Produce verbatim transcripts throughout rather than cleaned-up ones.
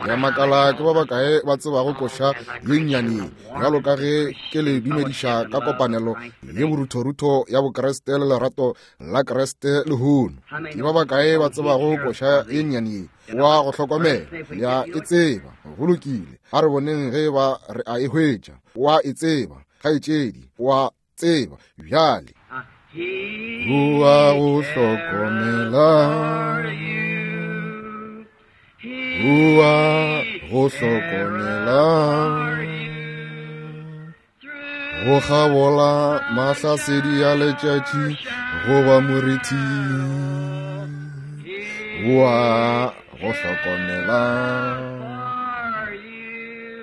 Ya makala ke ba bakae ba tsebago koša ye nnyane ye, bjalo ka ge ke le dumediša ka kopanelo ye boruthorutho ya Bokriste le lerato la Kriste lehono. Ke ba bakae ba tsebago koša ye nnyane ye? Wa go hlokomela, ya e tseba. Go lokile, a re boneng ge ba re a e hwetša. Wa e tseba, kgaetšedi, wa tseba bjale. Wa go hlokomela, wa go hlokomela, go kgabola mahlasedi a letšatši goba moriti, wa go hlokomela.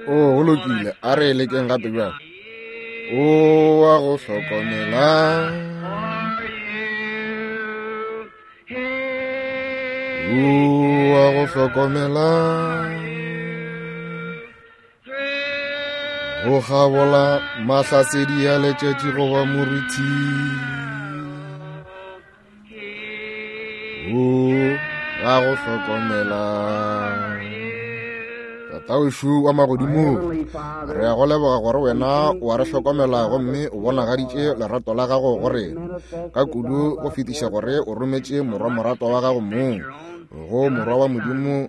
O go lokile, a re lekeng gape bjale. O wa go hlokomela, o wa go hlokomela, go kgabola mahlasedi a letšatši goba moriti, o wa go hlokomela. Tatawešu wa magodimong, re a go leboga gore wena o a re hlokomela gomme o bonagaditše lerato la gago go rena ka kudu go fetiša gore o rometše morwa moratwa wa gago mong, go morwa wa Modimo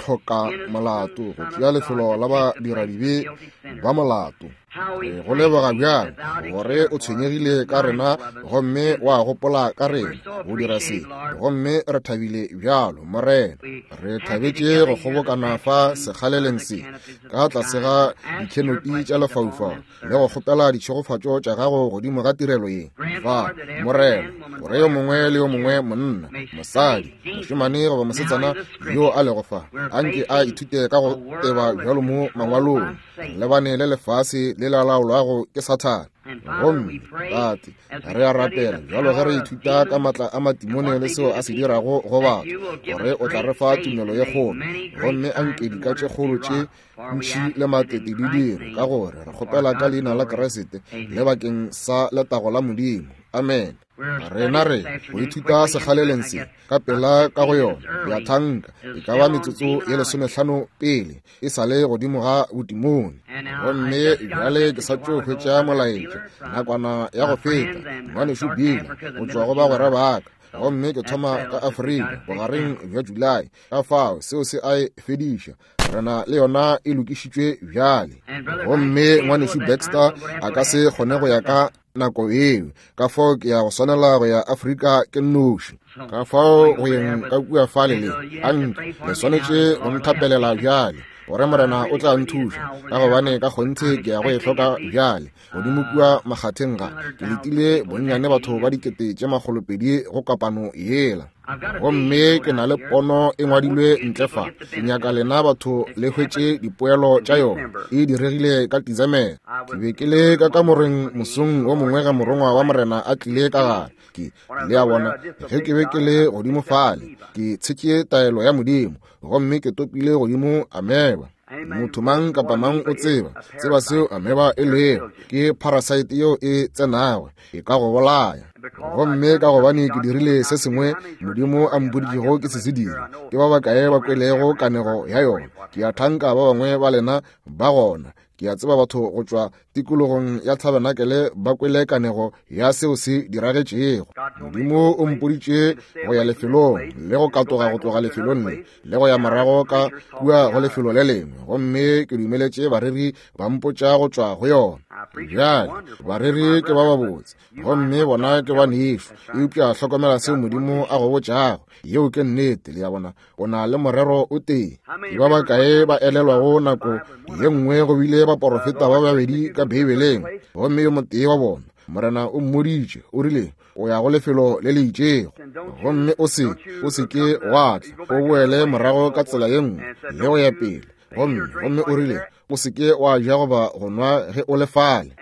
hloka molato, go tšea lefelo la badiradibe ba molato. Re go leboga bjang gore o tshwenyegile ka rena gomme wa gopola ka rena go dira se, gomme re thabile bjalo, Morena. Re thabetše go kgobokana fa sekgaleleng se ka tlase ga dikhenopi tša lefaufau le go kgopela ditšhegofatšo tša gago godimo ga tirelo ye fa, Morena, gore yo mongwe le yo mongwe, monna, mosadi, mošemane goba mosetsana yo a lego fa, anke a ithute ka go teba bjalo mo mangwalong, lebane le lefase le la laolwago ke Sathane. Gomme Tate, re a rapela bjalo ge re ithuta ka matla a matimone le seo a se dirago go batho, gore o tla re fa tumelo ye kgolo, gomme anke dika tše kgolo tše ntši le matete di dire, ka gore re kgopela ka leina la Kriste le bakeng sa letago la Modimo. Amen. Rena re go ithuta sekgaleleng se ka pela ka go yona ya thanka e ka ba metsotso ye lesomehlano pele e sa le godimo ga botimone. Gomme bjale ke sa tšo hwetša molaetša nakwana ya go feta, ngwanešu Bill go tšwa go bagwera ba ka, gomme ke thoma ka Afrika bogareng bja Julae. Ka fao seo se a e fediša, rena le yona e lokišitšwe bjale. Gomme ngwanešu Baxter a ka se kgone go ya ka nako eo, ka fao ke ya go swanela go ya Afrika ke nnoši. Ka fao go yeng ka kua fale le anke le swanetše go nthapelela bjale, gore Morena o tla nthuša, ka gobane ka kgonthe ke ya go e hloka bjale. Godimo kua makgatheng ga ke letile bonnyane batho ba dikete tše makgolopedi go kopano yela, gomme ke na le pono e ngwadilwe ntle fa. Ke nyaka lena batho le hwetše dipoelo tša yona. E diregile ka Tizamele. Ke be ke le ka kamoreng mosong wo mongwe ga morongwa wa Morena a tlile ka gare. Ke le a bona ge ke be ke le godimo fale, ke tshetše taelo ya Modimo, gomme ke topile godimo ameba. Motho mang kapa mang o tseba tseba seo ameba e lego, ke parasite yeo e tsenago e ka go bolaya. Gomme ka gobane ke dirile se sengwe Modimo a mpoditšego ke se se dire, ke ba bakae ba kwelego kanego ya yona? Ke a thanka ba bangwe ba lena ba gona. Ke a tseba batho go tšwa tikologong ya Tabernacle ba kwele kanego ya seo se diragetšego. Modimo o mpoditše go ya lefelong le go katoga go tloga lefelong le le go ya morago ka kua go lefelo le lengwe, gomme ke dumeletše bareri ba mpotša go tšwa go yona. Bjale bareri ke ba babotse, gomme bona ke ba nešo, eupša hlokomela seo Modimo a go botšago. Yeo ke nnete, le ya bona, o na le morero o tee. Ke ba bakae ba elelwago nako ye nngwe go bile baporofeta ba babedi ka Beibeleng, gomme yo motee wa bona Morena o mmoditše, o rile o ya go lefelo le le itšego, gomme o se o se ke wa tla, o boele morago ka tsela ye nngwe le go ya pele. Gomme gomme o rile o se ke wa ja goba go nwa ge o le fale.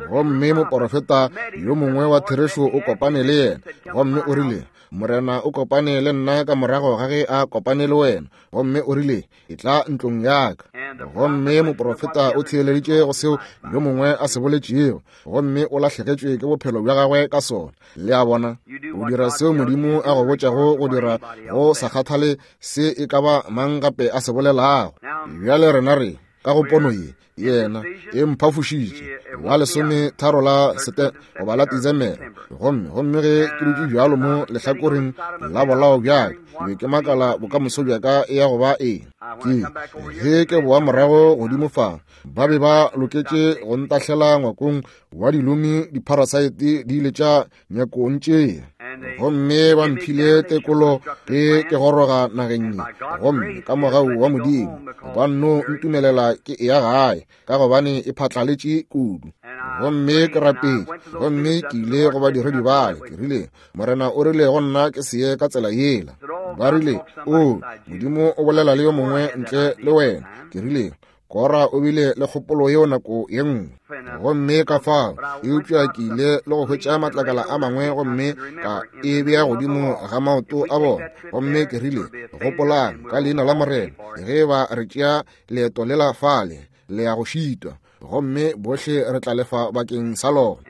Gomme moporofeta yo mongwe wa therešo o kopane le yena, gomme o rile Morena o kopane le nna ka morago ga ge a kopane le wena, gomme o rile e tla ntlong ya ka. Gomme moporofeta o theeleditše go seo yo mongwe a se boletšego, gomme o lahlegetšwe ke bophelo bja gagwe ka sona. Le a bona, o dira seo Modimo a go botšago go dira, go sa kgathale se e ka ba mang gape a se bolelago. Bjale rena re ka go pono ye, yena e mphafošitše la lesometharo la sete goba la Desemere. Gomme gomme ge ke dutše bjalo mo lehlakoreng la bolao bjaka, ke be ke makala bokamoso bjaka e ya go ba eng. Ke ge ke boa morago godimo fa, ba be ba loketše go ntahlela ngwakong wa dilomi, dipharasaete di ile tša nyakong tšea. Gomme ba mphile tekolo ge ke goroga nageng ye, gomme ka mogau wa Modimo ba nno ntumelela ke eya gae, ka gobane e phatlaletše kudu. Gomme ke rapetše, gomme ke ile go badiredi bale, ke rile, Morena o rile go nna ke se ye ka tsela yela. Ba rile, O, Modimo o bolela le yo mongwe ntle le wena. Ke rile, Kora o bile le kgopolo yeo nako ye nngwe. Gomme ka fao, eupša ke ile le go hwetša matlakala a mangwe gomme ka e bea godimo ga maoto a bona. Gomme ke rile, gopolang ka leina la Morena, ge ba re tšea leeto lela fale, le ya go šitwa, gomme bohle re tla lefa bakeng sa lona.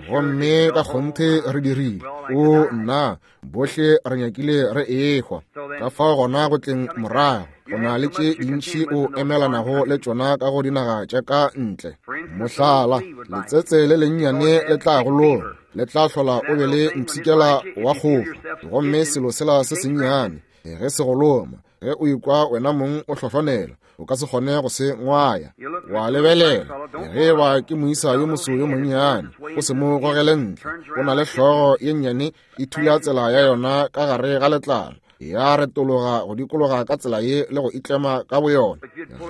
Gomme ka kgonthe re dirile. O nna, bohle re nyakile re ehwa. Ka fao gona go tleng morago, go na le tše dintši o emelanago le tšona ka go dinaga tša ka ntle. Mohlala, letsetse le lennyane le tla go loma, le tla hlola o be le mpshikela wa kgofa. Gomme selo sela se sennyane ge se go loma, ge o ikwa wena mong o hlohlonela, o ka se kgone go se ngwaya. Wa lebelela, ge ba ke moisa yo moso yo monnyane, o se mo gogele ntle. O na le hlogo ye nnyane e thula tsela ya yona ka gare ga letlalo, ya retologa go dikologa ka tsela ye le go itlema ka boyona.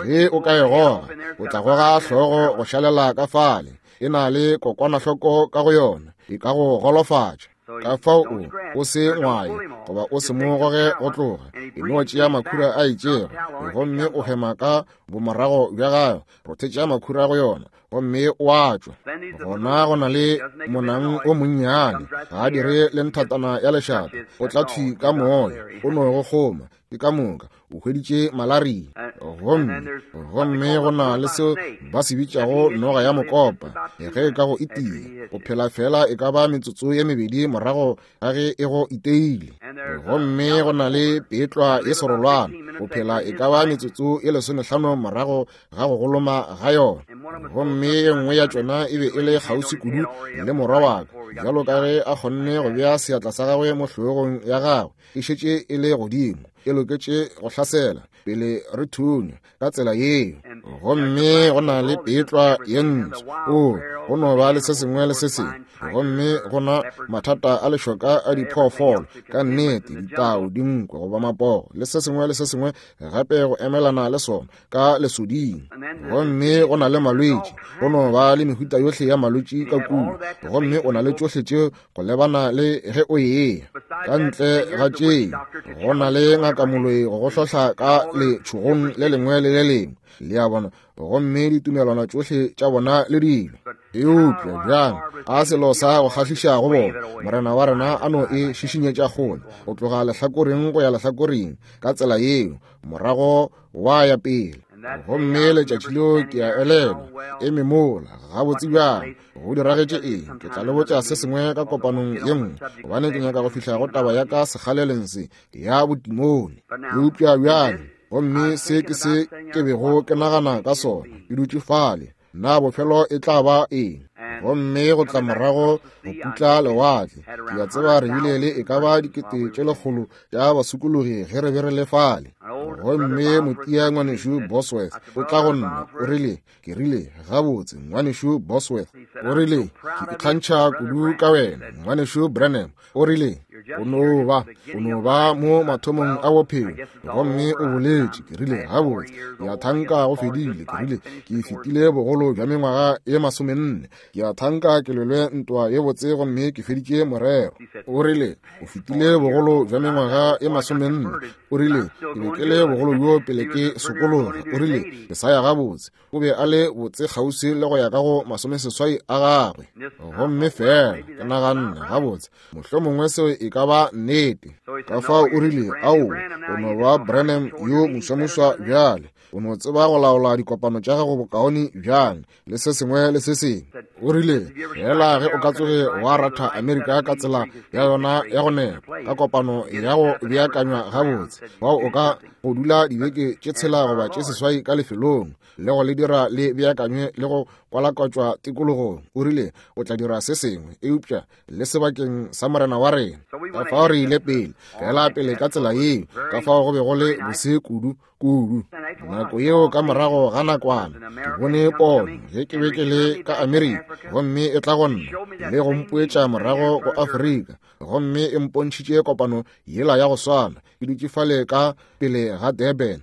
Ge o ka e goga, o tla goga hlogo go šalela ka fale. E na le kokwanahloko ka go yona, e ka go golofatša. Ka fao o o se ngwaye goba o se mo goge go tloga. E no tšea makhura a itšego, gomme o hema ka bomorago bja gago, rothetša makhura go yona, gomme o a tšwa. Gona go na le monang o monnyane, ga a dire le nthatana ya lešata, o tla thwi ka moya, o no go kgoma, ke ka moka, o hweditše malaria. Gomme gomme go na le seo ba se bitšago noga ya mokopa, ge e ka go itia, o phela fela e ka ba metsotso ye mebedi morago ga ge e go iteile. Gomme go na le petlwa ye serolwana, o phela e ka ba metsotso ye lesomehlano morago ga go goloma ga yona. Gomme ye nngwe ya tšona e be e le kgauswi kudu le morwa wa ka, bjalo ka ge a kgonne go bea seatla sa gagwe mo hlogong ya gagwe, e šetše e le godimo, e loketše go hlasela pele re thunya ka tsela yeo. Gomme go na le petlwa ye ntsho, o go no ba le se sengwe le se sengwe. Gomme go na mathata a lešoka a diphoofolo, ka nnete, ditau, dinkwe goba mapogo le se sengwe le se sengwe gape go emelana le sona ka lesoding. Gomme go na le malwetši, go no ba le mehuta yohle ya malwetši ka kua. Gomme o na le tšohle tšeo go lebana le ge o eya. Ka ntle ga tšeo, go na le ngaka moloi go go hlohla ka letšhogong le lengwe le le lengwe, le a bona, gomme ditumelwana tšohle tša bona le dilo. Eupša bjang a selo sa go kgahliša go bona, Morena wa rena a no e šišinyetša kgole go tloga lehlakoreng go ya lehlakoreng ka tsela yeo, morago wa ya pele. Gomme letšatši leo ke a elelwa, eme mola gabotse bjang, go diragetše eng? Ke tla le botša se sengwe ka kopanong ye nngwe, gobane ke nyaka go fihla go taba ya ka sekgaleleng se ya botimone. Eupša bjale, gomme se ke se ke bego ke nagana ka sona, ke dutše fale, na bofelo e tla ba eng? Gomme go tla morago go putla lewatle, ke a tseba re bile le e ka ba dikete tše lekgolo tša basokologi ge re be re le fale. Gomme motia ngwanešu Bosworth o tla go nna, o rile, ke rile, gabotse ngwanešu Bosworth, o rile, ke ikgantšha kudu ka wena ngwanešu Branham. O rile, o no ba, o no ba mo mathomong a bophelo, gomme o boletše. Ke rile, gabotse, ke a thanka go fedile. Ke rile, ke fetile bogolo bja mengwaga ye masomenne, ke a thanka ke lwelwe ntwa ye botse gomme ke feditše morero. O rile, o fetile bogolo bja mengwaga ye masomenne. O rile, ke be ke le bogolo bjo pele ke sokologa. O rile, ke sa ya gabotse. O be a le botse kgauswi le go ya ka go masomeseswai a gagwe. Gomme fela ke naganne, gabotse, mohlomongwe seo e ka ba nnete. Ka fao o rile, ao, o no ba Branham yo moswamuswa bjale, o no tseba go laola dikopano tša gago bokaone bjang, le se sengwe le se sengwe. O rile, fela ge o ka tsoge wa ratha Amerika ka tsela ya yona ya go nepa, ka kopano ya go beakanywa gabotse, fao o ka go dula dibeke tše tshela goba tše seswai ka lefelong, le go le dira le beakanywe le go kwalakwatšwa tikologong. O rile, o tla dira se sengwe, eupša le sebakeng sa morena wa rena. Ka fao re ile pele, fela pele ka tsela yeo, ka fao go be go le bose kudu kudu. Nako yeo ka morago ga nakwana, ke bone pono ge ke be ke le ka Amerika, gomme e tla go nna le go mpoetša morago go Afrika, gomme e mpontšhitše kopano yela ya go swana ke dutše fale ka pele ga Durban.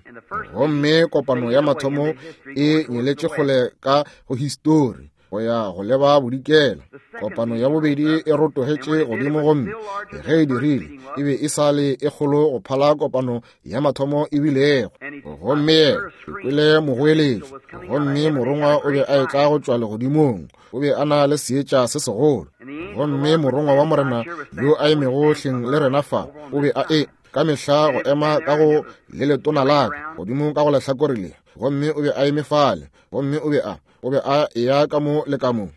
Gomme kopano ya mathomo e nyeletše kgole ka go histori go ya go leba bodikela. Kopano ya bobedi e rotogetše godimo, gomme ge e dirile e be e sa le e kgolo go phala kopano ya mathomo e bilego. Gomme ke kwele mogoeletšo, gomme morongwa o be a etla go tšwa legodimong, o be a na le seetša se segolo. Gomme morongwa wa morena yo a emego hleng le rena fa o be a e ka mehla go ema ka go le letona la ka godimo ka go lehlakore le, gomme o be a eme fale, gomme o be a o be a eya ka mo le ka mo.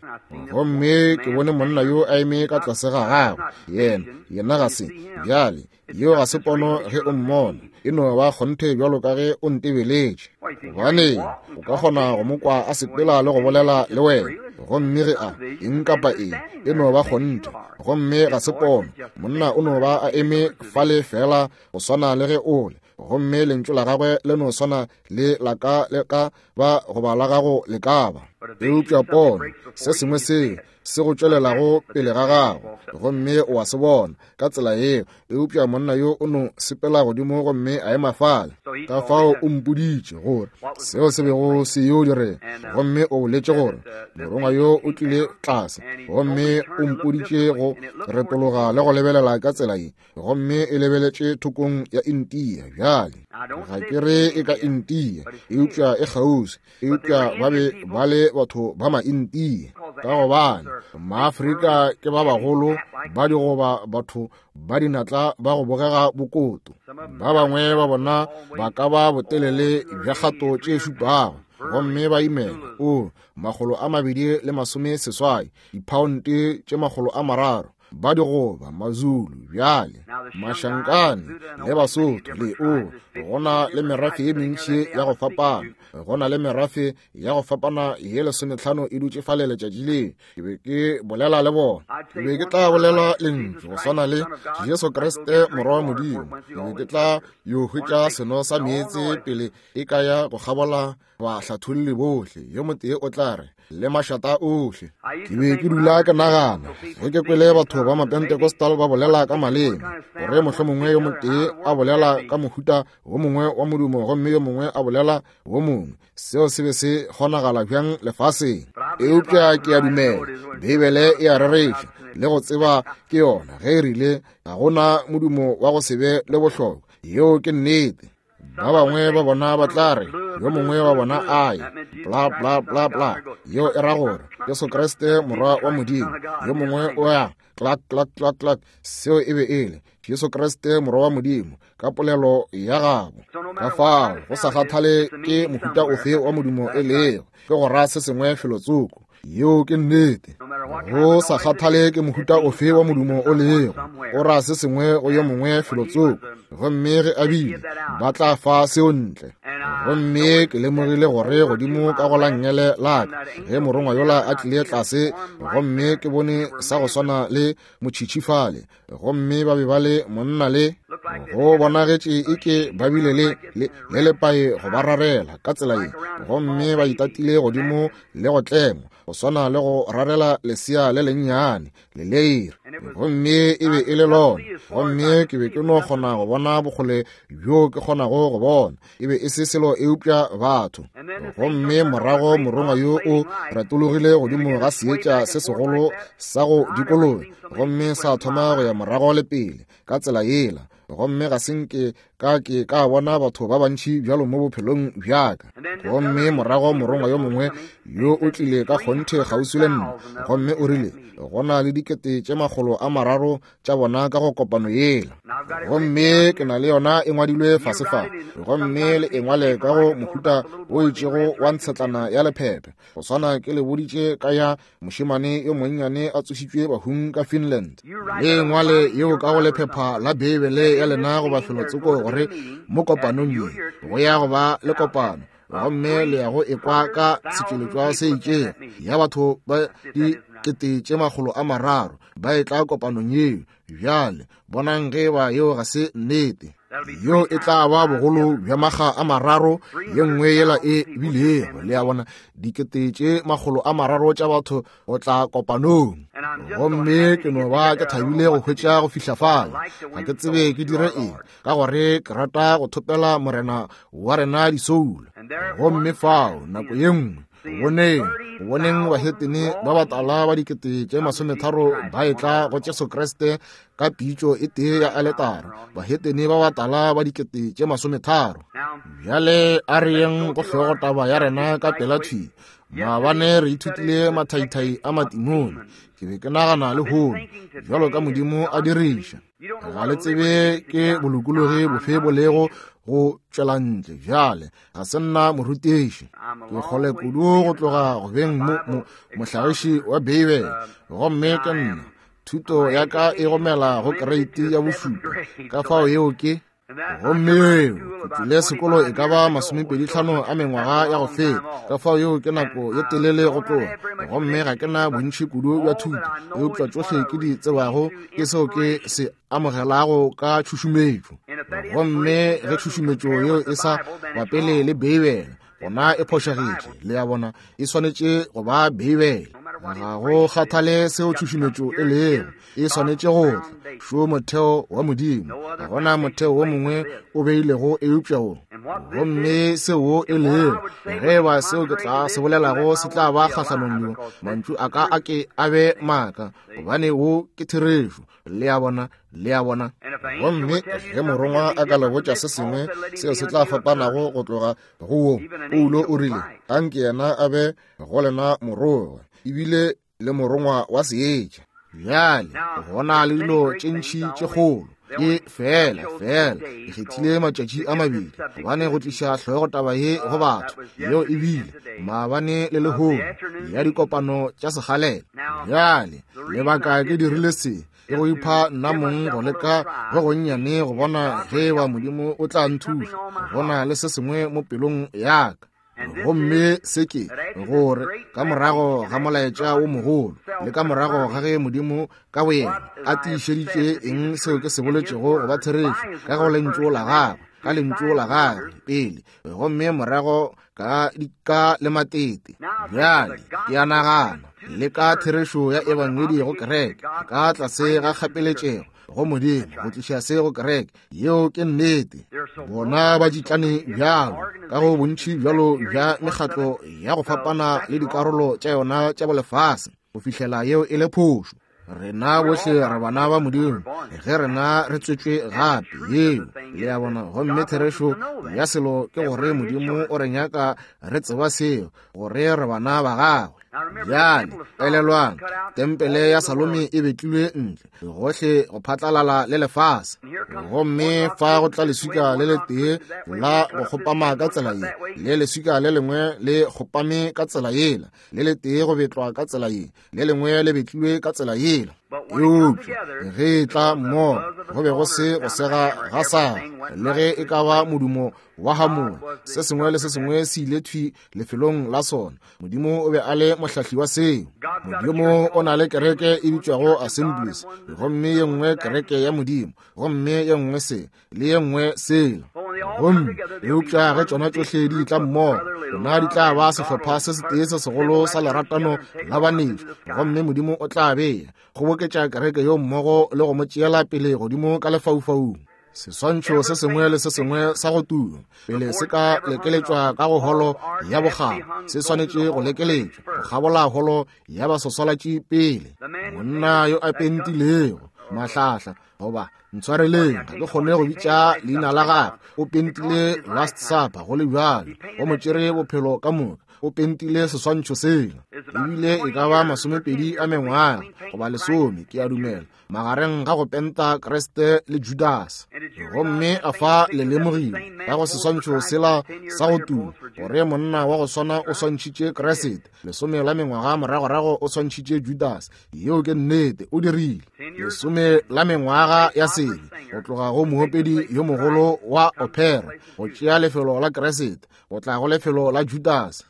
Gomme ke bone monna yo a eme ka tlase ga gagwe. Yena yena ga se bjale, yeo ga se pono ge o mmona, e no ba kgonthe bjalo ka ge o ntebeletše. Gobane o ka kgona go mo kwa a sepela le go bolela le wena, gomme ge a eng kapa eng e no ba kgonthe, gomme ga se pono. Monna o no ba a eme fale fela go swana le ge o le, gomme lentšu la gagwe le no swana le la ka le ka ba goba la gago le ka ba. Eupša pono, se sengwe se se go tšwelelago pele ga gago, gomme o a se bona ka tsela yeo. Eupša monna yo o no sepela godimo gomme a ema fale. Ka fao o mpoditše gore seo se bego se yo direga, gomme o boletše gore morongwa yo o tlile tlase, gomme o mpoditše go retologa le go lebelela ka tsela ye, gomme e lebeletše thokong ya India. Bjale ga ke re e ka India, eupša e kgauswi. Eupša ba be ba le batho ba ma-India, ka gobane Maafrika ke ba bagolo ba digoba, batho ba dinatla ba go bogega bokoto. Ba bangwe ba bona ba ka ba botelele bja kgato tše šupago, gomme ba imela o makgolo a mabedi le masome seswai, diphaonte tše makgolo a mararo. Ba digoba Mazulu bjale, Mashankane le Basotho le o go na le merafe ye mentši ya go fapana, go na le merafe ya go fapana ye lesometlhano e dutše fale letšatši le. Ke be ke bolela le bona, ke be ke tla bolela lentšu go swana le Jesu Kriste morwa wa Modimo. Ke be ke tla yo hwetša seno sa meetse pele e ka ya go kgabola bahlatholli bohle. Yo motee o tla re le mašata ohle. Ke be ke dula ke nagana ge ke kwele batho ba Mapentecostal ba bolela ka maleme, gore mohlomongwe yo motee a bolela ka mohuta wo mongwe wa modumo gomme yo mongwe a bolela wo mongwe. Seo se be se kgonagala bjang lefaseng? Eupša ke a dumela Beibele e a rereša le go tseba ke yona ge e rile ga gona modumo wa go se be le bohlokwa. Yeo ke nnete. Ba bangwe ba bona ba tla re, yo mongwe wa bona a ye bla bla bla bla, yeo e ra gore Jesu Kriste morwa wa Modimo. Yo mongwe o ya klak klak klak klak, seo e be e le Jesu Kriste morwa wa Modimo ka polelo ya gabo. Ka fao go sa kgathale ke mohuta ofe wa modumo e lego, ke go ra se sengwe felotsoko. Yeo ke nnete. Go sa kgathale ke mohuta ofe wa modumo o lego, o ra se sengwe go yo mongwe felotsoko, gomme ge a bile ba tla fa seo ntle. Gomme ke lemogile gore godimo ka go la nngele la ka ge morongwa yola a tlile tlase, gomme ke bone sa go swana le motšhitšhi fale, gomme ba be ba le monna le go bonagetše eke ba bile le le le lepae go ba rarela ka tsela ye, gomme ba itatile godimo le go tlengwa go swana le go rarela lesea le lennyane le leire, gomme e be e le lona. Gomme ke be ke no kgona go bona bokgole bjo ke kgonago go bona, e be e se selo eupša batho. Gomme morago morongwa yo o retologile godimo ga seetša se segolo sa go dikologa, gomme sa thoma go ya morago le pele ka tsela yela. Gomme ga se nke ka ke ka bona batho ba bantši bjalo mo bophelong bjaka. Gomme morago morongwa yo mongwe yo o tlile ka kgonthe kgauswi le nna, gomme o rile go na le dikete tše makgolo a mararo tša bona ka go kopano yela. Gomme ke na le yona e ngwadilwe fase fa, gomme le e ngwale ka go mohuta o itšego wa ntshetlana ya lephephe, go swana ke le boditše ka ya mošemane yo monnyane a tsošitšwe bahung ka Finland. Le ngwale yeo ka go lephepha la Beibele ya lena goba felotsoko, gore mo kopanong ye go ya go ba le kopano, gomme le ya go ekwa ka setšweletšwa se itšego ya batho ba dikete tše makgolo a mararo ba e tla kopanong yeo. Bjale bonang ge ba yeo ga se nnete. Yeo e tla ba bogolo bja makga a mararo ye nngwe yela e bilego. Le a bona, dikete tše makgolo a mararo tša batho go tla kopanong. Gomme ke no ba ke thabile go hwetša go fihla fale. Ga ke tsebe ke dire eng, ka gore ke rata go thopela morena wa rena disoulo. Gomme fao nako ye nngwe boneng boneng bahetene ba batala ba dikete tše masometharo ba etla go Jesu Kriste ka pitšo e tee ya aletara, bahetene ba batala ba dikete tše masometharo. Bjale a re yeng go hlogo taba ya rena ka pela thwi. Maabane re ithutile mathaithai a matimone. Ke be ke nagana lehono bjalo ka Modimo a diriša. Ga le tsebe ke bolokologi bofe bo lego go tšwela ntle. Bjale ga se nna morutiši, ke kgole kudu go tloga go beng mohlagiši wa Beibele, gomme ke nna thuto ya ka e gomela go kereiti ya bošupa, ka fao yeo ke. Gomme eo ke tšwile sekolo e ka ba masomepedi tlhano a mengwaga ya go feta, ka fao yeo ke nako ye telele go tloga. Gomme ga ke na bontši kudu bja thuto, eupša tšohle ke di tsebago ke seo ke se amogelago ka tšhušumetšo. Gomme ge tšhušumetšo yeo e sa bapele le Beibele, gona e phošagetše. Le a bona, e swanetše go ba Beibele. Ga go kgathale seo tšhušumetšo e lego, e swanetše go tla šo motheo wa Modimo. Ga gona motheo wo mongwe o beilego eupša wo. Gomme seo e lego, ge ba seo ke tla se bolelago se tla ba kgahlanong yo, mantšu a ka a ke a be maaka, gobane wo ke therešo. Le a bona, le a bona. Gomme ge morongwa a ka le botša se sengwe seo se tla fapanago go tloga go wo, Paulo o rile anke yena a be go lena morongwa, ebile le morongwa wa seetša. Bjale gona le dilo tše ntši tše kgolo, ke fela fela ke kgethile matšatši a mabedi gobane go tliša hlogo taba ye go batho, yeo e bile maabane le lehono ya dikopano tša sekgalela. Bjale lebaka ke dirile se ke go ipha nna mong go leka go gonnyane go bona ge ba Modimo o tla nthuša. Go na le se sengwe mo pelong ya ka. Gomme se ke gore ka morago ga molaetša wo mogolo le ka morago ga ge Modimo ka boyena a tiišeditše eng seo ke se boletšego go ba therešo ka go lentšu la gagwe, ka lentšu la gagwe pele, gomme morago ka dika le matete. Bjale ke a nagana le ka therešo ya ebangedi go kereke ka tlase ga kgapeletšego go Modimo go tliša se go kereke. Yeo ke nnete. Bona ba tšitlane bjalo ka go bontši bjalo bja mekgatlo ya go fapana le dikarolo tša yona tša bolefase go fihlela yeo e le phošo. Rena bohle re bana ba Modimo ge rena re tswetšwe gape. Yeo le a bona. Gomme therešo ya selo ke gore Modimo o re nyaka re tseba seo, gore re bana ba gagwe. Bjale elelwang, tempele ya Salome e betlilwe ntle gohle go phatlalala le lefase, gomme fa go tla leswika le letee la go kgopama ka tsela ye, le leswika le lengwe le kgopame ka tsela yela, le letee go betlwa ka tsela ye, le lengwe le betlilwe ka tsela yela. Eupša ge e tla mmogo go be go se go sega ga sa, le ge e ka ba modumo wa hamola, se sengwe le se sengwe se ile thwi lefelong la sona. Modimo o be a le mohlahli wa seo. Modimo o na le kereke e bitšwago Assemblies, gomme ye nngwe kereke ya Modimo, gomme ye nngwe se le ye nngwe sela. Gomme eupša ge tšona tšohle di tla mmogo, tšona di tla ba sehlopha se setee se segolo sa leratano la banešu, gomme Modimo o tla bea kgoboketša kereke yo mmogo le go mo tšeela pele godimo ka lefaufaung. Seswantšho se sengwe le se sengwe sa go tuma pele se ka lekeletšwa ka go holo ya bokgabo, se swanetše go lekeletšwa go kgabola holo ya baswaswalatši pele. Monna yo a pentilego Mahlahla, goba ntshwareleng, ga ke kgone go bitša leina la gagwe. O pentile Last Supper go le bjalo, go mo tšere bophelo ka moka. O pentile seswantšho sela. Ebile e ka ba masomepedi a mengwaga goba lesome, ke a dumela, magareng ga go penta Kriste le Judas. Gomme a fa le lemogile ka go seswantšho sela sa go tuma gore monna wa go swana o swantšhitše Kriste lesome la mengwaga moragorago o swantšhitše Judas. Yeo ke nnete, o dirile lesome la mengwaga ya sebe go tloga go moopedi yo mogolo wa opera go tšea lefelo la Kriste go tla go lefelo la Judas.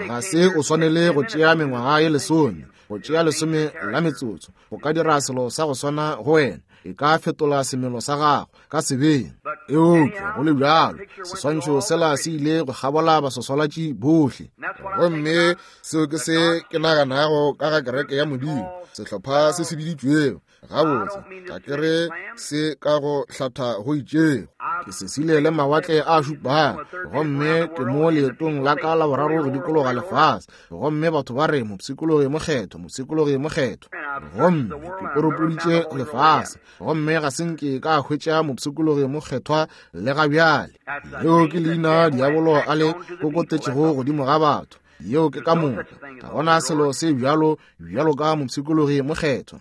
Ga se o swanele go tšea mengwaga ye lesome, go tšea lesome la metsotso go ka dira selo sa go swana go wena, e ka fetola semelo sa gago ka sebeng. Eupša go le bjalo, seswantšho sela se ile go kgabola baswaswalatši bohle. Gomme seo ke se ke naganago ka ga kereke ya Modimo, sehlopha se se biditšwego. Gabotse, ga ke re se ka go hlatha go itšego. Ke sesile le mawatle a šupago, gomme ke mo leetong la ka la boraro go dikologa lefase. Gomme batho ba re mopshikologi mokgetho, mopshikologi mokgetho. Gomme ke koropoditše lefase, gomme ga se nke ka hwetša mopshikologi mokgethwa le ga bjale. Leo ke leina diabolo a le kokotetšego godimo ga batho. Yeo ke ka moka. Ga gona selo se bjalo bjalo ka mopshikologi mokgethwa.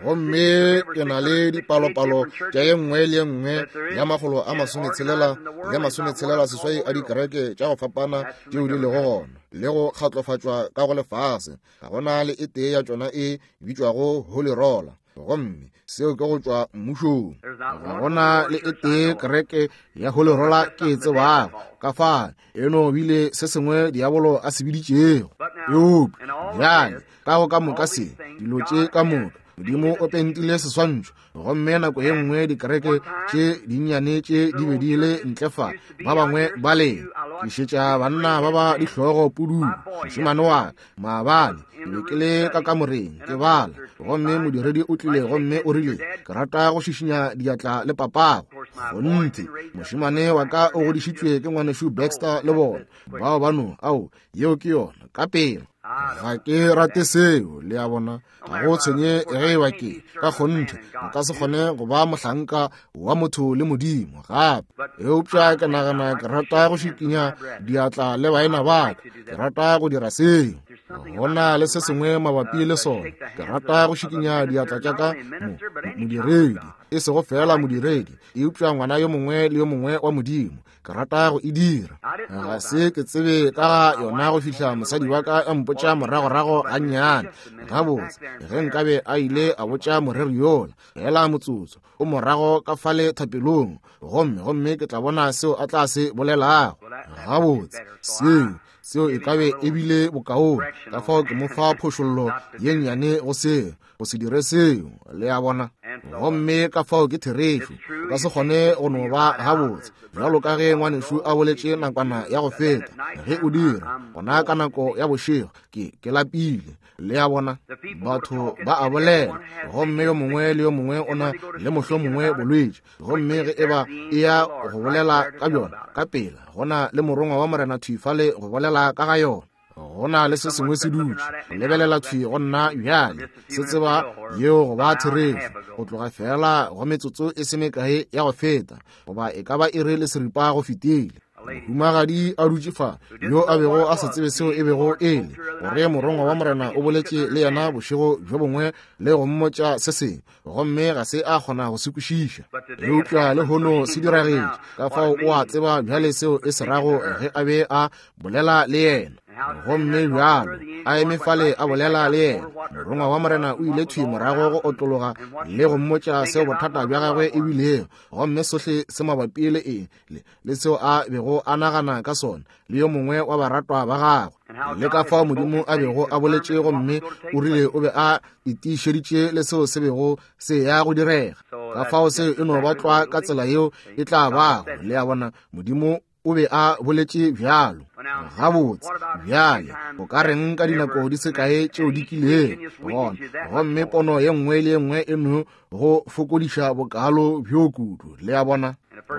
Gomme ke na le dipalopalo tša ye nngwe le ye nngwe ya makgolo a masometshelela le masometshelela seswai a dikereke tša go fapana tšeo di lego gona le go kgatlofatšwa ka go lefase. Ga gona le e tee ya tšona e bitšwago Holy Roller, gomme seo ke go tšwa mmušong. Ga gona le e tee kereke ya Holy Roller ke e tsebago ka fa eno bile se sengwe diabolo a se biditšego. Eupša bjale ka go ka moka se dilo tše ka moka, Modimo o pentile seswantšho. Gomme nako ye nngwe dikereke tše dinnyane tše di be di le ntle fa, ba bangwe ba lena ke šetša banna ba ba dihlogo pududu. Mošemane wa ka maabane ke be ke le ka kamoreng ke bala, gomme modiredi o tlile gomme o rile, ke rata go šišinya diatla le papago. Kgonthe, mošemane wa ka o godišitšwe ke ngwanešu Baxter le bona bao bano. Ao, yeo ke yona ka pela. Ga ke rate seo, le a bona. Ga go tshwenye ge eba ke ka kgonthe nka se kgone go ba mohlanka wa motho le Modimo gape. Eupša ke nagana ke rata go šikinya diatla le baena ba ka. Ke rata go dira seo. Go na le se sengwe mabapi le sona. Ke rata go šikinya diatla tša ka mo modiredi, e sego fela modiredi, eupša ngwana yo mongwe le yo mongwe wa Modimo. Ke rata go e dira. Ga se ke tsebe ka ga yona go fihla mosadi wa ka a mpotša moragorago gannyane. Gabotse, ge nkabe a ile a botša moreri yola, fela motsotso o morago ka fale thapelong, gomme gomme ke tla bona seo a tla se bolelago. Gabotse, seo seo e kabe e bile bokaone. Ka fao ke mo fa phošollo ye nnyane go seo, go se dire seo, le a bona. Gomme ka fao ke therešo, o ka se kgone go no ba gabotse bjalo ka ge ngwanešu a boletše nakwana ya go feta. Ge o dira gona ka nako ya bošego, ke ke lapile, le a bona. Batho ba a bolela, gomme yo mongwe le yo mongwe o na le mohlomongwe bolwetši, gomme ge eba e ya go bolela ka bjona ka pela, gona le morongwa wa Morena thwi fale go bolela ka ga yona. Go na le se sengwe se dutše go lebelela thwi go nna bjale, se tseba yeo go ba therešo go tloga fela go metsotso e se mekae ya go feta, goba e ka ba iri le seripa go fetile. Mohumagadi a dutše fa yo a bego a sa tsebe seo e bego e le, gore morongwa wa Morena o boletše le yena bošego bjo bongwe le go mmotša se sengwe, gomme ga se a kgona go se kwešiša. Eupša lehono se diragetše, ka fao o a tseba bjale seo e se rago ge a be a bolela le yena. Gomme bjalo a eme fale a bolela le yena, morongwa wa Morena o ile thwi morago go otlologa le go mmotša seo bothata bja gagwe e bilego, gomme sohle se mabapi le eng le, le seo a bego a nagana ka sona le yo mongwe wa baratwa ba gagwe, le ka fao Modimo a bego a boletše, gomme o rile o be a itišeditše le seo se bego se ya go direga. Ka fao seo e no ba tlwa ka tsela yeo e tla bago, le a bona. Modimo o be a boletše bjalo. Gabotse, bjale o ka reng ka dinako di se kae tšeo di kilego gona, gomme pono ye nngwe le ye nngwe e no go fokodiša bokalo bjo kudu, le a bona.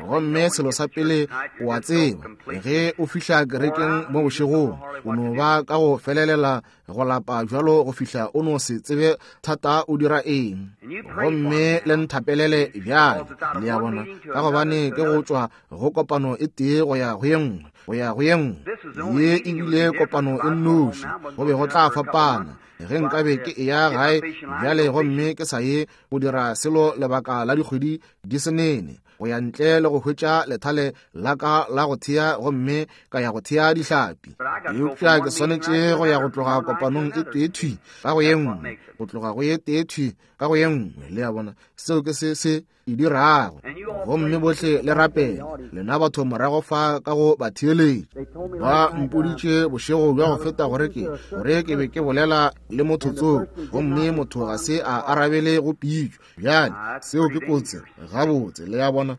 Gomme selo sa pele o a tseba, ge o fihla kerekeng mo bošegong, o no ba ka go felelela go lapa bjalo go fihla o no se tsebe thata o dira eng. Gomme le nthapelele bjale, le a bona, ka gobane ke go tšwa go kopano e tee go ya go ye nngwe, go ya go ye nngwe. Ye e bile kopano e nnoši, go be go tla fapana ge nkabe ke eya gae bjale gomme ke sa ye go dira selo lebaka la dikgwedi di se nene, go ya ntle le go hwetša lethale la ka la go thea gomme ka ya go thea dihlapi. Eupša ke swanetše go ya go tloga kopanong e tee thwi ka go ye nngwe, go tloga go ye tee thwi ka go ye nngwe. Le a bona, seo ke se se e dirago. Gomme bohle le rapele, lena batho morago fa ka go ba theeletša. Ba mpoditše bošego bja go feta gore ke gore ke be ke bolela le motho tsoko, gomme motho ga se a arabele go pitšo. Bjale seo ke kotsi gabotse, le a bona.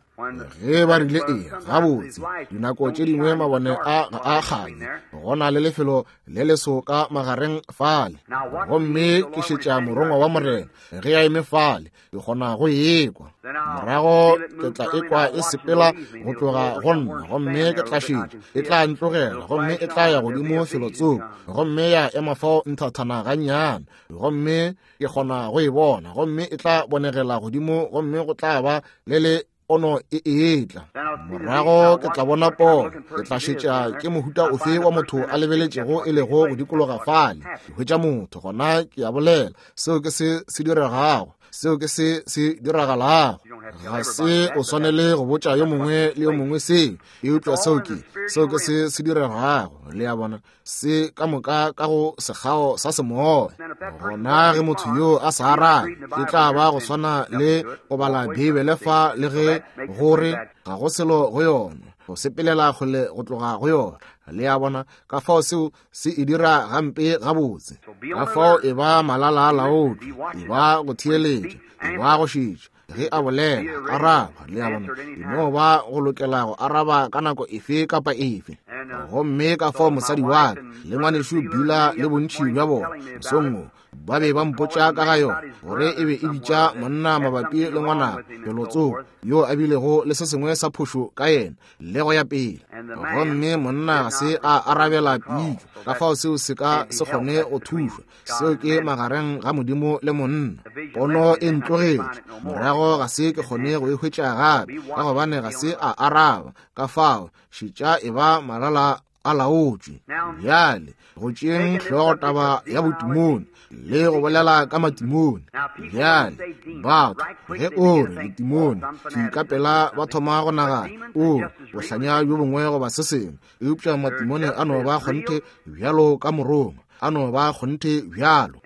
Ge ba rile ee gabotse, dinako tše dingwe mabone a ga a kganye, go na le lefelo le leso ka magareng fale, gomme ke šetša morongwa wa Morena ge a eme fale, ke kgona go ekwa. Morago ke tla ekwa e sepela go tloga go nna, gomme ke tla šetša, e tla ntlogela, gomme e tla ya godimo felotsoko, gomme ya ema fao nthathana gannyane, gomme ke kgona go e bona, gomme e tla bonegela godimo, gomme go tla ba le le pono e etla. Morago ke tla bona pono, ke tla šetša ke mohuta ofe wa motho a lebeletšego e lego go dikologa fale. Ke hwetša motho, gona ke a bolela, seo ke se se diregago, seo ke se se diragalago. Ga se o swanele go botša yo mongwe le yo mongwe seo, eupša seo ke seo ke se se diregago. Le a bona, se ka moka ka go sekgao sa semoya. Gona ge motho yo a sa arabe, e tla ba go swana le go bala Beibele fa le ge gore ga go selo go yona, go sepelela kgole go tloga go yona. Le a bona, ka fao seo se e dira gampe gabotse. Ka fao e ba malala a laotšwe, e ba go theeletša, e ba go šetša. Ge a bolela, araba. Le a bona, e no ba go lokela go araba ka nako efe kapa efe. Gomme ka fao mosadi wa ka le ngwanešu Bila le bontši bja bona mosong wo ba be ba mpotša ka ga yona, gore e be e bitša monna mabapi le ngwanabo felotsoko yo a bilego le se sengwe sa phošo ka yena le go ya pele. Gomme monna ga se a arabela pitšo, ka fao seo se ka se kgone go thušwa. Seo ke magareng ga Modimo le monna. Pono e ntlogetše, morago ga se ke kgone go e hwetša gape, ka gobane ga se a araba. Ka fao šetša e ba malala a laotšwe. Bjale go tšeeng hlogo taba ya botimone le go bolela ka matimone. Bjale batho ge o re letimone, thwi ka pela ba thoma go nagana o bohlanya bjo bongwe goba se sengwe, eupša matimone a no ba kgonthe bjalo ka morongwa, a no ba kgonthe bjalo.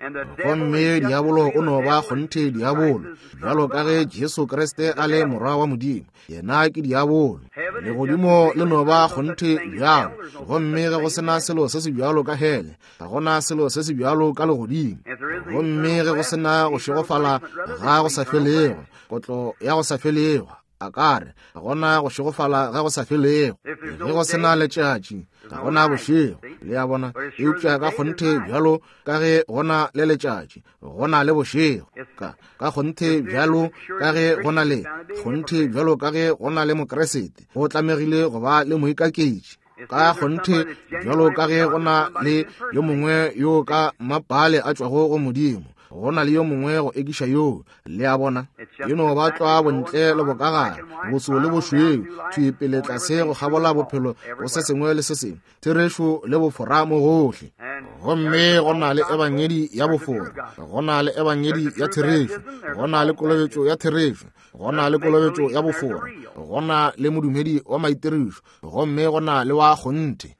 Gomme diabolo o no ba kgonthe diabolo, bjalo ka ge Jesu Kriste a le morwa wa Modimo, yena ke diabolo. Legodimo le no ba kgonthe bjalo, gomme ge go sena selo se se bjalo ka hele, ga gona selo se se bjalo ka legodimo. Gomme ge go sena go šegofala ga go sa felego, kotlo ya go sa felego, a ka re ga gona go šegofala ga go sa felego. Ge go sena letšatši, ga gona bošego. Le a bona, eupša ka kgonthe bjalo ka ge gona le letšatši, gona le bošego. Ka ka kgonthe bjalo ka ge gona le kgonthe bjalo ka ge gona le Mokreste, go tlamegile go ba le moikaketši. Ka kgonthe bjalo ka ge gona le yo mongwe yo ka mapale a tšwago go Modimo, go na le yo mongwe go ekiša yoo. Le a bona, e no ba tlwa bontle le bokagare, boso le bošweu, thwi pele tlase go kgabola bophelo go se sengwe le se sengwe, therešo le bofora mo gohle. Gomme go na le ebangedi ya bofora, go na le ebangedi ya therešo, go na le kolobetšo ya therešo, go na le kolobetšo ya bofora, go na le modumedi wa maitirišo, gomme go na le wa kgonthe.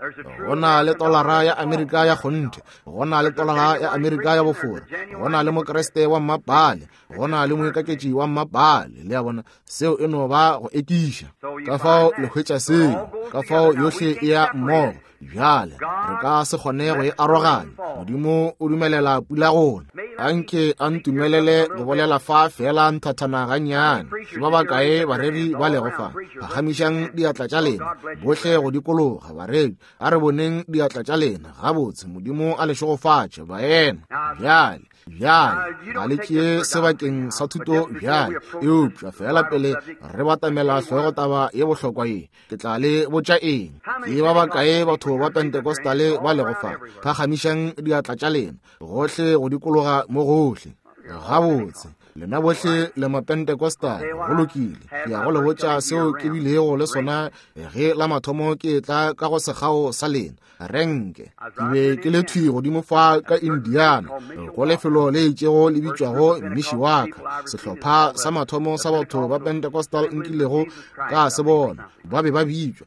Go na le tolara ya Amerika ya kgonthe, go na le tolara ya Amerika ya bofora, go na le Mokreste wa mmapale, go na le moikaketši wa mmapale. Le a bona, seo e no ba go ekiša. Ka fao le hwetša seo, ka fao yohle e ya mmogo. Bjale re ka se kgone go e aroganya. Modimo o dumelela pula gona. Anke a ntumelele go bolela fa fela nthathana gannyane. Ke ba bakae bareri ba lego fa? Phagamišang diatla tša lena bohle go dikologa. Bareri, a re boneng diatla tša lena. Gabotse, Modimo a le šegofatše, baena. Bjale Bjale ga le tšee sebakeng sa thuto bjale, eupša fela pele re batamela hlogotaba ye bohlokwa ye, ke tla le botša eng. Ke ba bakae batho ba Pentecostale ba lego fa? Phagamišang diatla tša lena gohle go dikologa mo gohle. Gabotse, lena bohle le Mapentecostal, go lokile. Ke ya go le botša seo ke bilego le sona ge la mathomo ke tla ka go sekgao sa lena renke. Ke be ke le thwi godimo fa ka Indiana, go lefelo le itšego le bitšwago Mishawaka. Sehlopha sa mathomo sa batho ba Pentecostal nkilego ka se bona, ba be ba bitšwa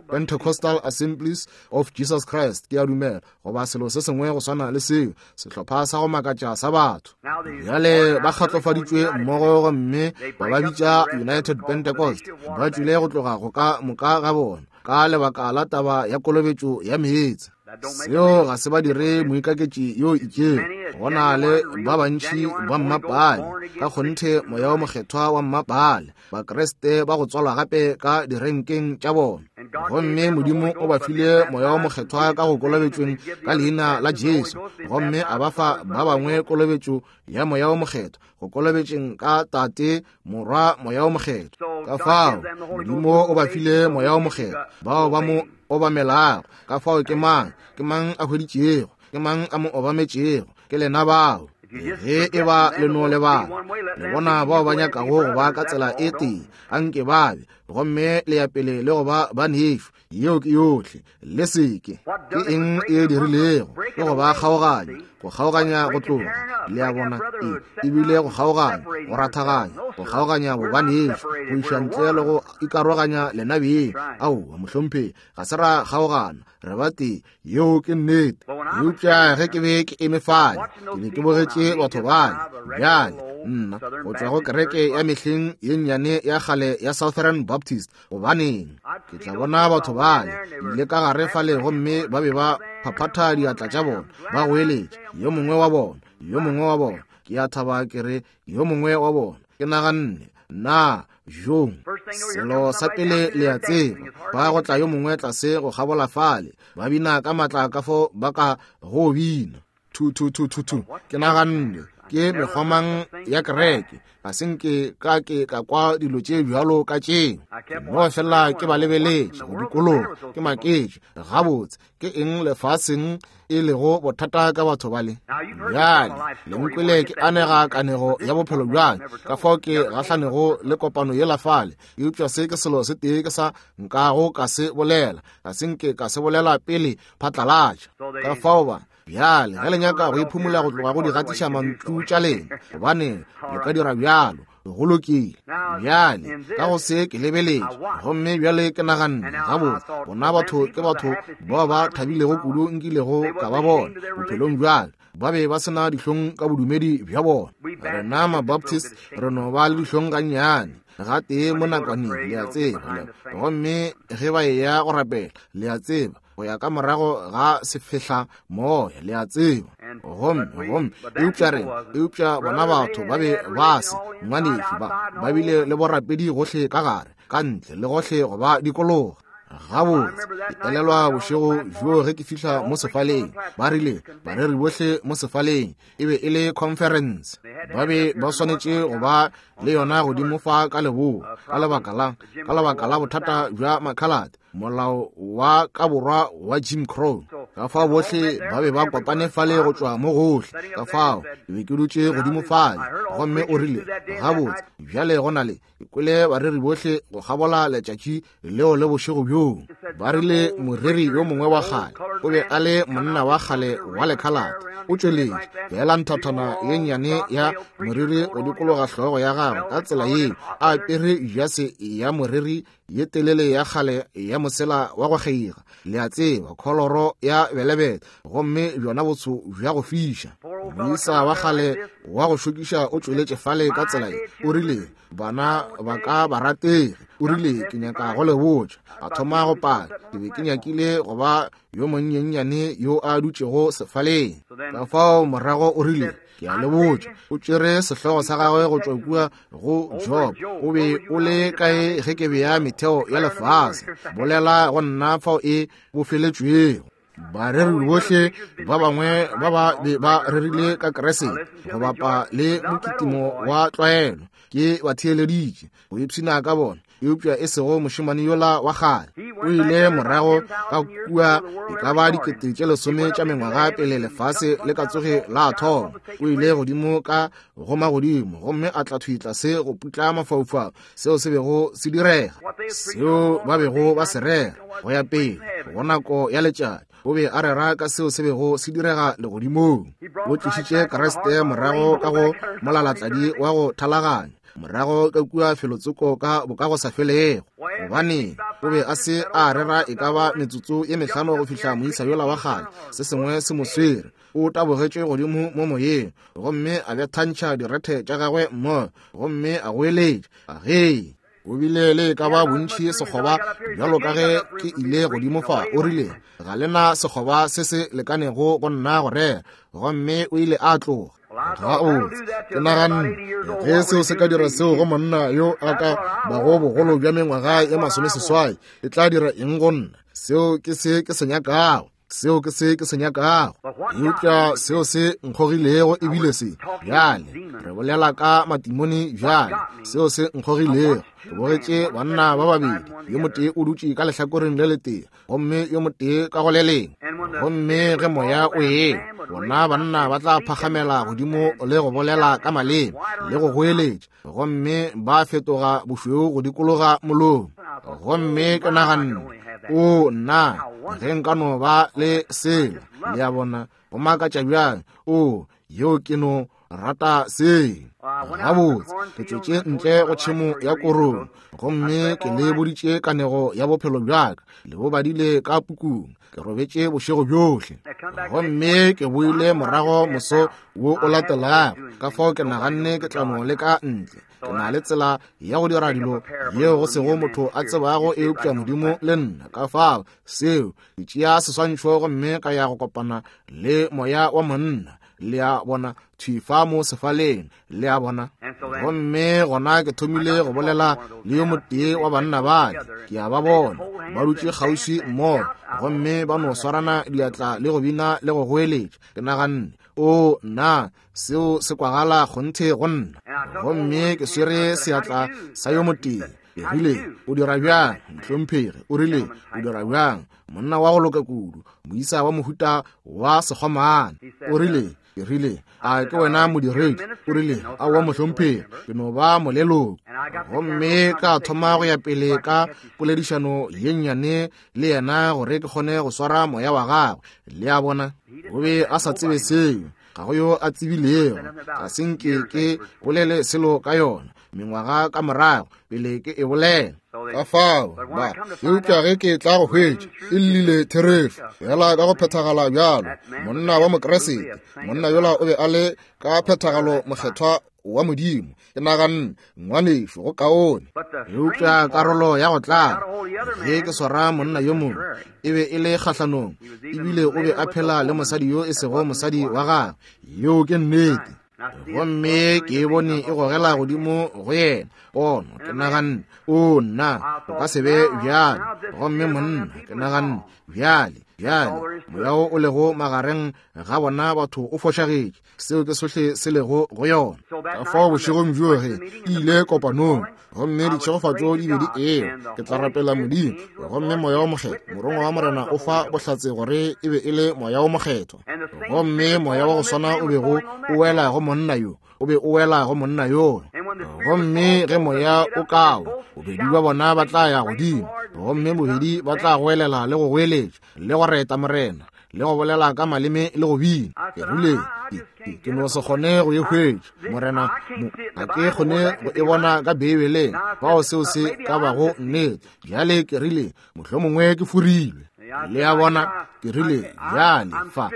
Pentecostal Assemblies of Jesus Christ, ke a dumela, goba selo se sengwe go swana le seo, sehlopha sa go makatša sa batho. Bjale ba kgatlofaditšwe mmogo gomme ba ba bitša United Pentecost. Ba tšwile go tloga go ka moka ga bona ka lebaka la taba ya kolobetšo ya meetse. Seo ga se ba dire moikaketši yo itšego. Go na le ba bantši ba mmapale, ka kgonthe moya o mokgethwa wa mmapale, Bakreste ba go tswalwa gape ka direnkeng tša bona. Gomme Modimo o ba file moya o mokgethwa ka go kolobetšweng ka leina la Jesu, gomme a ba fa ba bangwe kolobetšo ya moya o mokgethwa go kolobetšeng ka Tate, Morwa, Moya o Mokgethwa. Ka fao Modimo o ba file moya o mokgethwa bao ba mo obamelago. Ka fao ke mang, ke mang a hweditšego, ke mang a mo obametšego? Ke lena bao. Ge e ba le no lebala, le bona bao ba nyakago go ba ka tsela e tee, anke ba be, gomme le ya pele le go ba banešu. Yeo ke yohle. Le seke. Ke eng e dirilego? Ke go ba kgaoganya, go kgaoganya go tloga. Le a bona, e ebile go kgaoganya, go rathaganya, go kgaoganya bobanešu, go iša ntle le go ikaroganya lena beng. Aowa, mohlomphegi, ga se ra kgaogana, re ba tee. Yeo ke nnete. Eupša ge ke be ke eme fale, ke be ke bogetše batho bale. Bjale nna go tšwa go kereke ya mehleng ye nnyane ya kgale ya Southern Baptist, gobaneng ke tla bona batho bale ile ka gare fale, gomme ba be ba phaphatha diatla tša bona, ba goeletša, yo mongwe wa bona, yo mongwe wa bona. Ke a thaba ke re yo mongwe wa bona. Ke naganne, na jong selo sa pele le a tseba, ba go tla yo mongwe tlase go kgabola fale, ba bina ka matla ka fo ba ka go bina. Thu thu thu thu thu. Ke naganne, ke mekgwamang ya kereke, ga se nke ka ke ka kwa dilo tše bjalo ka tšeo. No fela ke ba lebeletše go dikologa, ke maketše. Gabotse, ke eng lefaseng e lego bothata ka batho bale? Bjale le nkwele ke anega kanego ya bophelo bjale, ka fao ke gahlanego le kopano yela fale. Eupša se ke selo se tee ke sa nkago ka se bolela, ga se nke ka se bolela pele phatlalatša. Ka fao ba bjale ge le nyaka go iphumula go tloga go di gatiša mantšu tša lena, gobane le ka dira bjalo, go lokile. Bjale ka go se ke lebeletše, gomme bjale ke naganne, gabotse, bona batho ke batho bao ba thabilego kudu nkilego ka ba bona bophelong bjale. Ba be ba sena dihlong ka bodumedi bja bona. Rena Mabaptist re no ba le dihlong gannyane gatee mo nakwaneng, le a tseba. Gomme ge ba eya go rapela, le a tseba, go ya ka morago ga sefehla moya, le a tseba. Gomme gomme eupša rena, eupša bona batho ba be ba se ngwanešu, ba ba bile le borapedi gohle ka gare, ka ntle le gohle go ba dikologa. Gabotse, ke elelwa bošego bjo ge ke fihla mo sefaleng, ba rile bareri bohle mo sefaleng, e be e le conference. Ba be ba swanetše go ba le yona godimo fa ka leboa, ka lebaka la ka lebaka la bothata bja makhalate, molao wa ka borwa wa Jim Crow. Ka fao bohle ba be ba kopane fale go tšwa mo gohle. Ka fao ke be ke dutše godimo fale, gomme o rile, gabotse, bjale go na le ke kwele bareri bohle go kgabola letšatši leo le bošego bjoo. Ba rile moreri yo mongwe wa kgale, o be a le monna wa kgale wa lekhalate, o tšweletše fela nthathana ye nnyane ya moriri go dikologa hlogo ya gagwe ka tsela yeo, a apere jase ya moriri ye telele ya kgale ya mosela wa go kgeiga, le a tseba, kholoro ya belebele, gomme bjona botso bja go fiša. Moisa wa kgale wa go šokiša o tšweletše fale ka tsela ye, o rile, bana ba ka ba ratege, o rile, ke nyaka go le botša. A thoma go pala. Ke be ke nyakile go ba yo monyennyane yo a dutšego sefaleng. Ka fao morago o rile, ke a le botša. O tšere sehlogo sa gagwe go tšwa kua go Job. O be o le kae ge ke bea metheo ya lefase? Bolela go nna fao e bofeletšwego. Bareri bohle ba bangwe ba ba be ba rerile ka Kriste go bapa le mokitimo wa tlwaelo. Ke ba theeleditše go ipshina ka bona, eupša e sego mošemane yola wa kgale. O ile morago ka kua e ka ba dikete tše lesome tša mengwaga pele lefase le ka tsoge la thoma. O ile godimo ka go magodimo gomme a tla thwi tlase go putla mafaufau seo se bego se direga, seo ba bego ba se rera go ya pele go nako ya letšatši. O be a rera ka seo se bego se direga legodimong. O tlišitše Kriste morago ka go molalatladi wa go thalaganya, morago ka kua felotsoko ka bokagosafelego. Gobane o be a se a rera e ka ba metsotso ye mehlano go fihla moisa yola wa kgale se sengwe se mo swere. O tabogetše godimo mo moyeng gomme a bethantšha direthe tša gagwe mmogo gomme a goeletša, "Agee!" O bile le ka ba bontši sekgoba bjalo ka ge ke ile godimo fa. O rile, ga le na sekgoba se se lekanego go nna go rera. Gomme o ile a tloga. Gabotse, ke naganne ge seo se ka dira seo go monna yo a ka bago bogolo bja mengwaga ye masomeseswai, e tla dira eng go nna? Seo ke se ke se nyakago. Seo ke se ke se nyakago. Eupša seo se nkgogilego ebile se bjale, re bolela ka matimone bjale, seo se nkgogilego, ke bogetše banna ba babedi, yo motee o dutše ka lehlakoreng le letee gomme yo motee ka go le lengwe. Gomme ge moya o ewa, bona banna ba tla phagamela godimo le go bolela ka maleme le go goeletša, gomme ba fetoga bošweu go dikologa molomo. Gomme ke naganne, o nna, ge nka no ba le sela. Le a bona, go makatša bjang. O, yeo ke no rata se. Gabotse, ke tšwetše ntle go tšhemo ya korong gomme ke le boditše kanego ya bophelo bjaka, le bo badile ka pukung. Ke robetše bošego bjohle gomme ke boile morago moso wo o latelago. Ka fao ke naganne ke tla no leka ntle. Ke na le tsela ya go dira dilo yeo go sego motho a tsebago eupša Modimo le nna. Ka fao seo ke tšea seswantšho gomme ka ya go kopana le moya wa monna. Le a bona, thwi fa mo sefaleng. Le a bona. Gomme gona ke thomile go bolela le yo motee wa banna bale. Ke a ba bona ba dutše kgauswi mmogo gomme ba no swarana diatla le go bina le go goeletša. Ke naganne, o nna, seo se kwagala kgonthe go nna. Gomme ke swere seatla sa yo motee. Ke rile, o dira bjang, mohlomphegi? O rile, o dira bjang, monna wa go loka kudu, moisa wa mohuta wa sekgomane? O rile, ke rile, a ke wena modiredi? O rile, aowa mohlomphegi, ke no ba moleloko. Gomme ka thoma go ya pele ka poledišano ye nnyane le yena gore ke kgone go swara moya wa gagwe. Le a bona, o be a sa tsebe seo, ga go yo a tsebilego. Ga se nke ke bolele selo ka yona mengwaga ka morago pele ke e bolela. Ka fao ba, eupša ge ke tla go hwetša e llile therešo fela ka go phethagala bjalo. Monna wa Mokriste, monna yola o be a le ka phethagalo mokgethwa wa Modimo. Ke naganne, ngwanešu, go kaone. Eupša karolo ya go tlala ge ke swara monna yo mongwe e be e le kgahlanong, ebile o be a phela le mosadi yo e sego mosadi wa gagwe. Yeo ke nnete. Gomme ke e bone e gogela godimo go yena pono. Ke naganne, o nna, o ka se be bjalo. Gomme monna, ke naganne, bjale, bjale, moya wo o lego magareng ga bona batho o fošagetše. Seo ke sohle se lego go yona. Ka fao bošegong bjo ge ke ile kopanong gomme ditšhegofatšo di be di ewa, ke tla rapela Modimo. Gomme moya wo mokgethwa, morongwa wa Morena o fa bohlatse gore e be e le moya wo mokgethwa. Gomme moya wa go swana o bego o wela go monna yo, o be o wela go monna yola. Gomme ge moya o kawa, bobedi ba bona ba tla ya godimo, gomme bobedi ba tla goelela le go goeletša le go reta Morena le go bolela ka maleme le go bina. Ke rile, ke no se kgone go e hwetša, Morena, ga ke kgone go e bona ka Beibeleng fao seo se ka bago nnete. Bjale ke rile, mohlomongwe ke forilwe. Le a bona, ke rile, bjale fa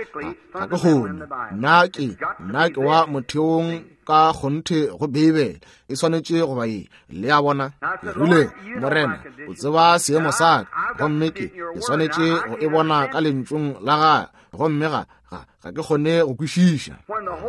ga ke kgone. Nna ke, nna ke wa motheong ka kgonthe go Beibele, e swanetše go ba ye. Le a bona, ke rile, Morena, o tseba seemo sa ka, gomme ke ke swanetše go e bona ka lentšung la gagwe, gomme ga ga ga ke kgone go kwešiša.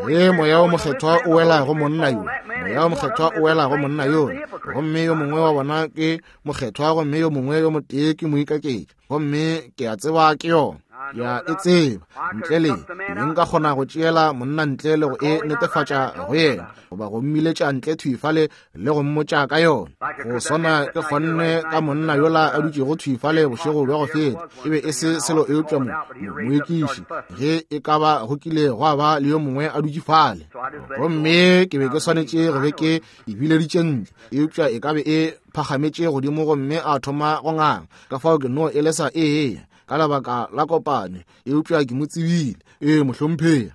Ge moya wo mokgethwa o wela go monna yo, moya wo mokgethwa o wela go monna yo, gomme yo mongwe wa bona ke mokgethwa gomme yo mongwe yo motee ke moikaketši, gomme ke a tseba ke yona. Ke a e tseba. Ntle le be nka kgona go tšeela monna ntle le go e netefatša go yena, goba go mmiletša ntle thwi fale le go mmotša ka yona. Go swana ke kgonne ka monna yola a dutšego thwi fale bošego bja go feta. E be e se selo eupša mo moekiši, ge e ka ba go kile gwa ba le yo mongwe a dutše fale. Gomme ke be ke swanetše go be ke e bileditše ntle, eupša e ka be e phagametše godimo gomme a thoma go nganga. Ka fao ke no e lesa e eya ka lebaka la kopane, eupša ke mo tsebile. Ee, mohlomphegi.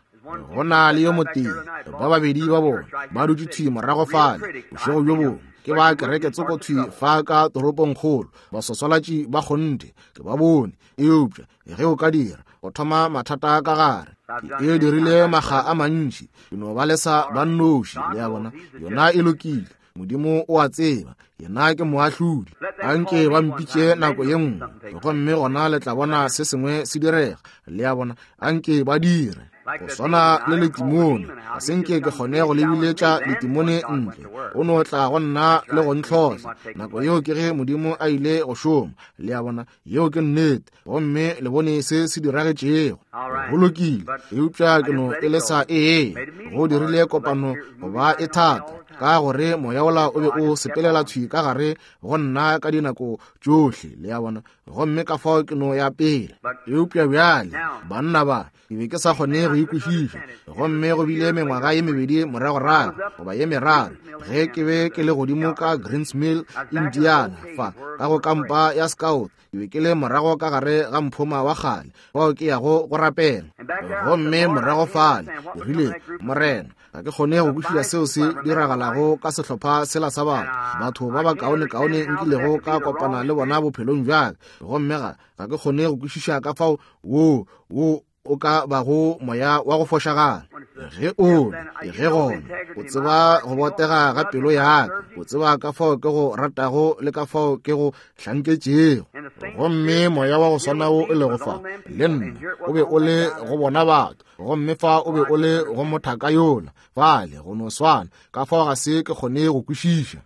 Go na le yo motee, ba babedi ba bona ba dutše thwi morago fale bošego bjo bongwe. Ke ba kereke tsoko thwi fa ka toropongkgolo, baswaswalatši ba kgonthe, ke ba bone. Eupša ge o ka dira, go thoma mathata ka gare. Ke e dirile makga a mantši, ke no ba lesa ba nnoši. Le a bona, yona e lokile. Modimo o a tseba, yena ke moahlodi. Anke ba mpitše nako ye nngwe, gomme gona le tla bona se sengwe se direga. Le a bona, anke ba dire. Go swana le letimone, ga se nke ke kgone go lebiletša letimone ntle. O no tla go nna le go ntlhohla. Nako yeo ke ge Modimo a ile go šoma. Le a bona, yeo ke nnete. Gomme le bone se se diragetšego. Go lokile, eupša ke no e lesa ee. Go dirile kopano go ba e thata, ka gore moya wola o be o sepelela thwi ka gare go nna ka dinako tšohle. Le a bona, gomme ka fao ke no ya pele. Eupša bjale banna ba, ke be ke sa kgone go ikwešiša. Gomme go bile mengwaga ye mebedi moragorago, goba ye meraro, ge ke be ke le godimo ka Greens Mill, Indiana, fa ka go kampa ya Scout. Ke be ke le morago ka gare ga mphoma wa kgale fao ke yago go rapela. Gomme morago fale ke rile, Morena, ga ke kgone go kwešiša seo se diragalago ka sehlopha sela sa batho, batho ba bakaonekaone nkilego ka kopana le bona bophelong bja ka. Gomme ga ga ke kgone go kwešiša ka fao wo wo o ka bago moya wa go fošagala. Ge o ge gona o tseba go botega ga pelo ya ka, o tseba ka fao ke go ratago le ka fao ke go hlanketšego. Gomme moya wa go swana wo e lego fa le nna o be o le go bona batho, gomme fa o be o le go mothaka yola fale, go no swana. Ka fao ga se ke kgone go kwešiša.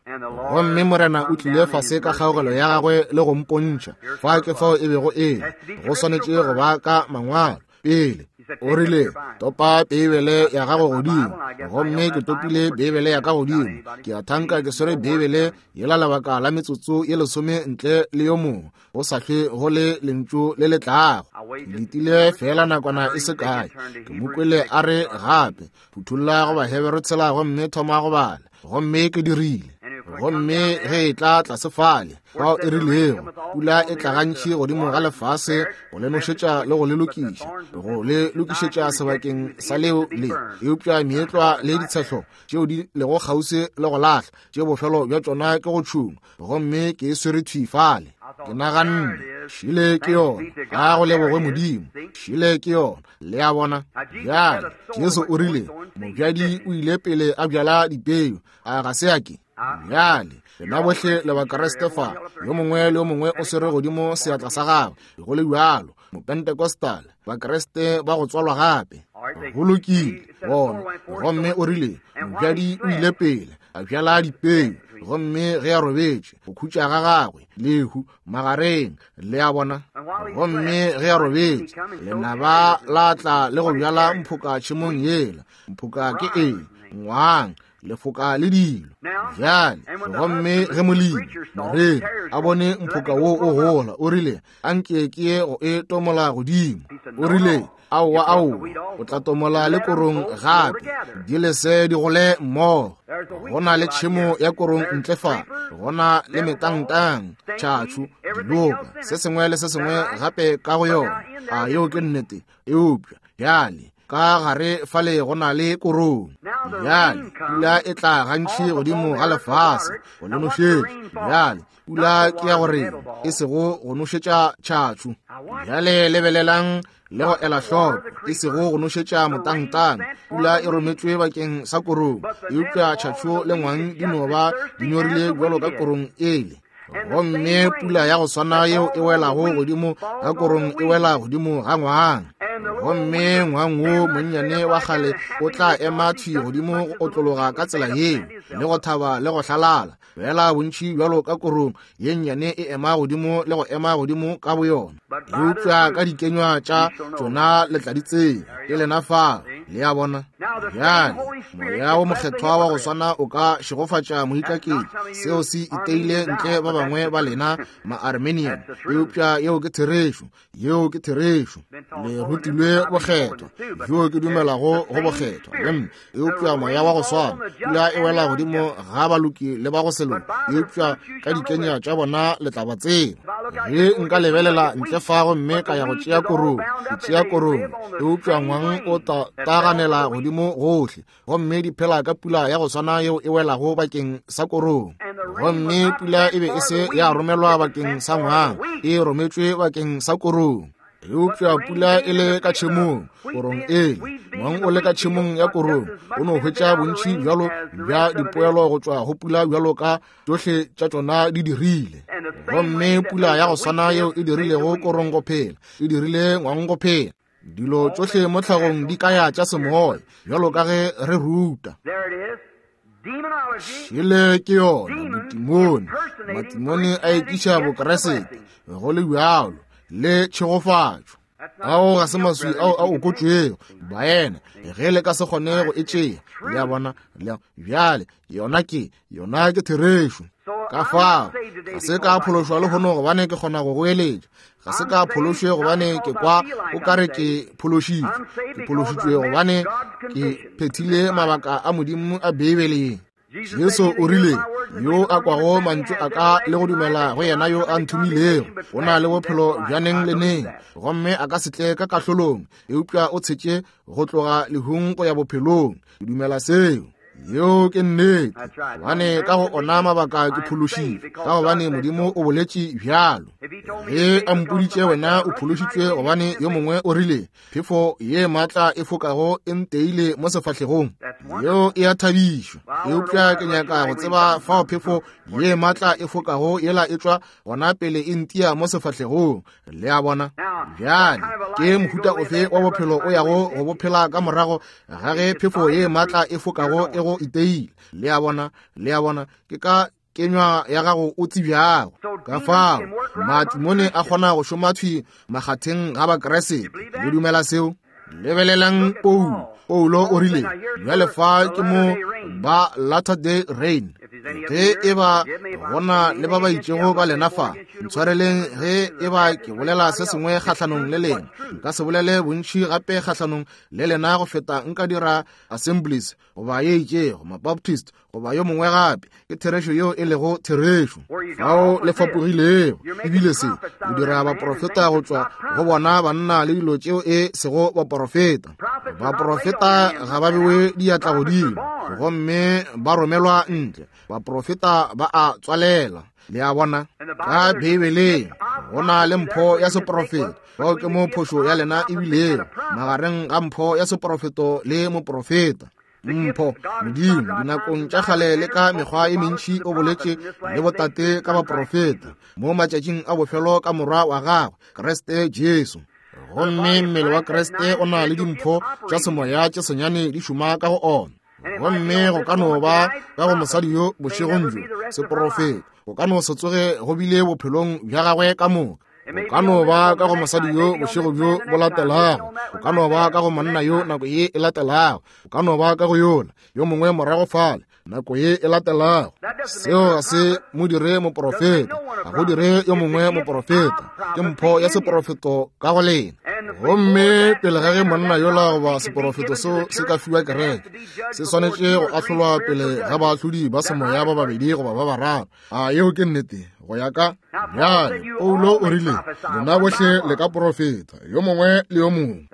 Gomme Morena o tlile fase ka kgaogelo ya gagwe le go mpontšha fa ke fao e bego e le. Go swanetše go ba ka mangwalo pele. O rile, topa Beibele ya gago godimo. Gomme ke topile Beibele ya ka godimo. Ke a thanka ke swere Beibele yela lebaka la metsotso ye lesome ntle le yo mongwe, go sa hlwe go le lentšu le le tlago. Ke letile fela nakwana e se kae. Ke mo kwele a re gape, phuthulla go Bahebere tshela gomme thoma go bala. Gomme ke dirile. Gomme ge e tla tlase fale fao e rilego, pula e tla gantši godimo ga lefase go le nošetša le go le lokiša, go le lokišetša sebakeng sa leo le. Eupša meetlwa le ditshehlo tšeo di lego kgauswi le go lahla, tše bofelo bja tšona ke go tšhungwa. Gomme ke e swere thwi fale. Ke naganne, šile ke yona. Ga go lebogwe Modimo, šile ke yona. Le a bona? Bjale Jesu o rile, mobjadi o ile pele a bjala dipeu, a ga se a ke? Bjale lena bohle le Bakriste fa, yo mongwe le yo mongwe o swere godimo seatla sa gagwe. Go le bjalo, Mopentecostal, Bakriste ba go tswalwa gape. Go lokile, bona. Gomme o rile, mobjadi o ile pele a bjala dipeu, gomme ge a robetše, go khutša ga gagwe, lehu magareng. Le a bona? Gomme ge a robetše, lenaba la tla le go bjala mphoka tšhemong yela. Mphoka ke eng? Ngwang, lefoka le dilo. Bjale gomme ge molemi moreri a bone mphoka wo o gola, o rile, anke ke ye go e tomola godimo. O rile, aowa, aowa, o tla tomola le korong gape, di lese di gole mmogo. Go na le tšhemo ya korong ntle fa, go na le metangtang, tšhatšhu, diloka, se sengwe le se sengwe gape ka go yona. A yeo ke nnete? Eupša bjale ka gare fale go na le korong. Bjale pula e tla gantši godimo ga lefase go le nošetša. Bjale pula ke ya gore e sego go nošetša tšhatšhu. Bjale lebelelang le go ela hloko, e sego go nošetša motangtang. Pula e rometšwe bakeng sa korong, eupša tšhatšhu le ngwang di no ba di nyorile bjalo ka korong ele. Gomme pula ya go swana yeo e welago godimo ga korong e wela godimo ga ngwang. Gomme ngwang wo monnyane wa kgale o tla ema thwi godimo go otlologa ka tsela yeo, le go thaba le go hlalala, fela bontši bjalo ka korong ye nnyane e ema godimo le go ema godimo ka boyona. Eupša ka dikenywa tša tšona le tla di tseba, ke lena fa. Le a bona? Bjale Moya wo Mokgethwa wa go swana o ka šegofatša moikaketši. Seo se iteile ntle ba bangwe ba lena ma-Armenian, eupša yeo ke therešo. Yeo ke therešo. Le rutilwe bokgethwa, bjo ke dumelago go bokgethwa, le nna. Eupša moya wa go swana, pula e wela godimo ga baloki le ba go se loke, eupša ka dikenya tša bona le tla ba tseba. Ge nka lebelela ntle fa gomme ka ya go tšea korong, ke tšea korong, eupša ngwang o ta taganela godimo gohle, gomme di phela ka pula ya go swana yeo e welago bakeng sa korong. Gomme pula e be e se ya romelwa bakeng sa ngwang, e rometšwe bakeng sa korong. Eupša pula e le ka tšhemong, korong ele, ngwang o le ka tšhemong ya korong, o no hwetša bontši bjalo bja dipoelo go tšwa go pula bjalo ka tšohle tša tšona di dirile. Gomme pula ya go swana yeo e dirilego korong go phela, e dirile ngwang go phela. Dilo tšohle mo tlhagong di kaya tša semoya, bjalo ka ge re ruta. Šele ke yona botimone. Matimone a ekiša Bokeresete go le bjalo le tšhegofatšo. Ao ga se maswi ao a okotšwego, baena, ge le ka se kgone go e tšea. Le a bona? Le bjale yona ke yona ke therešo. Ka fao ga se ka phološwa lehono gobane ke kgona go goeletša. Ga se ka phološwe gobane ke kwa o kare ke phološitšwe. Ke phološitšwe gobane ke phethile mabaka a Modimo a Beibeleng. Jesu o rile, yo a kwago mantšu a ka le go dumela go yena yo a nthomilego, o na le bophelo bja neng le neng, gomme a ka se tle ka kahlolong, eupša o tshetše go tloga lehung go ya bophelong. Ke dumela seo. Yeo ke nnete, gobane ka go ona mabaka ke phološitšwe, ka gobane Modimo o boletše bjalo. Ge a mpoditše wena o phološitšwe gobane yo mongwe o rile, phefo ye maatla e fokago e nteile mo sefahlegong, yeo e a thabišwa. Eupša ke nyaka go tseba fao phefo ye maatla e fokago yela e tšwa gona pele e ntia mo sefahlegong. Le a bona? Bjale ke mohuta ofe wa bophelo o yago go bophela ka morago ga ge phefo ye maatla e fokago e go iteile? Le a bona? Le a bona? Ke ka kenywa ya gago o tsebjago. Ka fao matimone a kgona go šoma thwi makgatheng ga Bakeresete. Le dumela seo? Lebelelang Paulo. Paulo o rile, bjale fa ke mo ba Latter Day Rain. Ge e ba gona le ba ba itšego ba lena fa, ntshwareleng ge e ba ke bolela se sengwe kgahlanong le lena. Nka se bolele bontši gape kgahlanong le lena go feta nka dira Assemblies goba ye itšego, Mabaptist goba yo mongwe gape. Ke therešo yeo e lego therešo. Fao le fapogilego, ebile se le dira baprofeta go tšwa go bona banna le dilo tšeo e sego baprofeta. Baprofeta ga ba bewe diatla godimo, gomme ba romelwa ntle. Baprofeta ba a tswalela. Le a bona? Ka Beibeleng go na le mpho ya seprofeto. Bao ke mo phošo ya lena e bilego magareng ga mpho ya seprofeto le moprofeta. Mpho Modimo dinakong tša kgale le ka mekgwa e mentši o boletše le botate ka baprofeta, mo matšatšing a bofelo ka morwa wa gagwe Kriste Jesu. Gomme mmele wa Kriste o na le dimpho tša semoya tše senyane di šoma ka go ona. Gomme go ka no ba ka go mosadi yo bošegong bjo seprofeto, go ka no se tsoge go bile bophelong bja gagwe ka moka. Go ka no ba ka go mosadi yo bošego bjo bo latelago, go ka no ba ka go monna yo nako ye e latelago, go ka no ba ka go yola yo mongwe morago fale nako ye e latelago. Seo ga se mo dire moprofeta, ga go dire yo mongwe moprofeta. Ke mpho ya seprofeto ka go lena. Gomme pele ga ge monna yola goba seprofeto seo se ka fiwa kereke, se swanetše go ahlolwa pele ga baahlodi ba semoya ba babedi goba ba bararo. A yeo ke nnete go ya ka bjale. Paulo o rile, lena bohle le ka profeta, yo mongwe le yo mongwe.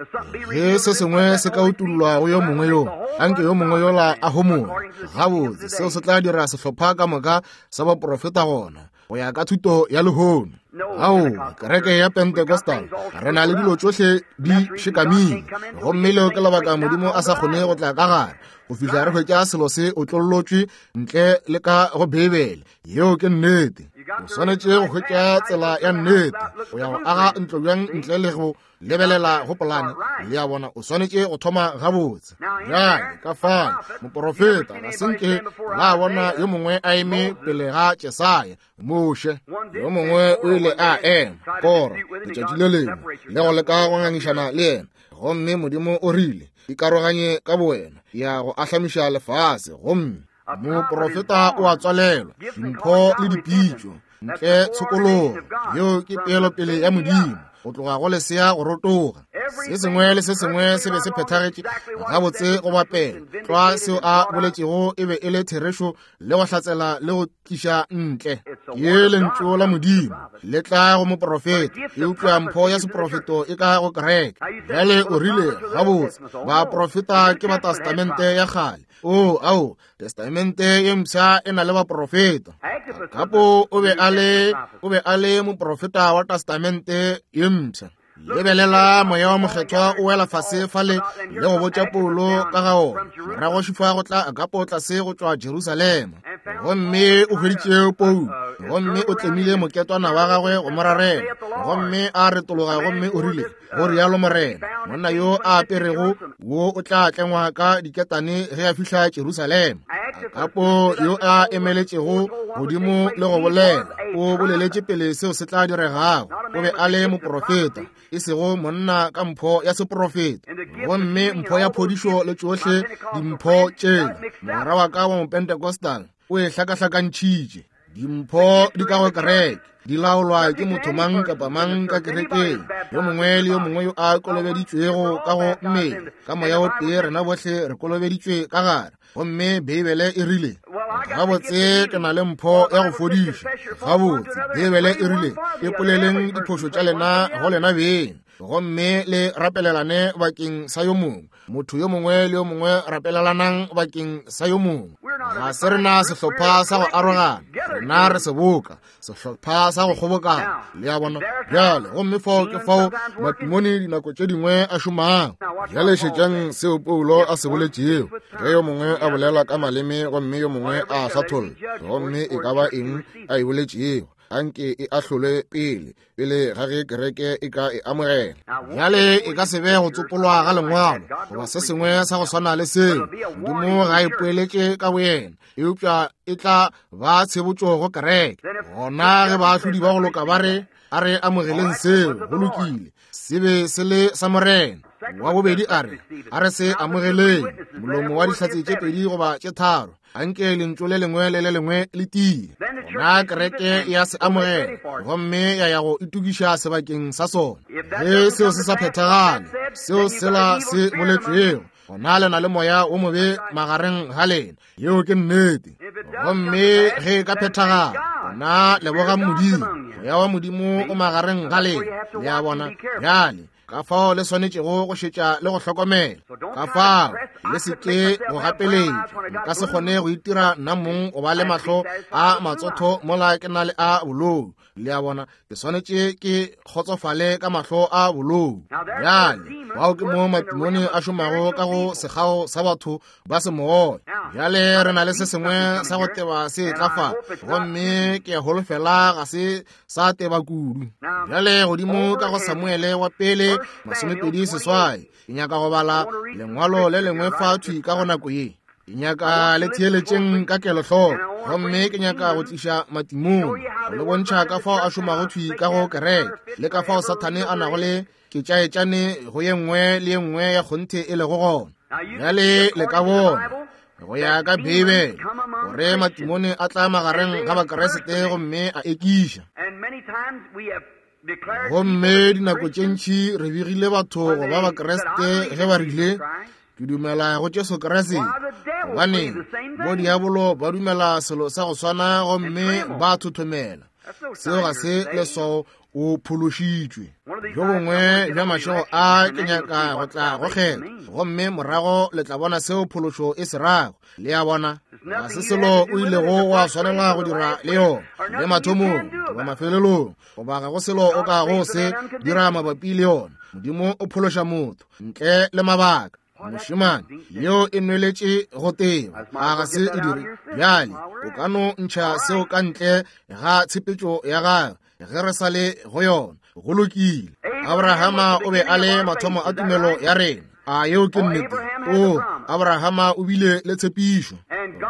Ge se sengwe se ka utollwa go yo mongwe yo, anke yo mongwe yola a homole. Gabotse, seo se tla dira sehlopha ka moka sa baprofeta gona, go ya ka thuto ya lehono. Ao, kereke ya Pentecostal, re na le dilo tšohle di šekamile, gomme leo ke lebaka Modimo a sa kgone go tla ka gare go fihla re hwetša selo se otlollotšwe ntle le ka go Beibele. Yeo ke nnete. O swanetše go hwetša tsela ya nnete. O ya go aga ntlo bjang ntle le go lebelela go polane? Le a bona, o swanetše go thoma gabotse. Bjale ka fale moporofeta ga se nke la bona yo mongwe a eme pele ga Jesaya, Moshe. Yo mongwe o ile a ema Kora letšatši le lengwe le go leka go ngangišana le yena, gomme Modimo o rile, ikaroganye ka bowena, ya go ahlamiša lefase. Gomme moprofeta o a tswalelwa dimpho le dipitšo ntle tshokologo. Yeo ke peelopele ya Modimo go tloga go lesea go rotoga. Se sengwe le se sengwe se be se phethagetše gabotse go bapela tlwa seo a boletšego e be e le therešo le go hlatsela le go tliša ntle. Ke lentšu la Modimo le tla go moprofeta, eupša mpho ya seprofeto e ka go kereke. Bjale o rile, gabotse baprofeta ke ba testamente ya kgale. O ao, testamente ye mpsha e na le baprofeta. Kapo o be a le o be a le moprofeta wa testamente ye mpsha. Lebelela moya wa mokgethwa o wela fase fale le go botša Paulo ka ga ona. Morago šifa go tla Agapo tlase go tšwa Jerusalema, gomme o hweditše Paulo, gomme o tlemile moketwana wa gagwe go mo rarela, gomme a retologa gomme o rile, go rialo Morena, monna yo a aperego wo o tla tlengwa ka diketane ge a fihla Jerusalema. Agapo yo a emeletšego godimo le go bolela, o boleletše pele seo se tla diregago. O be a le moprofeta, e sego monna ka mpho ya seprofeta. Gomme mpho ya phodišo le tšohle dimpho tšela, mogwera wa ka wa Mopentecostal o e hlakahlakantšhitše. Dimpho di ka go kereke, di laolwa ke motho mang kapa mang ka kerekeng. Yo mongwe le yo mongwe yo a kolobeditšwego ka go mmele ka moya o tee, rena bohle re kolobeditšwe ka gare. Gomme Beibele e rile, gabotse ke na le mpho ya go fodiša. Gabotse Beibele e rile, ipoleleng diphošo tša lena go lena beng, gomme le rapelelane bakeng sa yo mongwe. Motho yo mongwe le yo mongwe rapelelanang bakeng sa yo mongwe. Ga se rena sehlopha sa go arogana, rena re seboka, sehlopha sa go kgobokana. Le a bona? Bjale gomme fao ke fao matimone dinako tše dingwe a šomago. Bjale šetšang seo Paulo a se boletšego. Ge yo mongwe a bolela ka maleme gomme yo mongwe a hlatholla, gomme e ka ba eng a e boletšego, anke e ahlolwe pele pele ga ge kereke e ka e amogela. Bjale e ka se be go tsopolwa ga lengwalo goba se sengwe sa go swana le seo. Modimo ga e poeletše ka boyena, eupša e tla ba tshebotšo go kereke. Gona ge baahlodi ba go loka ba re, a re amogeleng seo, go lokile, se be se le sa Morena. Wa bobedi a re, a re se amogeleng, molomo wa dihlatse tše pedi goba tše tharo, anke lentšu le lengwe le le lengwe le tie. Gona kereke ya se amogela gomme ya ya go itokiša sebakeng sa sona. Ge seo se sa phethagale, seo sela se boletšwego, gona le na le moya wo mobe magareng ga lena. Yeo ke nnete. Gomme ge e ka phethagala, gona leboga Modimo, moya wa Modimo o magareng ga lena. Le a bona? Bjale ka fao le swanetšego go šetša le go hlokomela. Ka fao le se ke go gapeletša. Nka se kgone go itira nna mong go ba le mahlo a matsotho mola ke na le a bolou. Le a bona? Ke swanetše ke kgotsofale ka mahlo a bolou. Bjale bao ke mo matimone a šomago ka go sekgao sa batho ba semoya. Bjale re na le se sengwe sa go teba se tla fa, gomme ke holofela ga se sa teba kudu. Bjale godimo ka go Samuele wa pele masomepedi seswai, ke nyaka go bala lengwalo le lengwe fa thwi ka go nako ye. Ke nyaka le theeletšeng ka kelohloko, gomme ke nyaka go tliša matimone go le bontšha ka fao a šomago thwi ka go kereke, le ka fao Sathane a nago le ketšaetšane go ye nngwe le ye nngwe ya kgonthe e lego gona. Bjale le ka bona go ya ka Beibele gore matimone a tla magareng ga Bakeresete gomme a ekiša. Gomme dinako tše ntši re begile batho go ba Bakeresete ge ba rile, ke dumela go Jesu Kriste, gobane bo diabolo ba dumela selo sa go swana gomme ba thothomela. Seo ga se leswao o phološitšwe. Jo bongwe bja mašego a ke nyaka go tla go kgetha, gomme morago le tla bona seo phološo e se rago. Le a bona? Ga se selo o ilego wa swanela go dira le yona, le mathomong goba mafelelong, goba ga go selo o ka go se dira mabapi le yona. Modimo o phološa motho ntle le mabaka. Mošemane, yeo e nweletše go teba, a ga se e dire? Bjale o ka no ntšha seo ka ntle ga tshepetšo ya gagwe ge re sa le go yona. Go lokile. Abrahama o be a le mathomo a tumelo ya rena. A yeo ke nnete? O, Abrahama o bile le tshepišo.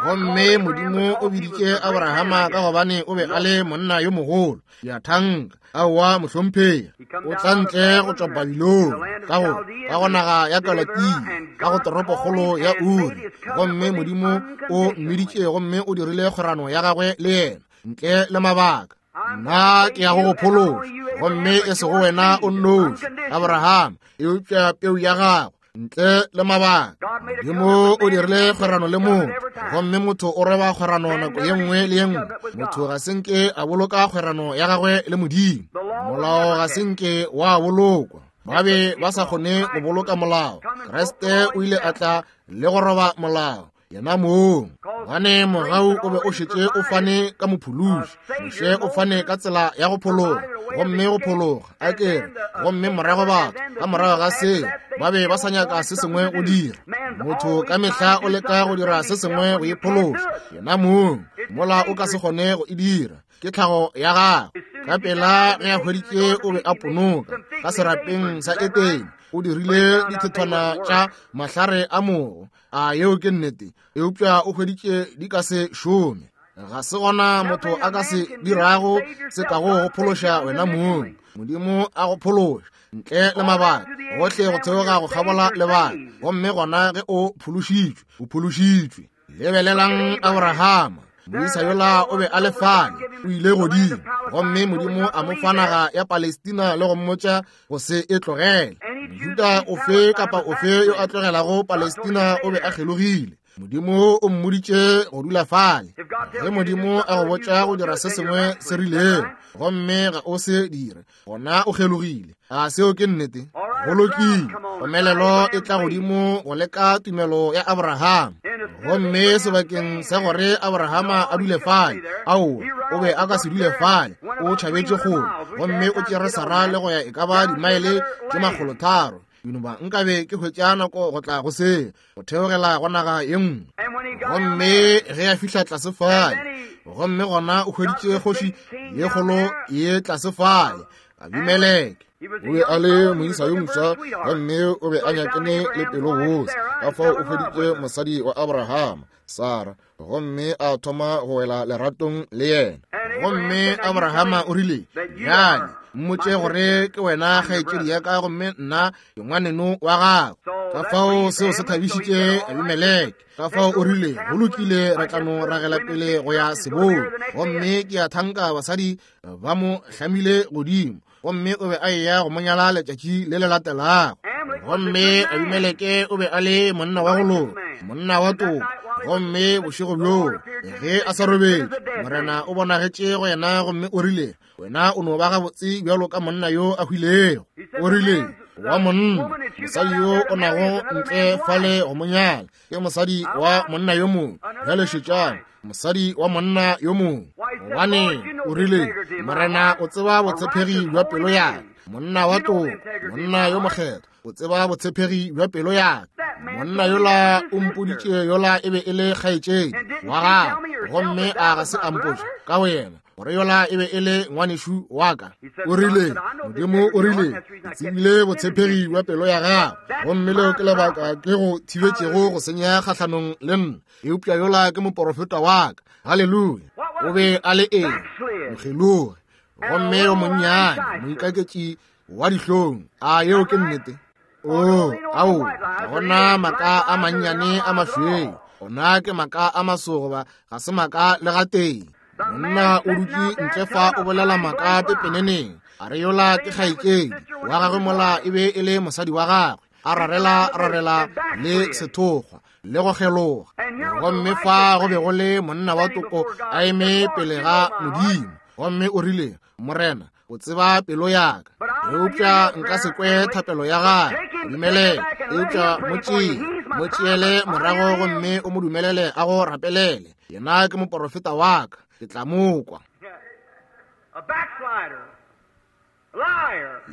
Gomme Modimo o biditše Abrahama ka gobane o be a le monna yo mogolo. Ya thanka, aowa mohlomphegi, o tla ntle go tšwa Babilone, ka go ka go naga ya Kalatia, ka go toropokgolo ya Uri. Gomme Modimo o mmiditše gomme o dirile kgwerano ya gagwe le yena ntle le mabaka. Nna ke ya go go phološa, gomme e sego wena o nnoši, Abraham, eupša peu ya gago ntle le mabaka. Modimo o dirile kgwerano le motho, gomme motho o reba kgwerano nako ye nngwe le ye nngwe. Motho ga se nke a boloka kgwerano ya gagwe le Modimo. Molao ga se nke wa bolokwa. Ba be ba sa kgone go boloka molao. Kriste o ile a tla le go roba molao yena mong, gobane mogau o be o šetše o fane ka mophološi. Moshe o fane ka tsela ya go phologa, gomme go phologa a kere, gomme morago batho ka morago ga se ba be ba sa nyaka se sengwe go dira. Motho ka mehla o leka go dira se sengwe go iphološa yena mong, mola o ka se kgone go e dira. Ke tlhago ya gagwe. Ka pela ge a hweditše o be a ponoka ka serapeng sa Etene, o dirile dithethwana tša mahlare a mogo. A yeo ke nnete? Eupša o hweditše di ka se šome. Ga se gona motho a ka se dirago se kago go phološa wena mong. Modimo a go phološa ntle le mabaka, gohle go theoga go kgabola lebaka, gomme gona ge o phološitšwe, o phološitšwe. Lebelelang Abrahama, moisa yola o be a le fale, o ile godimo, gomme Modimo a mo fa naga ya Palestina le go mmotša go se e tlogele. Mojuda ofe kapa ofe yo a tlogelago Palestina o be a kgelogile. Modimo o mmoditše go dula fale. Ge Modimo a go botša go dira se sengwe se rilego, gomme ga o se dire, gona o kgelogile. A seo ke nnete? Go lokile. Komelelo e tla godimo go leka tumelo ya Abraham. Gomme sebakeng sa gore Abrahama a dule fale, aowa, o be a ka se dule fale. O tšhabetše kgole, gomme o tšere Sara le go ya e ka ba dimaele tše makgolo tharo. Ba nkabe ke hwetša nako go tla go se go theogela go naga ye nngwe. Gomme ge a fihla tlase fale, gomme gona o hweditše kgoši ye kgolo ye tlase fale, Abimeleke. O be a le moisa yo moswa, gomme o be a nyakane le pelo bose. Ka fao o hweditše mosadi wa Abrahama, Sara, gomme a thoma go wela leratong le yena. Gomme Abrahama o rile, bjale mmotše gore ke wena kgaetšedi ya ka, gomme nna ke ngwaneno wa gago. Ka fao seo se thabišitše Abimeleke. Ka fao o rile, go lokile, re tla no ragela pele go ya sebong. Gomme ke a thanka basadi ba mo hlamile godimo, gomme o be a eya go mo nyala letšatši le le latelago. Gomme Abimeleke o be a le monna wa go loka, monna wa toka. Gomme bošego bjoo ge a sa robetše, Morena o bonagetše go yena gomme o rile, wena o no ba gabotse bjalo ka monna yo a hwilego. O rile, wa monna, mosadi yo o nago ntle fale go mo nyala ke mosadi wa monna yo mongwe. Bjale šetšang, mosadi wa monna yo mongwe. Gobane o rile, Morena o tseba botshepegi bja pelo ya ka. Monna wa toka, monna yo mokgethwa, o tseba botshepegi bja pelo ya ka. Monna yola o mpoditše yola e be e le kgaetšedi wa gagwe, gomme a ga se a mpotša ka wena gore yola e be e le ngwanešu wa ka. O rile, Modimo o rile, ke tsebile botshepegi bja pelo ya gago, gomme leo ke lebaka ke go thibetšego go senya kgahlanong le nna. Eupša yola ke moporofeta wa ka. Haleluya. O be a le eng? Mokgelogi, gomme yo monnyane, moikaketši wa dihlong. A yeo ke nnete? O, ao, gona maka a mannyane a mašweu, ona ke maka a masogoba, ga se maka le gatee. Monna o dutše ntle fa o bolela maka pepeneneng, a re yola ke kgaetšedi wa gagwe, mola e be e le mosadi wa gagwe, a rarela rarela le sethokgwa le go kgeloga. Gomme fa go be go le monna wa toko a eme pele ga Modimo, gomme o rile, Morena, o tseba pelo ya ka, eupša nka se kwe thapelo ya gagwe. Dumelele, eupša mo tšee, mo tšeele morago gomme o mo dumelele a go rapelele. Yena ke moporofeta wa ka, ke tla mo kwa.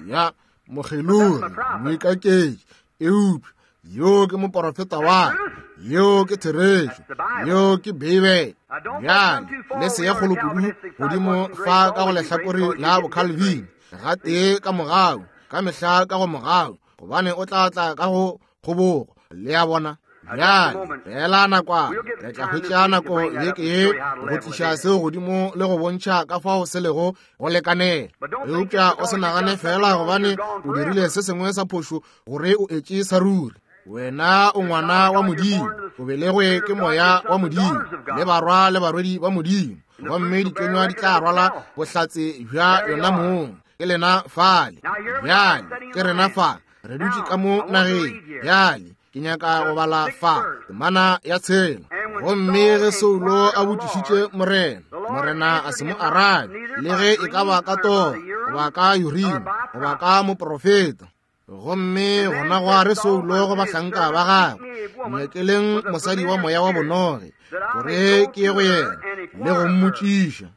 Ya mokgelogi, moikaketši, eupša Yo ke moporofeta wa ka. Yo ke therešo. Yo ke Beibele. Bjale le se ye kgolo kudu godimo fa ka go lehlakore la boCalvin, gatee ka mogau, ka mehla ka go mogau, gobane o tla tla ka go kgobogo. Le a bona? Bjale fela nakwana re tla hwetša nako beke ye go tliša seo godimo le go bontšha ka fao se lego go lekanela. Eupša o se nagane fela gobane o dirile se sengwe sa phošo gore o etše sa ruri. Wena o ngwana wa Modimo, o belegwe ke moya wa Modimo, le barwa le barwedi ba Modimo, gomme dikenywa di tla rwala bohlatse bja yona mong. Ke lena fale. Bjale ke rena fa, re dutše ka mo nageng. Bjale ke nyaka go bala fa temana ya tshela. Gomme ge Saulo a botšišitše Morena, Morena a se mo arabe, le ge e ka ba ka toro, goba ka Urim, goba ka moprofeta. Gomme gona gwa re Saulo go bahlanka ba gagwe, nyakeleng mosadi wa moya wa bonoge, gore ke ye go yena le go mmotšiša.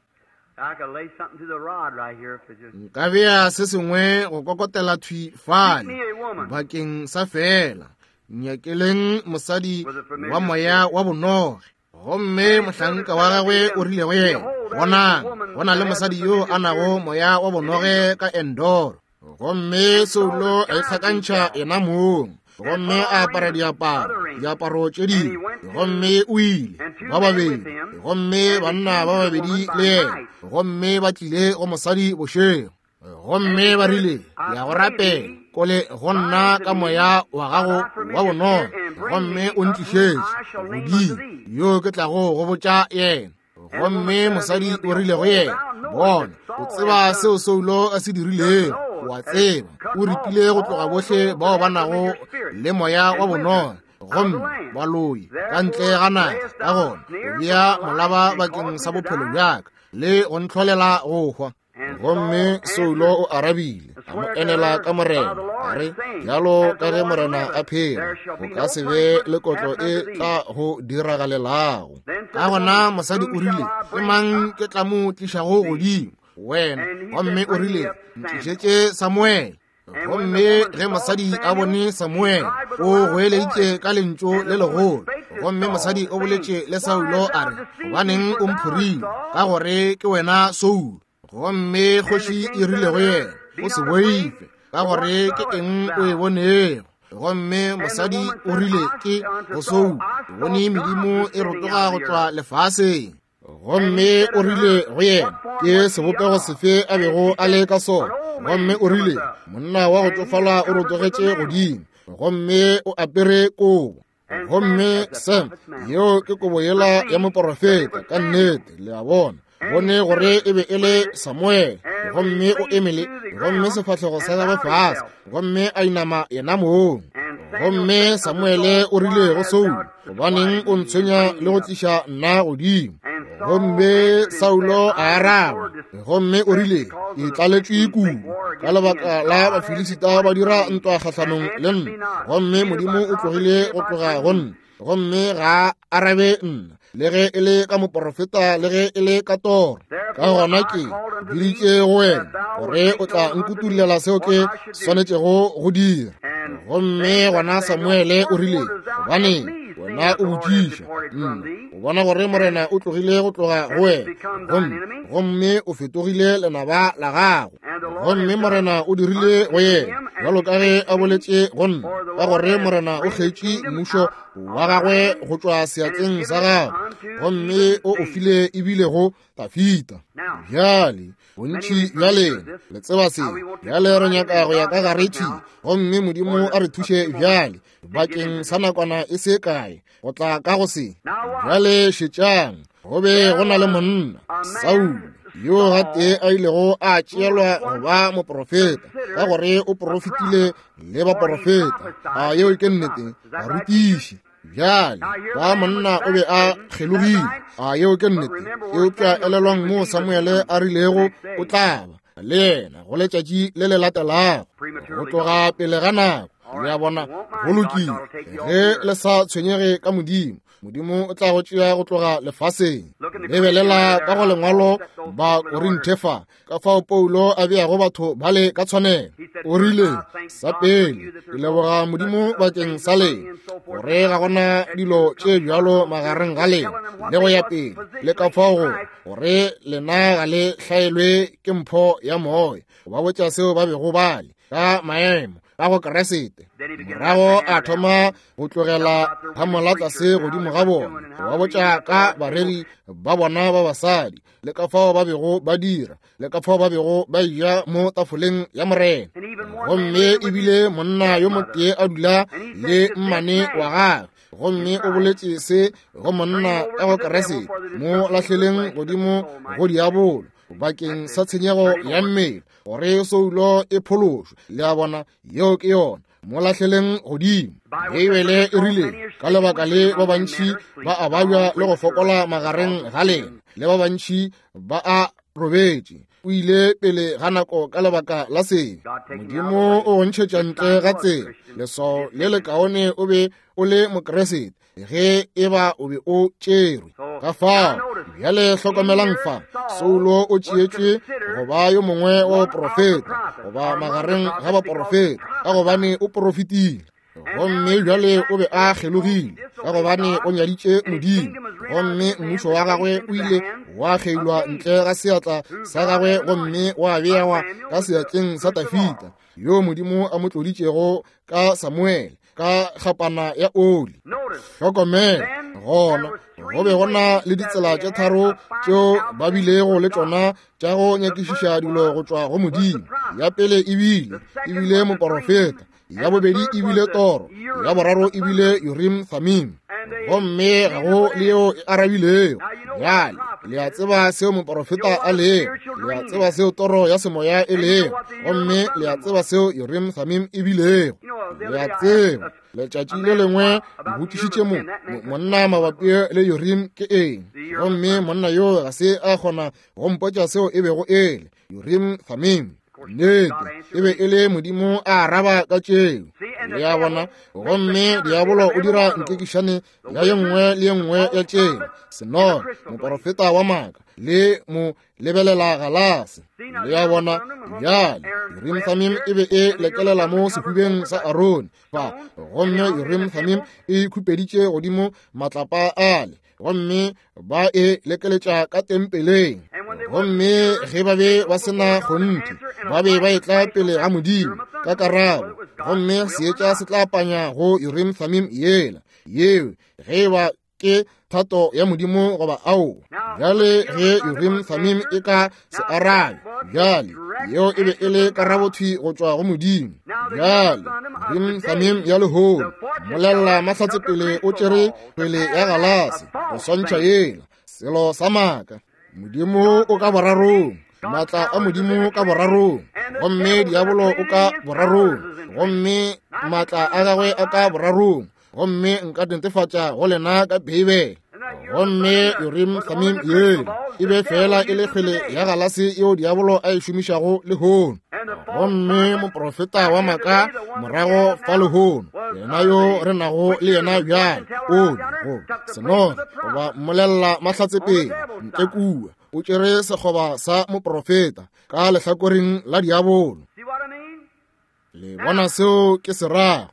Nka bea se sengwe go kokotela thwi fale bakeng sa fela. Nyakeleng mosadi wa moya wa bonoge. Gomme mohlanka wa gagwe o rile go yena, bonang, go na le mosadi yo a nago moya wa bonoge ka Endoro. Gomme Saulo a ikgakantšha yena mong, gomme a apara diaparo, diaparo tše dingwe, gomme o ile ba babedi, gomme banna ba babedi le yena, gomme ba tlile go mosadi bošego. Gomme ba rile, ya go rapela kole go nna ka moya wa gago wa bonoge, gomme o ntlišetše godimo yo ke tlago go botša yena. Gomme mosadi o rile go yena, bona, o tseba seo Saulo a se dirilego, o a tseba, o ripile go tloga bohle bao ba nago le moya wa bonoge, gomme baloi ka ntle ga naga. Ka gona o bea molaba bakeng sa bophelo bjaka le go ntlholela go hwa. Gomme Saulo o arabile, a mo enela ka Morena, a re, bjalo ka ge Morena a phela, go ka se be le kotlo e tla go diragalelago. Ka gona mosadi o rile, ke mang ke tla mo tlišago godimo? Wena. Gomme o rile, ntlišetše Samuele. Gomme ge mosadi a bone Samuele, o goeleditše ka lentšu le legolo. Gomme mosadi o boletše le Saulo a re, gobaneng o mphorile, ka gore ke wena Saulo? Gomme kgoši e rile go yena, o se boife, ka gore ke eng o e bonego? Gomme mosadi o rile ke go Saulo, ke bone medimo e rotoga go tšwa lefaseng. Gomme o rile go yena, ke sebopego sefe a bego a le ka sona? Gomme o rile, monna wa go tšofala o rotogetše godimo, gomme o apere kobo. Gomme Sam, yeo ke kobo yela ya moporofeta ka nnete, le a bona. Bone gore e be e le Samuele, gomme o emele, gomme sefahlego sa gagwe fase, gomme a inama yena mong. Gomme Samuele o rile go Saulo, gobaneng o ntshwenya le go tliša nna godimo? Gomme Saulo a araba, gomme o rile, ke tlaletšwe kudu ka lebaka la Bafilisita ba dira ntwa kgahlanong le nna, gomme Modimo o tlogile go tloga go nna, gomme ga arabe nna, le ge e le ka moporofeta, le ge e le ka toro. Ka gona ke biditše go wena gore o tla nkutullela seo ke swanetšego go dira. Gomme gona Samuele o rile, gobaneng wena o botšiša nna? O bona gore Morena o tlogile go tloga go wena, gomme gomme o fetogile lenaba la gago. Gomme Morena o dirile go yena bjalo ka ge a boletše go nna, ka gore Morena o kgetše mmušo wa gagwe go tšwa seatleng sa gagwe, gomme o o file ebile go Dafida. Bjale bontši bja lena le tseba se. Bjale re nyaka go ya ka gare thwi, gomme Modimo a re thuše bjale bakeng sa nakwana e se kae go tla ka go se. Bjale šetšang, go be go na le monna Saulo, yo gatee a ilego a tšeelwa go ba moprofeta, ka gore o profetile le baprofeta. A yeo ke nnete, barutiši. Bjale ba monna o be a kgelogile. A yeo ke nnete. Eupša elelwang mo Samuele a rilego o tla ba le yena go letšatši le le latelago, go tloga pele ga nako. Le a bona? Go lokile. Ge le sa tshwenyege ka Modimo, Modimo o tla go tšea go tloga lefaseng. Lebelela ka go lengwalo ba Korinthe fa, ka fao Paulo a beago batho bale ka tshwanelo. O rile, sa pele, ke leboga Modimo bakeng sa lena, gore ga gona dilo tše bjalo magareng ga lena, le go ya pele, le ka fao go gore lena ga le hlaelwe ke mpho ya moya. Ba botša seo ba bego ba le ka maemo ka go Keresete. Morago a thoma go tlogela phamola tlase godimo ga bona, ba botša ka bareri ba bona ba basadi, le ka fao ba bego ba dira, le ka fao ba bego ba eja mo tafoleng ya Morena. Gomme ebile monna yo motee a dula le mmane wa gagwe, gomme o boletše se go monna ka go Keresete, mo lahleleng godimo go diabolo bakeng sa tshenyego ya mmele, gore soulo e phološwe. Le a bona? Yeo ke yona. Mo lahleleng godimo. Beibele e rile, ka lebaka le ba bantši ba a babja le go fokola magareng ga lena, le ba bantši ba a robetše. O ile pele ga nako ka lebaka la sebe. Modimo o go ntšhetša ntle ga tsela. Leswao le lekaone o be o le Mokeresete ge e ba o be o tšerwe. Ka fao bjale hlokomelang fa, Saulo o tšeetšwe go ba yo mongwe wa baprofeta, goba magareng ga baprofeta, ka gobane o profetile. Gomme bjale o be a kgelogile, ka gobane o nyaditše Modimo, gomme mmušo wa gagwe o ile wa kgeilwa ntle ga seatla sa gagwe gomme wa bewa ka seatleng sa Dafita, yo Modimo a mo tloditšego ka Samuele ka kgapana ya oli. Hlokomela, gona go be go na le ditsela tše tharo tšeo ba bilego le tšona tša go nyakišiša dilo go tšwa go Modimo. Ya pele ebile ebile moporofeta, ya bobedi ebile toro, ya boraro ebile Urim Thummim. Gomme ga go le yeo e arabilego. Bjale le a tseba seo moporofeta a lego, le a tseba seo toro ya semoya e lego, gomme le a tseba seo Urim Thummim e bilego. Le a tseba. Letšatši le lengwe ke botšišitše mo monna mabapi le Urim ke eng, gomme monna yo ga se a kgona go mpotša seo e bego e le Urim Thummim. Nnete, e be e le Modimo a araba ka tšeo. Le a bona? Gomme diabolo o dira nkekišane ya ye nngwe le ye nngwe ya tšeo. Senoge, moporofeta wa maaka, le mo lebelela galase. Le a bona? Bjale Urim Thummim e be e lekelela mo sehubeng sa Arone fa, gomme Urim Thummim e khupeditše godimo matlapa ale, gomme ba e lekeletša ka tempeleng. Gomme ge ba be ba se na kgonthe, ba be ba etla pele ga Modimo ka karabo, gomme seetša se tla panya go Urim Thummim yela yeo, ge e ba ke thato ya Modimo goba ao. Bjale ge Urim Thummim e ka se arabe, bjale yeo e be e le karabothwi go tšwa go Modimo. Bjale Urim Thummim ya lehono, molelela mahlatsepele o tšere pele ya galase go swantšha yela selo sa maaka. Modimo o ka borarong, maatla a Modimo ka borarong, gomme diabolo o ka borarong, gomme maatla a gagwe a ka borarong, gomme nka netefatša go lena ka Beibele. Gomme Urim Thummim yela e be fela e le kgwele ya galase yeo diabolo a e šomišago lehono. Gomme moprofeta wa maaka morago fa lehono, yena yo re nago le yena bjale, o go senoge goba mmolelela mahlatsepele ntle kua, o tšere sekgoba sa moprofeta ka lehlakoreng la diabolo. Le bona seo ke se rago?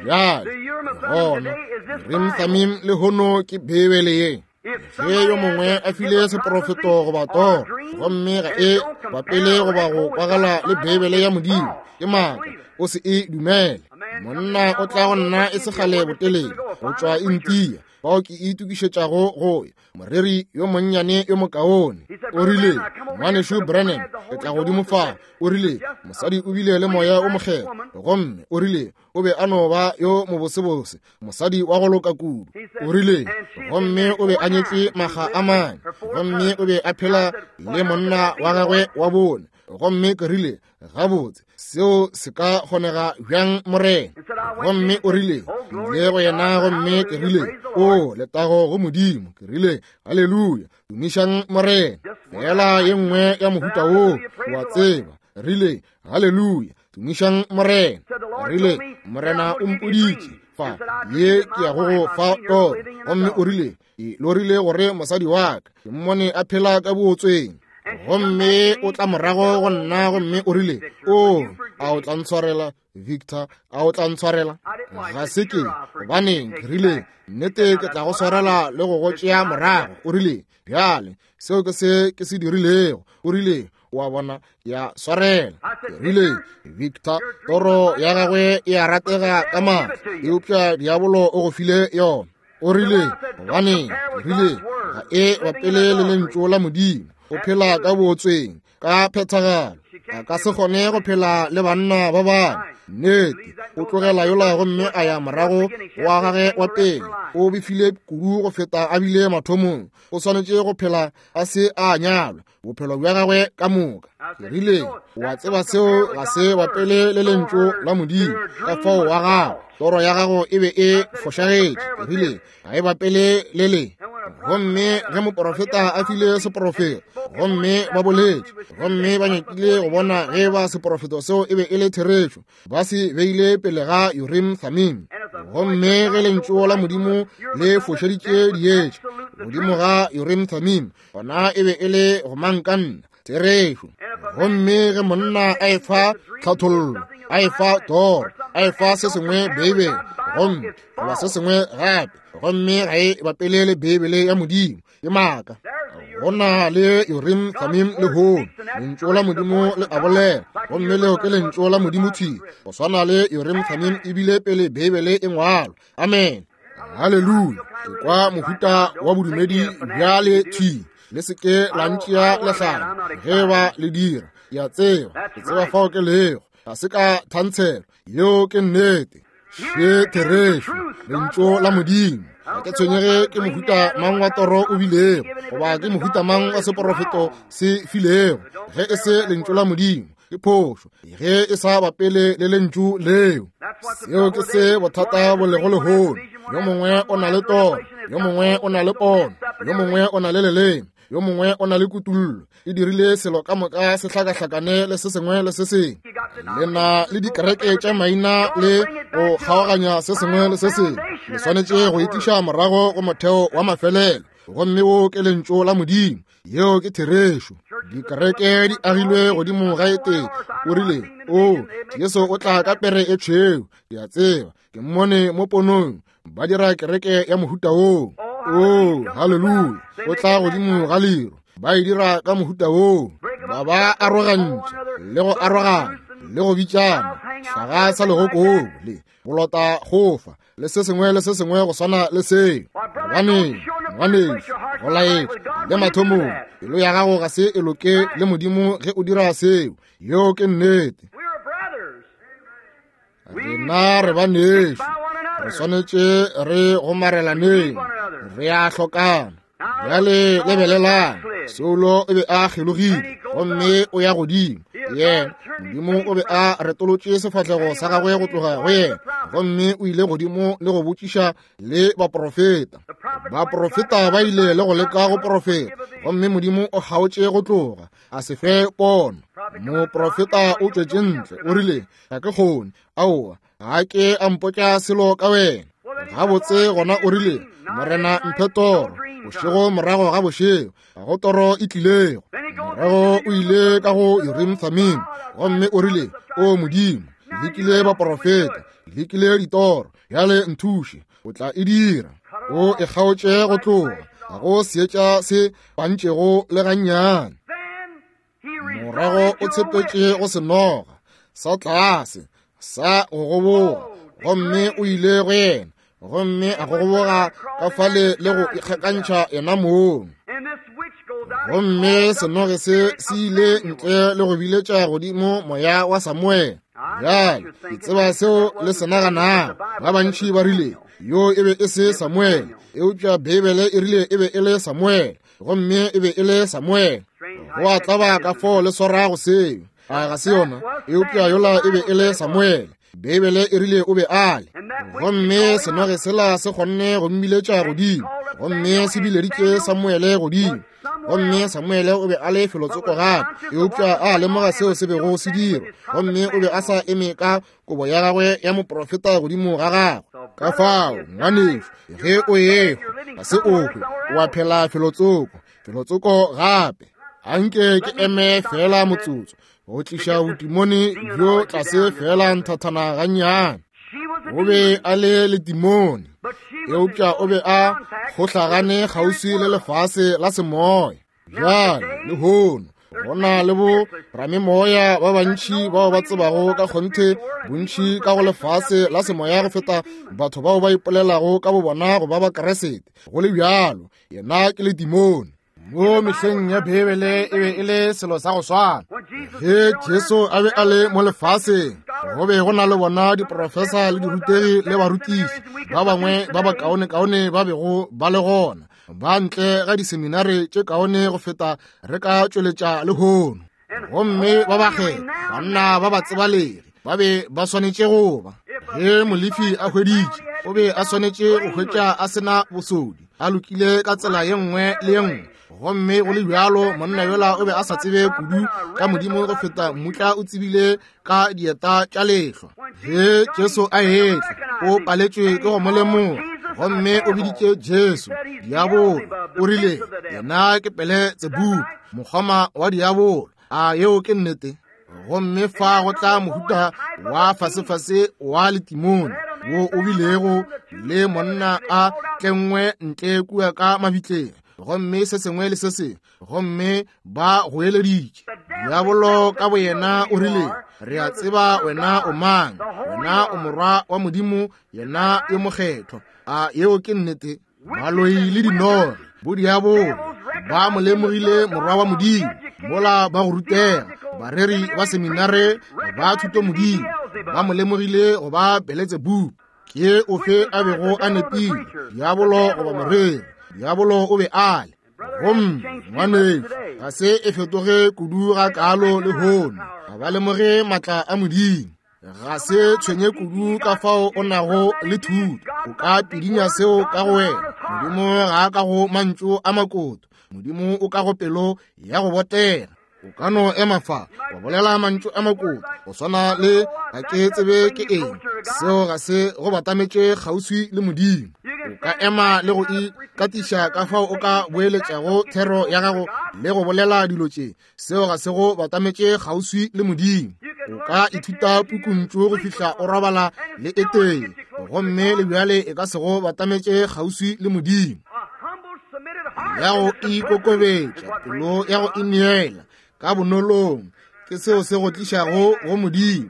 Bjale gona Urim Thummim lehono ke Beibele ye. Ge yo mongwe a file seprofeto goba toro, gomme ga e bapele goba go kwagala le Beibele ya Modimo, ke maaka, o se e dumele. Monna o tla go nna e se kgale botelele go tšwa India, fao ke itokišetšago go ya. Moreri yo monnyane yo mokaone o rile, ngwanešu Branham, ke tla godimo fa. O rile, mosadi o bile le moya o mokgethwa, gomme o rile o be a no ba yo mobosebose, mosadi wa go loka kudu. O rile, gomme o be a nyetše makga a mane, gomme o be a phela le monna wa gagwe wa bone. Gomme ke rile, gabotse, seo se ka kgonega bjang, Morena? Gomme o rile, ke ile go yena, gomme ke rile, o letago go Modimo. Ke rile, haleluya, tumišang Morena. Fela ye nngwe ya mohuta woo, wa tseba. Rile, haleluya, Tumišang Morena. Rile, Morena o mpoditše fa ye ke ya go go fa toro. Gomme o rile, ke lorile gore mosadi wa ka ke mmone a phela ka bootsweng. Gomme o tla morago go nna gomme o rile, o, a o tla ntshwarela, Victor, a o tla ntshwarela? Ga se ke, gobaneng, ke rile, nnete ke tla go swarela le go go tšea morago. O rile, bjale, seo ke se ke se dirilego. O rile, o a bona, ya swarela. Ke rile, Victor, toro ya gagwe e a ratega ka maatla, eupša diabolo o go file yona. O rile, gobaneng, ke rile, ga e bapele le lentšu la Modimo. O phela ka bootsweng ka phethagalo. A ka se kgone go phela le banna ba bangwe. Nnete, o tlogela yola gomme a ya morago wa gagwe wa pele. O befile kudu go feta a bile mathomong. O swanetše go phela a se a nyalwa bophelo bja gagwe ka moka. Ke rile, o a tseba seo ga se bapele le lentšu la Modimo. Ka fao wa gago, toro ya gago e be e fošagetše. Ke rile, ga e bapele le le. Gomme ge moprofeta a file seprofeto, gomme ba boletše, gomme ba nyakile go bona ge ba seprofeto seo e be e le therešo, ba se beile pele ga Urim Thummim. Gomme ge lentšu la Modimo le fošeditše dietša godimo ga Urim Thummim, gona e be e le gomankanna, therešo. Gomme ge monna a efa tlhathollo, a efa toro, a efa se sengwe Beibele, gomme goba se sengwe gape, gomme ga e bapele le Beibele ya Modimo, ke maaka. Go na le Urim Thummim lehono. Lentšu la Modimo le a bolela, gomme leo ke lentšu la Modimo thwi, go swana le Urim Thummim ebile pele Beibele e ngwalwa. Amen. Haleluya. Ke kwa mohuta wa bodumedi bjale thwi. Le se ke la ntšea lehlare ge ba le dira. Ke a tseba, ke tseba fao ke lego. Ga se ka thantshelo. Yeo ke nnete. Še therešo, lentšu la Modimo. Ga ke tshwenyege ke mohuta mang wa toro o bilego, goba ke mohuta mang wa seporofeto se filego. Ge e se lentšu la Modimo, ke phošo. Ge e sa bapele le lentšu leo. Seo ke se bothata bo lego lehono. Yo mongwe o na le toro, yo mongwe o na le pono, yo mongwe o na le leleme, yo mongwe o na le kutullo. E dirile selo ka moka se hlakahlakane le se sengwe le se sengwe. Le na le dikereke tša maina le go kgaoganya se sengwe le se sengwe. Le swanetše go itliša morago go motheo wa mafelelo, gomme wo ke lentšu la Modimo. Yeo ke therešo. Dikereke di agilwe godimo ga e tee. O rile, o, Jesu o tla ka pere e tšhweu. Ke a tseba, ke mmone mo ponong. Ba dira kereke ya mohuta woo. O, haleluya. O tla godimo ga leru. Ba e dira ka mohuta woo. Ba ba arogantše le go arogana le go bitšana hlaga sa legokobu le bolota gofa le se sengwe le se sengwe go swana le seo. Gobaneng, ngwanešu, go laetša le mathomong, pelo ya gago ga se e loke le Modimo ge o dira seo. Yeo ke nnete. Rena re banešu, re swanetše re gomarelaneng, re a hlokana. Bjale lebelelang, Saulo o be a kgelogile gomme o ya godimo. Yena, Modimo o be a retolotše sefahlego sa gagwe go tloga go yena, gomme o ile godimo le go botšiša le baprofeta. Baprofeta ba ile le go leka go profeta, gomme Modimo o kgaotše go tloga, a se fe pono. Moprofeta o tšwetše ntle, o rile, ga ke kgone, aowa, ga ke a mpotša selo ka wena. Gabotse gona o rile, Morena mphe toro, bošego morago ga bošego, ga go toro e tlilego. Morago o ile ka go Urim Thummim, gomme o rile, o Modimo, lekile baprofeta, lekile ditoro, bjale nthuše, o tla e dira. O e kgaotše go tloga, ga go seetša se pantšego le gannyane. Morago o tshepetše go senoga sa tlase sa go goboga, gomme o ile go yena, gomme a goboga ka fale le go ikgakantšha yena mong. Gomme senoge se se ile ntle le go biletša godimo moya wa Samuele. Bjale ke tseba seo le se naganago. Ba bantši ba rile yo e be e se Samuele, eupša Beibele e rile e be e le Samuele, gomme e be e le Samuele. Go a tlaba ka fao le swarago seo, a ga se yona? Eupša yola e be e le Samuele. Beibele e rile o be a le. Gomme senoge sela se kgonne go mmiletša godimo, Gomme se bileditše Samuele godimo, gomme Samuele o be a le felotsoko gape, eupša a lemoga seo se bego se dirwa, gomme o be a sa eme ka kobo ya gagwe ya moprofeta godimo ga gagwe. Ka fao, ngwanešu, ge o ehwa, ga se o hwe, o a phela felotsoko, felotsoko gape. Anke ke eme fela motsotso go tliša botimone bjo tlase fela nthathana gannyane. O be a le letimone, eupša o be a kgohlagane kgauswi le lefase la semoya. Bjale lehono go na le bo ramemoya ba bantši bao ba tsebago ka kgonthe bontši ka go lefase la semoya go feta batho bao ba ipolelago ka bobona go ba Bakeresete. Go le bjalo, yena ke letimone. Mo mehleng ya Bibele e be e le selo sa go swana. Ge Jesu a be a le mo lefaseng, go be go na le bona diprofesa le dirutegi le barutiši ba bangwe ba bakaonekaone ba bego ba le gona, ba ntle ga diseminare tše kaone go feta re ka tšweletša lehono. Gomme ba bakgetha banna ba ba tsebalegi ba be ba swanetše go ba. Ge Molefi a hweditše, o be a swanetše go hwetša a sena bosodi, a lokile ka tsela ye nngwe le ye nngwe. Gomme go le bjalo, monna yola o be a sa tsebe kudu ka Modimo go feta mmutla o tsebile ka dieta tša lehlwa. Ge Jesu a etla, o paletšwe ke go mo lemoga, gomme o biditše Jesu diabolo. O rile, yena ke Beletsebubu, mokgoma wa diabolo. A yeo ke nnete? Gomme fa go tla mohuta wa fasefase wa letimone wo o bilego le monna a tlengwe ntle kua ka mabitleng, gomme se sengwe le se sengwe, gomme ba goeleditše. Diabolo ka boyena o rile, re a tseba wena o mang, wena o morwa wa Modimo, yena yo mokgethwa. A yeo ke nnete? Baloi le dinore, bodiabolo ba mo lemogile morwa wa Modimo, mola ba go rutega, bareri ba seminare ba thuto Modimo ba mo lemogile go ba Beletsebubu. Ke ofe a bego a nepile, diabolo goba moreri? Diabolo o be a le. Gomme ngwanešu, ga se e fetoge kudu ga kalo lehono. Ga ba lemoge maatla a Modimo. Ga se tshwenye kudu ka fao o nago le thuto, o ka pidinya seo ka go wena. Modimo ga a ka go mantšu a makoto, Modimo o ka go pelo ya go botega. O ka no ema fa wa bolela mantšu a makoto go swana le ga ke tsebe ke eng, seo ga se go batametše kgauswi le Modimo. O ka ema le go ikatiša ka fao o ka boeletšago thero ya gago le go bolela dilo tše, seo ga se go batametše kgauswi le Modimo. O ka ithuta pukuntšu go fihla o robala le e tee, gomme le bjale e ka se go batametše kgauswi le Modimo. Ya go ikokobetša, pelo ya go ineela ka bonolong, ke seo se go tlišago go Modimo,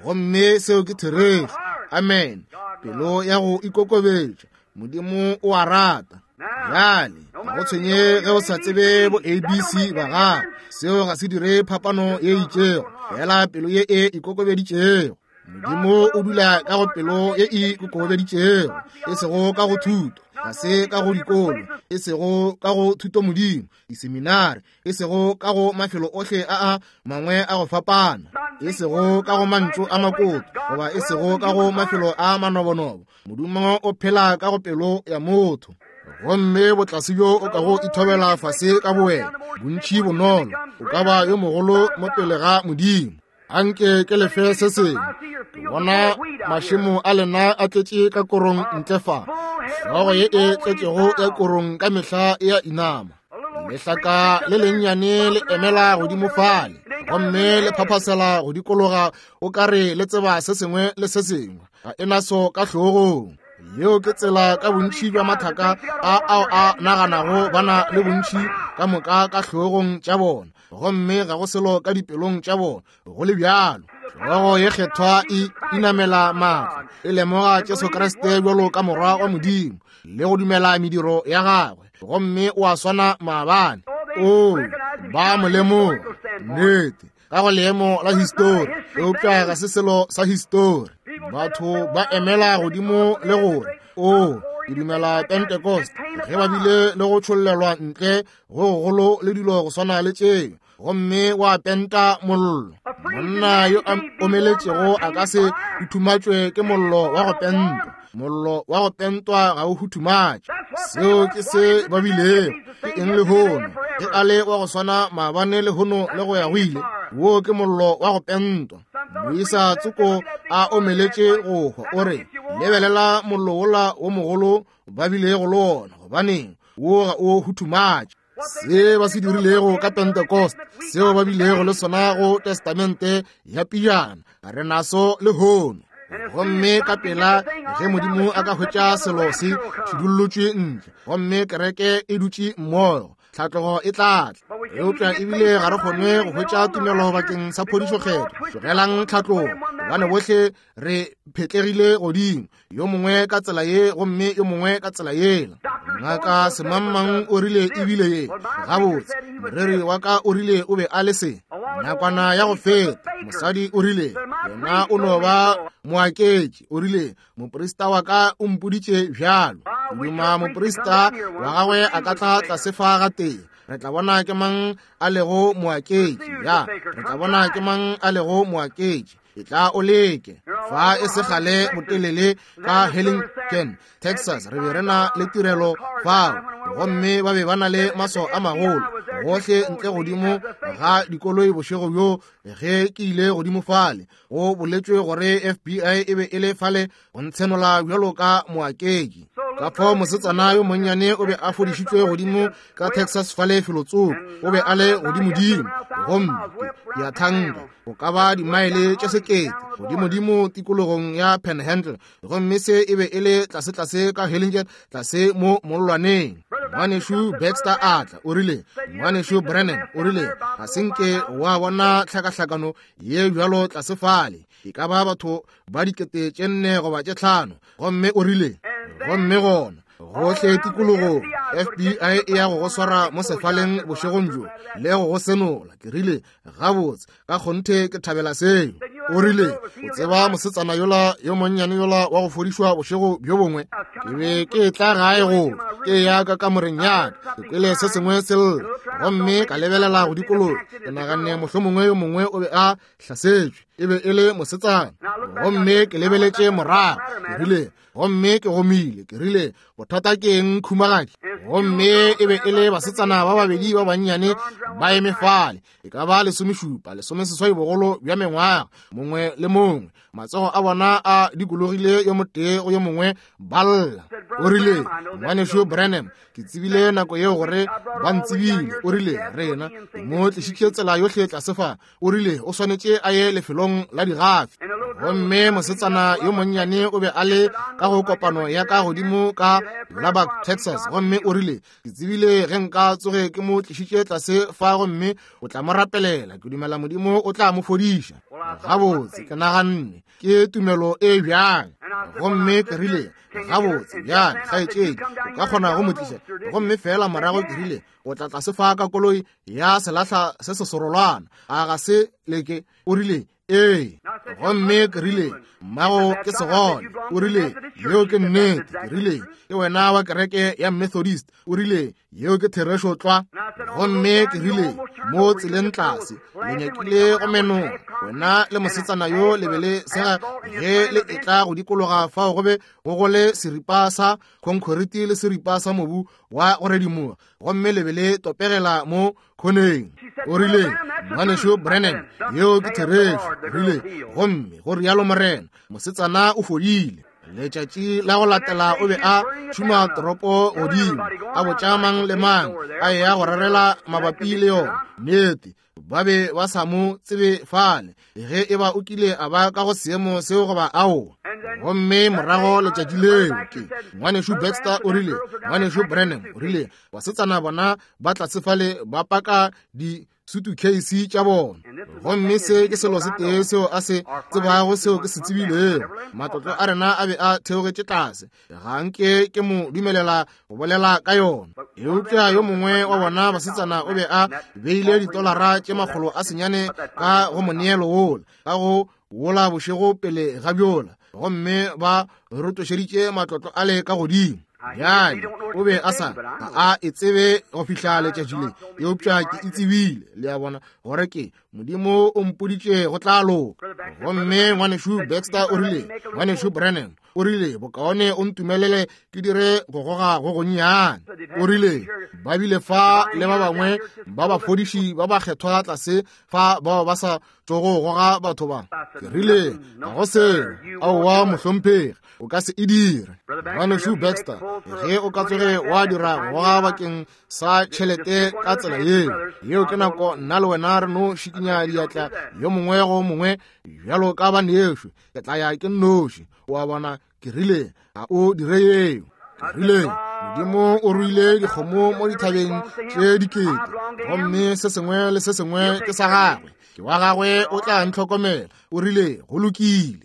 gomme seo ke therešo. Amen. Pelo ya go ikokobetša, Modimo o a rata. Bjale ga go tshwenye ge o sa tsebe bo A B C ba gago, seo ga se dire phapano ye itšego, fela pelo ye e ikokobeditšego. Modimo o dula ka go pelo ye e ikokobeditšego, e sego ka go thuto, ga se ka go dikolo, e sego ka go thuto Modimo, diseminare, e sego ka go mafelo ohle a a mangwe a go fapana, e sego ka go mantšu a makoto, goba e sego ka go mafelo a manobonobo. Modimo o phela ka go pelo ya motho. Gomme botlase bjo o ka go ithobela fase ka bowena, bontši bonolo, o ka ba yo mogolo mo pele ga Modimo. Anke ke lefe se sengwe. Ke bona mašemo a lena a tletše ka korong ntle fa, hlogo ye e tletšego ya korong ka mehla e a inama. Lehlaka le lennyane le emela godimo fale, gomme le phaphasela go dikologa o ka re le tseba se sengwe le se sengwe, ga e naso ka hlogong. Yeo ke tsela ka bontši bja mathaka a ao a naganago ba na le bontši ka moka ka hlogong tša bona, gomme ga go selo ka dipelong tša bona. Go le bjalo, hlogo ye kgethwa e inamela maatla, e lemoga Jesu Kriste bjalo ka morwa wa Modimo le go dumela mediro ya gagwe, gomme o a swana maabane. O ba mo lemoga, nnete, ka go leemo la histori, eupša ga se selo sa histori. Batho ba emela godimo le gore, o ke dumela Pentecost, ge ba bile le go tšhollelwa ntle go gogolo le dilo go swana le tšeo, gomme wa penta mollo. Monna yo a omeletšego a ka se huthumatšwe ke mollo wa go pentwa. Mollo wa go pentwa ga o huthumatše. Seo ke se ba bilego. Ke eng lehono? Ge a le wa go swana maabane lehono le go ya go ile, wo ke mollo wa go pentwa. Moisa tsoko a omeletše go hwa, o re, lebelela mollo wola wo mogolo ba bilego le wona, gobaneng wo ga o huthumatše. Se ba se dirilego ka Pentecost, seo ba bilego le sona go Testamente ya pejana, re naso lehono. Gomme ka pela ge Modimo a ka hwetša selo se thudullotšwe ntle, gomme kereke e dutše mmogo, tlhatlogo e tla tla. Eupša ebile ga re kgone go hwetša tumelo bakeng sa phodišo kgetho. Tlogelang tlhatlogo, gobane bohle re phetlegile godimo, yo mongwe ka tsela ye gomme yo mongwe ka tsela yela. Ngaka semangmang o rile ebile ye, gabotse moreri wa ka o rile o be a le se. Nakwana ya go feta mosadi o rile yena o no ba moaketši, o rile moprista wa ka o mpoditše bjalo. Duma moprista wa gagwe a ka tla tlase fa gatee, re tla bona ke mang a lego moaketši. Ya, re tla bona ke mang a lego moaketši. E tla o leke. Fa e se kgale botelele ka Hellingen, Texas, re be re na le tirelo fao, gomme ba be ba na le maswao a magolo gohle ntle godimo ga dikoloi bošego bjo. Ge ke ile godimo fale, go boletšwe gore F B I e be e le fale go ntshenola bjalo ka moaketši. Ka fao mosetsana yo monnyane o be a fodišitšwe godimo ka Texas fale felotsoko, o be a le godimodimo, gomme ke a thanka go ka ba dimaele tše sekete godimodimo tikologong ya Panhandle, gomme se e be e le tlasetlase ka Hellingen, tlase mo mollwaneng. Ngwanešu Baxter a tla, o rile, ngwanešu Branham, o rile, ga se nke wa bona tlhakahlakano ye bjalo tlase fale, e ka ba batho ba dikete tše nne goba tše tlhano. Gomme o rile, gomme gona gohle tikologong F B I e ya go go swara mo sefaleng bošegong bjo le go go senola. Ke rile, gabotse, ka kgonthe ke thabela seo. O rile, o tseba mosetsana yola yo monnyane yola wa go fodišwa bošego bjo bongwe? Ke be ke tla gae go ke ya ka kamoreng ya ka, ke kwele se sengwe se lla, gomme ka lebelela go dikologa. Ke naganne mohlomongwe yo mongwe o be a hlasetšwe, e be e le mosetsana. Gomme ke lebeletše morago, ke rile, gomme ke gomile, ke rile, bothata ke eng khumagadi? Gomme e be e le basetsana ba babedi ba bannyane ba eme fale, e ka ba lesomešupa lesomeseswai bogolo bja mengwaga mongwe le mongwe, matsogo a bona a dikologile yo motee go yo mongwe, ba lla. O rile, ngwanešu Branham, ke tsebile nako yeo gore ba ntsebile. O rile, rena ke mo tlišitše tsela yohle tlase fa. O rile, o swanetše a ye lefelong la digafi. Gomme mosetsana yo monnyane o be a le ka go kopano ya ka godimo ka Lubbock, Texas. Gomme o rile, ke tsebile ge nka tsoge ke mo tlišitše tlase fa, gomme o tla mo rapelela, ke dumela Modimo o tla mo fodiša. Gabotse, ke naganne ke tumelo e bjang. Gomme ke rile, gabotse bjang, kgaetšedi, o ka kgona go mo tliša. Gomme fela morago ke rile, o tla tlase fa ka koloi ya selahla se se serolwana, a ga se leke? O rile, ee. Gomme ke rile, mmago ke segole. O rile, yeo ke nnete. Ke rile, ke wena wa kereke ya Methodist. O rile, yeo ke therešo tlwa. Gomme ke rile, mo tseleng tlase le nyakile go menoga, wena le mosetsana yo le be le sega ge le etla go dikologa fao go be go go le seripa sa khonkhoriti le seripa sa mobu wa go redimoga, gomme le be le topegela mo khoneng. O rile, ngwanešu Branham, yeo ke therešo. O rile, gomme go rialo Morena, mosetsana o fodile. Letšatši la go latela o be a tšhuma toropo godimo, a botša mang le mang a eya go rerela mabapi le yona. Nnete, ba be ba sa mo tsebe fale, ge e ba o kile a ba ka go seemo seo goba aowa. Gomme morago letšatši leo ke ngwanešu Baxter o rile, ngwanešu Branham, o rile, basetsana bona ba tlase fale ba paka di sutukheisi tša bona. Gomme se ke selo se tee seo a se tsebago seo ke se tsebilego. Matlotlo a rena a be a theogetše tlase, ga nke ke mo dumelela go bolela ka yona. Eupša yo mongwe wa bona basetsana o be a beile ditolara tše makgolo a senyane ka go moneelo wola, ka go wola bošego pele ga bjola, gomme ba rotošeditše matlotlo ale ka godimo. Bjale o be a sa ga a e tsebe go fihla letšatši le, eupša ke e tsebile, le a bona, gore ke Modimo o mpoditše go tla loka. Gomme ngwanešu Baxter o rile, ngwanešu Branham, o rile, bokaone o ntumelele ke dire go goga go gonnyane. O rile, ba bile fa le ba bangwe ba bafodiši ba ba kgethwa tlase fa bao ba sa tšogo goga batho ba. Ke rile, ga go selo, aowa mohlomphegi, o ka se e dire. Ngwanešu Baxter, ge o ka tsoge wa dira go goga bakeng sa tšhelete ka tsela yeo, yeo ke nako nna le wena re no šikinya diatla yo mongwe go mongwe bjalo ka banešo, ke tla ya ke nnoši. O a bona? Ke rile, ga o dire yeo. Ke rile, Modimo o ruile dikgomo mo dithabeng tše dikete, gomme se sengwe le se sengwe ke sa gagwe, ke wa gagwe, o tla ntlhokomela. O rile, go lokile.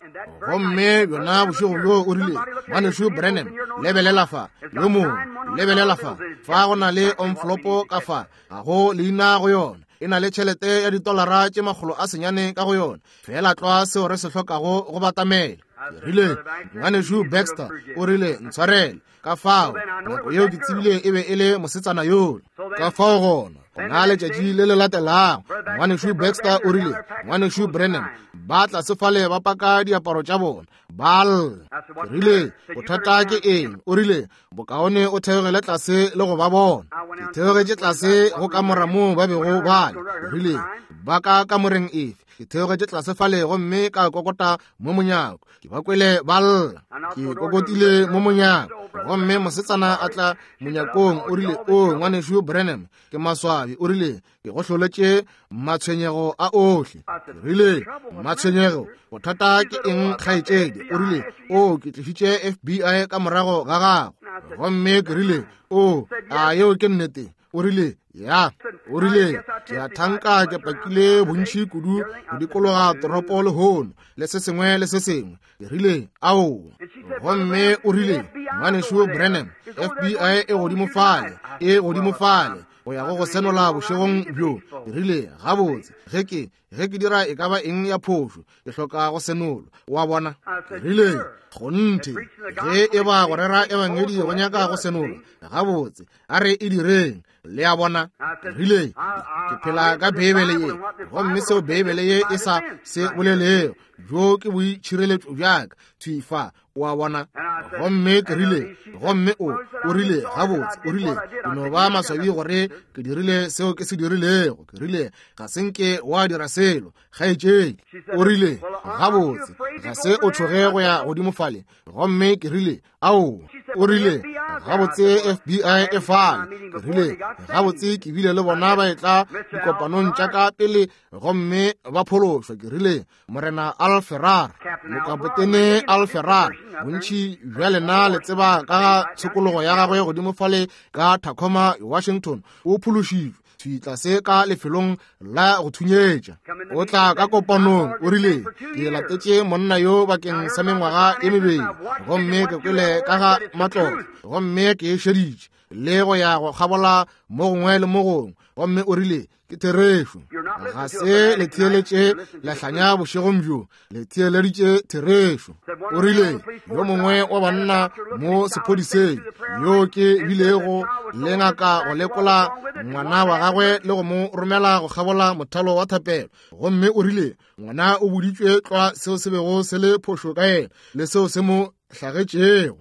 Gomme bjona bošego bjo o rile, ngwanešu Branham, lebelela fa, yo mongwe, lebelela fa, fa go na le omflopo ka fa, ga go leina go yona, e na le tšhelete ya ditolara tše makgolo a senyane ka go yona, fela tlwa seo re se hlokago go batamela. Ke rile, ngwanešu Baxter, o rile, ntshwarele. Ka fao nako yeo ke tsebile e be e le mosetsana yola. Ka fao gona gona letšatši le le latelago, ngwanešu Baxter o rile, ngwanešu Branham, ba tlase fale ba paka diaparo tša bona, ba lla. Ke rile, bothata ke eng? O rile, bokaone o theogele tlase le go ba bona. Ke theogetše tlase go kamora moo ba bego ba le. Ke rile, ba ka kamoreng efe? Ke theogetše tlase fale gomme ka kokota mo monyako. Ke ba kwele ba lla. Ke kokotile mo monyako, gomme mosetsana a tla monyakong. O rile, o ngwanešu Branham, ke maswabi. O rile, ke go hloletše matshwenyego a ohle. Ke rile, matshwenyego, bothata ke eng kgaetšedi? O rile, o ke tlišitše F B I ka morago ga gago. Gomme ke rile, o a yeo ke nnete? O rile, ya. O rile, ke a thanka ke pakile bontši kudu go dikologa toropo lehono, le se sengwe le se sengwe. Ke rile, ao. Gomme o rile, ngwanešu Branham, F B I e godimo fale, e godimo fale, go ya go go senola bošegong bjo. Ke rile, gabotse, ge ke ge ke dira e ka ba eng ya phošo, ke hloka go senolwa. Wa bona? Ke rile, kgonthe, ge e ba go rera ebangedi go nyaka go senolwa, gabotse, a re e direng. Le a bona? Ke rile, ke phela ka Beibele ye, gomme seo Beibele ye e sa se bolelego, bjo ke boitšhireletšo bjaka thwi fa. O a bona? Gomme ke rile, gomme o o rile, gabotse, o rile, ke no ba maswabi gore ke dirile seo ke se dirilego. Ke rile, ga se nke wa dira selo, kgaetšedi. O rile, gabotse, ga se o tšhoge go ya godimo fale. Gomme ke rile, ao. O rile, gabotse, F B I e fale. Ke rile, gabotse, ke bile le bona ba etla dikopanong tša ka pele gomme ba phološwa. Ke rile, Morena Al Ferrar, mokapotene Al Ferrar, bontši bja lena le tseba ka ga tshokologo ya gagwe godimo fale ka Tacoma, Washington. O phološitšwe thwi tlase ka lefelong la go thunyetša. O tla ka kopanong. O rile, ke latetše monna yo bakeng sa mengwaga e mebedi, gomme ke kwele ka ga matlotlo, gomme ke e šeditše le go ya go kgabola mo gongwe le mo gongwe. Gomme o rile, ke therešo. Ga se le theeletše lehlanya bošegong bjo, le theeleditše therešo. O rile, yo mongwe wa banna mo sephodiseng yo ke bilego le ngaka go lekola ngwana wa gagwe le go mo romela go kgabola mothalo wa thapelo, gomme o rile ngwana o boditšwe tlwa seo se bego se le phošo ka yena le seo se mo hlagetšego.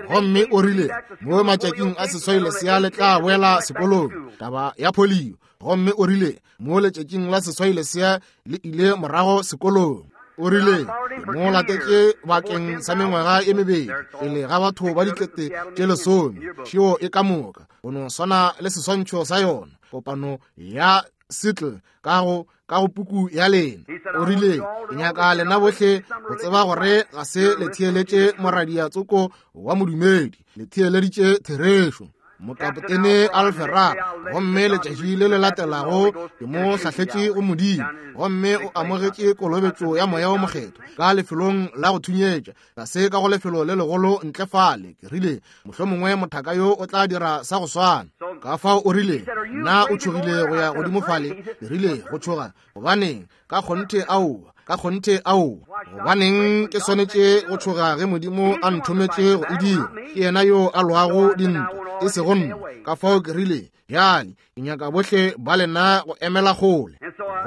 Gomme o rile mo matšatšing a seswai lesea le tla boela sekolong, taba ya polio. Gomme o rile mo letšatšing la seswai lesea le ile morago sekolong. O rile mo latetše bakeng sa mengwaga e mebedi pele ga batho ba dikete tše lesome, šeo e ka moka go no swana le seswantšho sa yona kopano ya Seattle ka go ka go puku ya lena. O rile, ke nyaka lena bohle go tseba gore ga se le theeletše moradia tsoko wa modumedi, le theeleditše therešo. Mokapotene Al Ferrar, gomme letšatši le le latelago ke mo hlahletše go Modimo, gomme o amogetše kolobetšo ya Moya o Mokgethwa ka lefelong la go thunyetša, ga se ka go lefelo le legolo ntle fale. Ke rile, mohlomongwe mothaka yo o tla dira sa go swana. Ka fao o rile, nna o tšhogile go ya godimo fale? Ke rile, go tšhoga? Gobaneng, ka kgonthe aowa. Ka kgonthe ao. Gobaneng ke swanetše go tšhoga ge Modimo a nthometše go e dira? Ke yena yo a lwago dintwa, e sego nna. Ka fao ke rile, bjale ke nyaka bohle ba lena go emela kgole.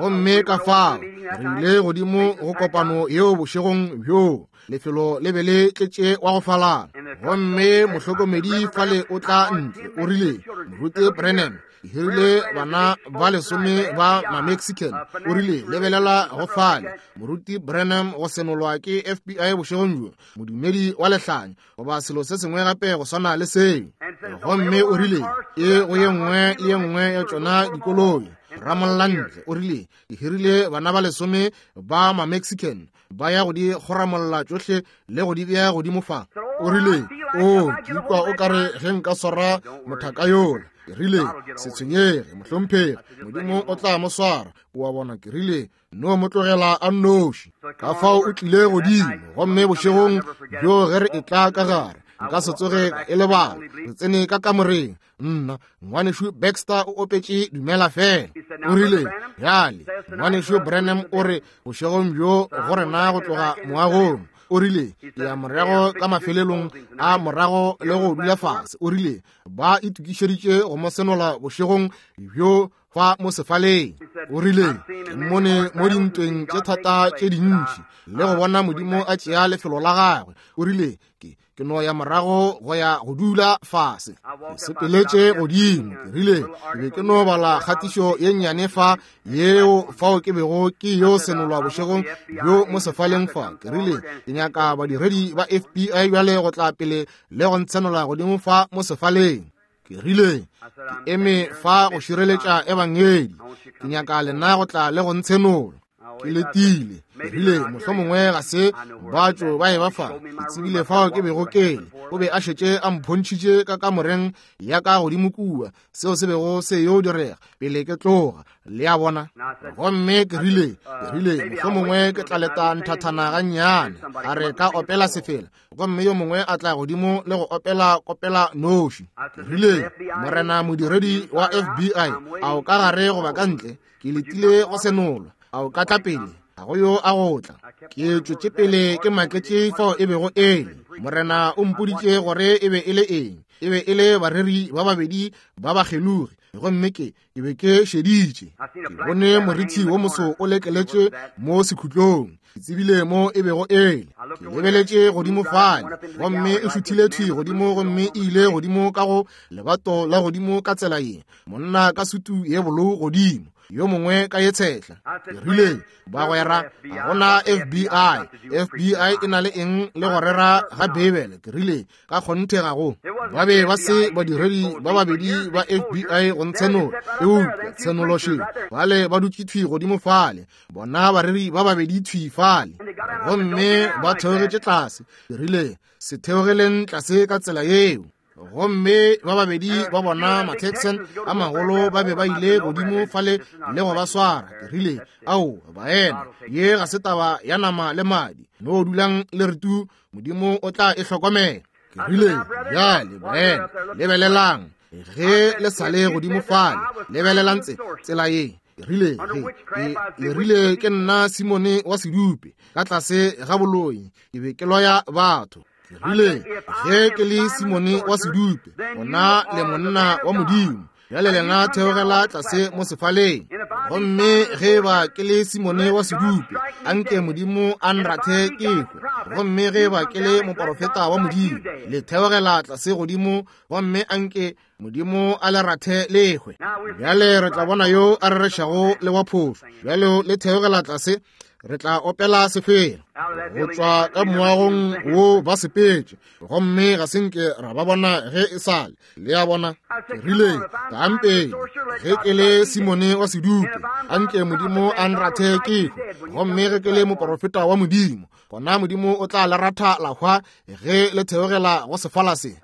Gomme ka fao re ile godimo go kopano yeo bošegong bjoo. Lefelo le be le tletše wa go falala. Gomme mohlokomedi fale o tla ntle, o rile, Moruti Branham, ke hirile bana ba lesome ba ma-Mexican. O rile, lebelela go fale, Moruti Branham go senolwa ke F B I bošegong bjo, modumedi wa lehlanya, goba selo se sengwe gape go swana le seo. Gomme o rile, e go ye nngwe le ye nngwe ya tšona dikoloi, ramolla ntle. O rile, ke hirile bana ba lesome ba ma-Mexican, ba ya go di kgoramolla tšohle le go di bea godimo fa. O rile, o ke ikwa o kare ge nka swara mothaka yola. Ke rile, se tshwenyege mohlomphegi, Modimo o tla mo swara. O a bona? Ke rile, no mo tlogela a nnoši. Ka fao o tlile godimo, gomme bošegong bjo ge re etla ka gare, nka se tsoge e lebala. Re tsene ka kamoreng, nna ngwanešu Baxter o opetše Dumela Fela. O rile, bjale ngwanešu Branham o re bošegong bjo go rena go tloga moagong. O rile, ke ya morago ka mafelelong a morago le go dula fase. O rile, ba itokišeditše go mo senola bošegong bjo fa mo sefaleng. O rile, ke mmone mo dintweng tše thata tše dintši le go bona Modimo a tšea lefelo la gagwe. O rile, ke ke no ya morago go ya go dula fase. Ke sepeletše godimo. Ke rile, ke be ke no bala kgatišo ye nnyane fa yeo fao ke bego ke yo senolwa bošegong bjo mo sefaleng fa. Ke rile, ke nyaka badiredi ba F B I bjale go tla pele le go ntshenola godimo fa mo sefaleng. Ke rile, ke eme fa go šireletša ebangedi. Ke nyaka lena go tla le go ntshenola. Ke letile. Ke rile, mohlomongwe ga se ba tšo ba e ba fa. Ke tsebile fao ke bego ke le. O be a šetše a mphontšhitše ka kamoreng ya ka godimo kua, seo se bego se yo direga pele ke tloga. Le a bona? Gomme ke rile, ke rile, mohlomongwe ke tla leta nthathana gannyane, a re ka opela sefela, gomme yo mongwe a tla godimo le go opela kopela noši. Ke rile, morena modiredi wa F B I, a o ka gare goba ka ntle? Ke letile go senolwa. A o ka tla pele? Ga go yo a go tla. Ke tšwetše pele ke maketše fao e bego e le. Morena o mpoditše gore e be e le eng. E be e le bareri ba babedi ba bakgelogi, gomme ke ke be ke šeditše. Ke bone morithi wo moso o lekeletše mo sekhutlong. Ke tsebile mo e bego e le. Ke lebeletše godimo fale, gomme e šuthile thwi godimo, gomme e ile godimo ka go lebato la godimo ka tsela ye. Monna ka sutu ye bolou godimo, yo mongwe ka ye tshehla. Ke rile, bagwera, ga gona F B I. F B I e na le eng le go rera ga Beibele? Ke rile, ka kgonthe ga go. Ba be ba se badiredi ba babedi ba F B I go ntshenola, eupša tshenolo še. Bale ba dutše thwi godimo fale, bona bareri ba babedi thwi fale, gomme ba theogetše tlase. Ke rile, se theogeleng tlase ka tsela yeo. Gomme ba babedi ba bona ma-Texan a magolo ba be ba ile godimo fale le go ba swara. Ke rile, ao baena, ye ga se taba ya nama le madi. No dulang le re tu, Modimo o tla e hlokomela. Ke rile, bjale baena, lebelelang ge le sa le godimo fale, lebelelang tse tsela ye. Ke rile, ge le rile ke nna Simone wa sedupe ka tlase ga boloi, ke be ke loya batho. Ke rile, ge ke le Simone wa sedupe, gona le monna wa Modimo, bjale lena theogela tlase mo sefaleng. Gomme ge ba ke le Simone wa sedupe, anke Modimo a nrathe ke hwe. Gomme ge ba ke le moporofeta wa Modimo, le theogela tlase godimo, gomme anke Modimo a le rathe le hwe. Bjale re tla bona yo a rerešago le wa phošo. Bjale le theogela tlase, re tla opela sefela go tšwa ka moagong wo ba sepetše, gomme ga se nke ra ba bona ge e sale. Le a bona? Ke rile, tlang pele, ge ke le Simone wa sedupe, anke Modimo a nrathe ke hwe. Gomme ge ke le moporofeta wa Modimo, gona Modimo o tla le ratha la hwa ge le theogela go sefala se.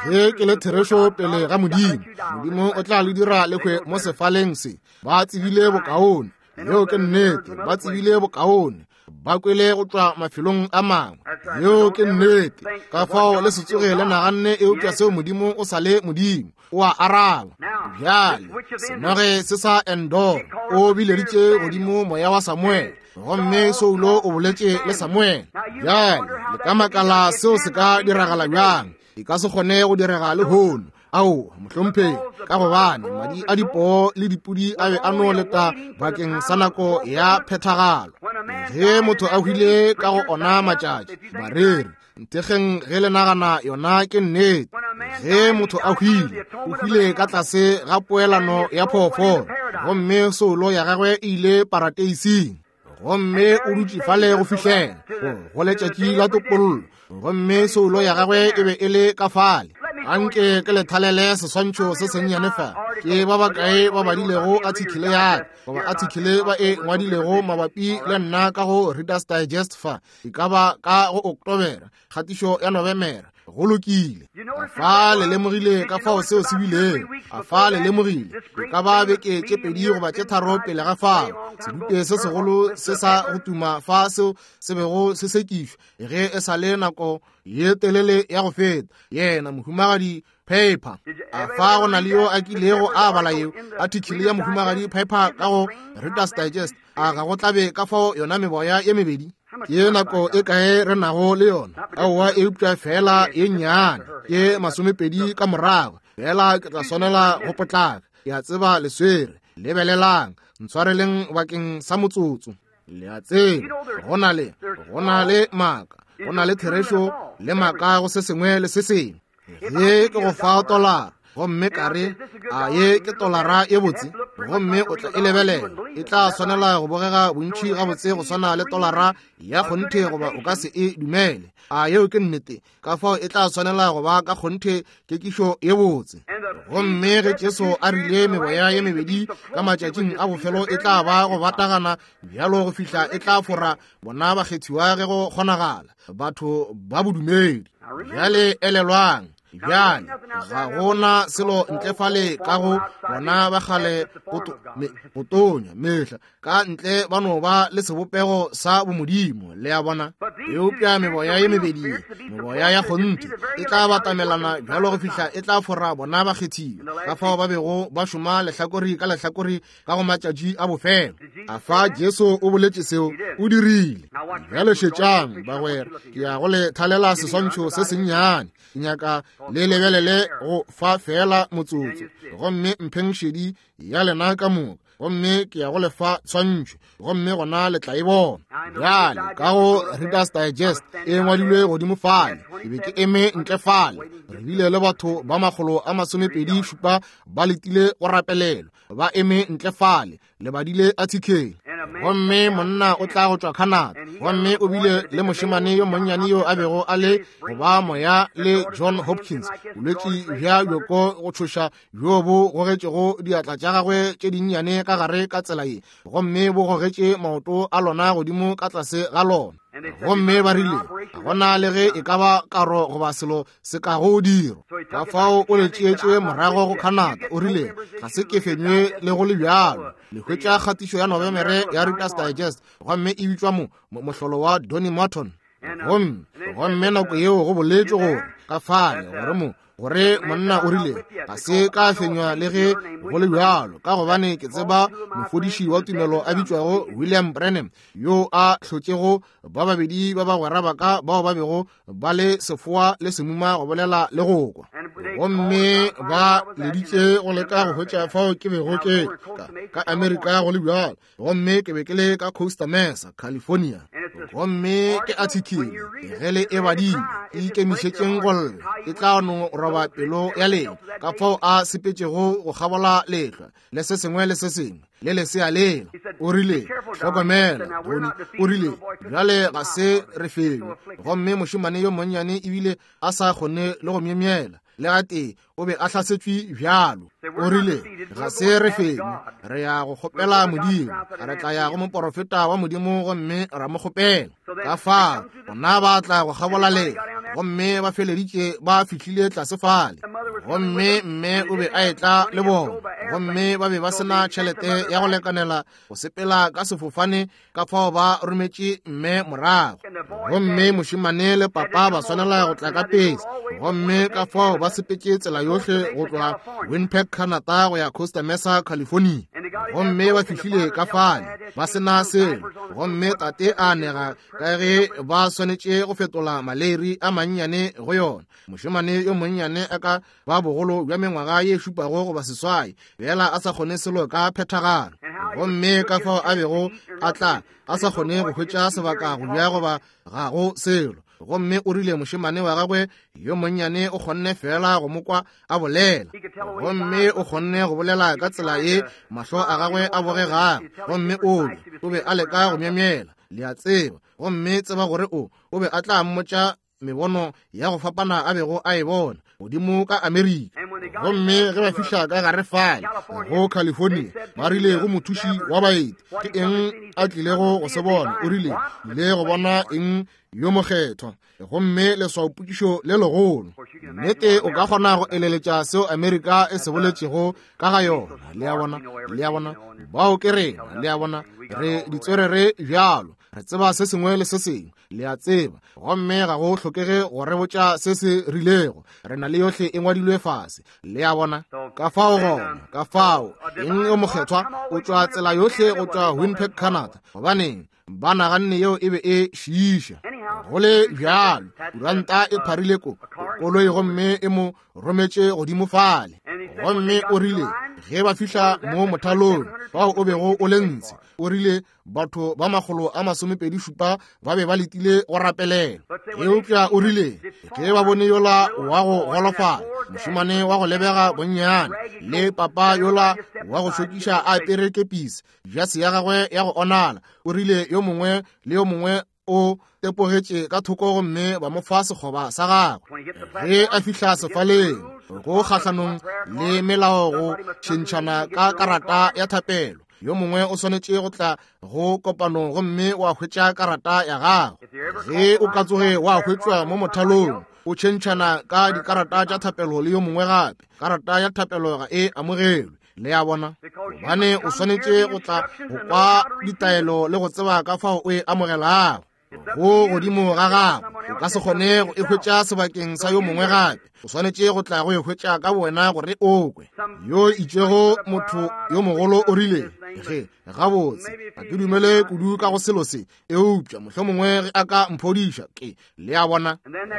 Ge ke le therešo pele ga Modimo, Modimo o tla le dira le hwe mo sefaleng se. Ba tsebile bokaone. Yeo ke nnete, ba tsebile bokaone, ba kwele go tšwa mafelong a mangwe. Yeo ke nnete. Ka fao le se tsoge le naganne eupša seo Modimo o sa le Modimo, o a araba. Bjale senoge se sa Endor o bileditše godimo moya wa Samuel, gomme Saulo o boletše le Samuel. Bjale le ka makala seo se ka diragala bjang? E ka se kgone go direga lehono. Ao, mohlomphegi, ka gobane madi a dipoo le dipudi a be a no leta bakeng sa nako ya phethagalo. Ge motho a hwile ka go ona matšatši, bareri nthekgeng ge le nagana yona ke nnete. Ge motho a hwile, o hwile ka tlase ga poelano ya phoofolo, gomme soulo ya gagwe e ile parateising, gomme o dutše fale go fihlela go letšatši la topollo, gomme soulo ya gagwe e be e le ka fale. Anke ke le thalele seswantšho se sennyane fa. Ke ba bakae ba badilego athikele ya ka, goba athikele ba e ngwadilego mabapi le nna ka go Reader's Digest fa, e ka ba ka go Oktobera, kgatišo ya Nobemere. Go lokile. A fa le lemogile ka fao seo se bilego? A fa le lemogile? E ka ba beke tše pedi goba tše tharo pele ga fao, sedupe se segolo se sa go tuma fa seo se bego se sekišwa ge e sa le nako ye telele ya go feta, yena mohumagadi Piper. A fa go na le yo a kilego a bala yeo athikele ya mohumagadi Piper ka go Reader's Digest? A ga go tlabe ka fao yona meboya ye mebedi? Ke nako e kae re nago le yona? Aowa, eupša fela ye nnyane, ke masomepedi ka morago. Fela ke tla swanela go potlaka. Ke a tseba le swere. Lebelelang, ntshwareleng bakeng sa motsotso. Le a tseba, go na le, go na le maaka, go na le therešo le maaka go se sengwe le se sengwe. Ge ke go fa tolara, gomme ka re, a ye ke tolara ye botse, gomme o tla e lebelela, e tla swanela go bogega bontši gabotse go swana le tolara ya kgonthe, goba o ka se e dumele. A yeo ke nnete? Ka fao e tla swanela go ba ka kgonthe kekišo ye botse. Gomme ge Jesu a rile meboya ye mebedi ka matšatšing a bofelo e tla ba go batagana bjalo go fihla e tla fora bona bakgethiwa ge go kgonagala, batho ba bodumedi. Bjale elelwang, bjale ga gona selo ntle fale ka go bona ba kgale go tonya mehla ka ntle ba no ba le sebopego sa bomodimo, le a bona. Eupša meboya ye mebedi, meboya ya kgonthe, e tla batamelana bjalo go fihla e tla fora bona bakgethiwa, ka fao ba bego ba šoma lehlakori ka lehlakori ka go matšatši a bofelo. A fa Jesu o boletše seo? O dirile. Bjale šetšang, bagwera, ke ya go le thalela seswantšho se sennyane. Ke nyaka le lebelele go fa fela motsotso, gomme mpheng šedi ya lena ka moka, gomme ke ya go lefa tshwantšho, gomme gona le tla e bona. Bjale ka go Reader's Digest e ngwadilwe godimo fale, ke be ke eme ntle fale, re bile le batho ba makgolo a masomepedi šupa ba letile go rapelelwa, ba eme ntle fale, le badile athikele. Gomme monna o tla go tšwa Canada, gomme o bile le mošemane yo monnyane yo a bego a le go ba moya le John Hopkins, bolwetši bja bjoko go tšhoša bjo bo gogetšego diatla tša gagwe tše dinnyane ka gare ka tsela ye, gomme bo gogetše maoto a lona godimo ka tlase ga lona. Gomme ba rile ga gona le ge e ka ba karo goba selo se ka go dirwa. Ka fao o le tšeetše morago go Canada, o rile ga se ke fenywe le go le bjalo. Le hwetša kgatišo ya Nobemere ya Reader's Digest, gomme e bitšwa mo mohlolo wa Donny Morton. Gomme gomme nako yeo go boletšwe gore ka fale gore mo gore monna o rile ga se ka fenywa le ge go le bjalo, ka gobane ke tseba mofodiši wa tumelo a bitšwago William Branham, yo a hlotšego ba babedi ba bagwera ba ka bao ba bego ba le sefoa le semuma go bolela le go kwa. Gomme ba leditše go leka go hwetša fao ke bego ke ka, ka Amerika go le bjalo, gomme ke be ke le ka Costa Mesa, California. Gomme ke athikele ge le e badile, e ikemišetšeng go lla, e tla no roba pelo ya lena, ka fao a sepetšego go kgabola lehlwa le se sengwe le se sengwe le lesea lela. O rile, hlokomela, Tony. O rile, bjale ga se re felo. Gomme mošemane yo monnyane ebile a sa kgone le go myemyela le gatee, o be a hlasetšwe bjalo. O rile, ga se re fenye, re ya go kgopela Modimo, re tla ya go moporofeta wa Modimo gomme ra mo kgopela. Ka fao bona ba tla go kgabola lehlwa, gomme ba feleditše ba fihlile tlase fale. Gomme mme o be a etla le bona, gomme ba be ba sena tšhelete ya go lekanela go sepela ka sefofane, ka fao ba rometše mme morago. Gomme mošemane le papa ba swanela go tla ka pese, gomme ka fao ba sepetše tsela yohle go tloga Winnipeg, Canada go ya Costa Mesa, California. Gomme ba fihlile ka fale ba sena selo, gomme tate a nega ka ge ba swanetše go fetola maleri a mannyane go yona. Mošemane yo monnyane a ka ba bogolo bja mengwaga ye šupago goba seswai, bjela a sa kgone selo ka phethagalo. Gomme ka fao a bego a tla a sa kgone go hwetša sebaka go bja goba ga go selo. Gomme o rile mošemane wa gagwe yo monnyane o kgonne fela go mo kwa a bolela, gomme o kgonne go bolela ka tsela ye mahlo a gagwe a bogegago. Gomme o be o be a leka go myemyela, le a tseba, gomme tseba gore o o be a tla mmotša mebono ya go fapana a bego a e bona godimo ka Amerika. Gomme ge ba fihla ka gare fale go California, ba rile go mothuši wa baeti, ke eng a tlilego go se bona? O rile, ile go bona eng yo mokgethwa? Gomme leswaopokišo le legolo. Nnete o ka kgona go eleletša seo Amerika e se boletšego ka ga yona. Le a bona, le a bona, bao ke rena, le a bona, re ditswerere bjalo, re tseba se sengwe le se sengwe, le a tseba, gomme ga go hlokege go re botša se se rilego, re na le yohle e ngwadilwe fase, le a bona. Ka fao gona, ka fao eng yo mokgethwa o tšwa tsela yohle go tšwa Winnipeg, Canada, gobaneng ba naganne yeo e be e šiiša. Go le bjalo, kuranta e pharile ko koloi gomme e mo rometše godimo fale. Gomme o rile ge ba fihla mo mothalong fao o bego o le ntshe, o rile batho ba makgolo a masomepedi šupa ba be ba letile go rapelela. Eupša o rile ge ba bone yola wa go golofala, mošemane wa go lebega bonnyane, le papa yola wa go šokiša a apere kepisi, jase ya gagwe ya go onala, o rile yo mongwe le yo mongwe o tepogetše ka thoko gomme ba mo fa sekgoba sa gagwe. Ge a fihla sefaleng go kgahlanong le melao go tšhentšhana ka karata ya thapelo, yo mongwe o swanetše go tla go kopanong gomme wa hwetša karata ya gagwe. Ge o ka tsoge wa hwetšwa mo mothalong o tšhentšhana ka dikarata tša thapelo le yo mongwe gape, karata ya thapelo ga e amogelwe. Le a bona, gobane o swanetše go tla go kwa ditaelo le go tseba ka fao o e amogelago. Go godimo ga gago, o ka se kgone go e hwetša sebakeng sa yo mongwe gape, o swanetše go tla go e hwetša ka wena gore o kwe. Yo itšego motho yo mogolo o rile, ge gabotse ga ke dumele kudu ka go selo se, eupša mohlomongwe ge a ka mphodiša ke, le a bona.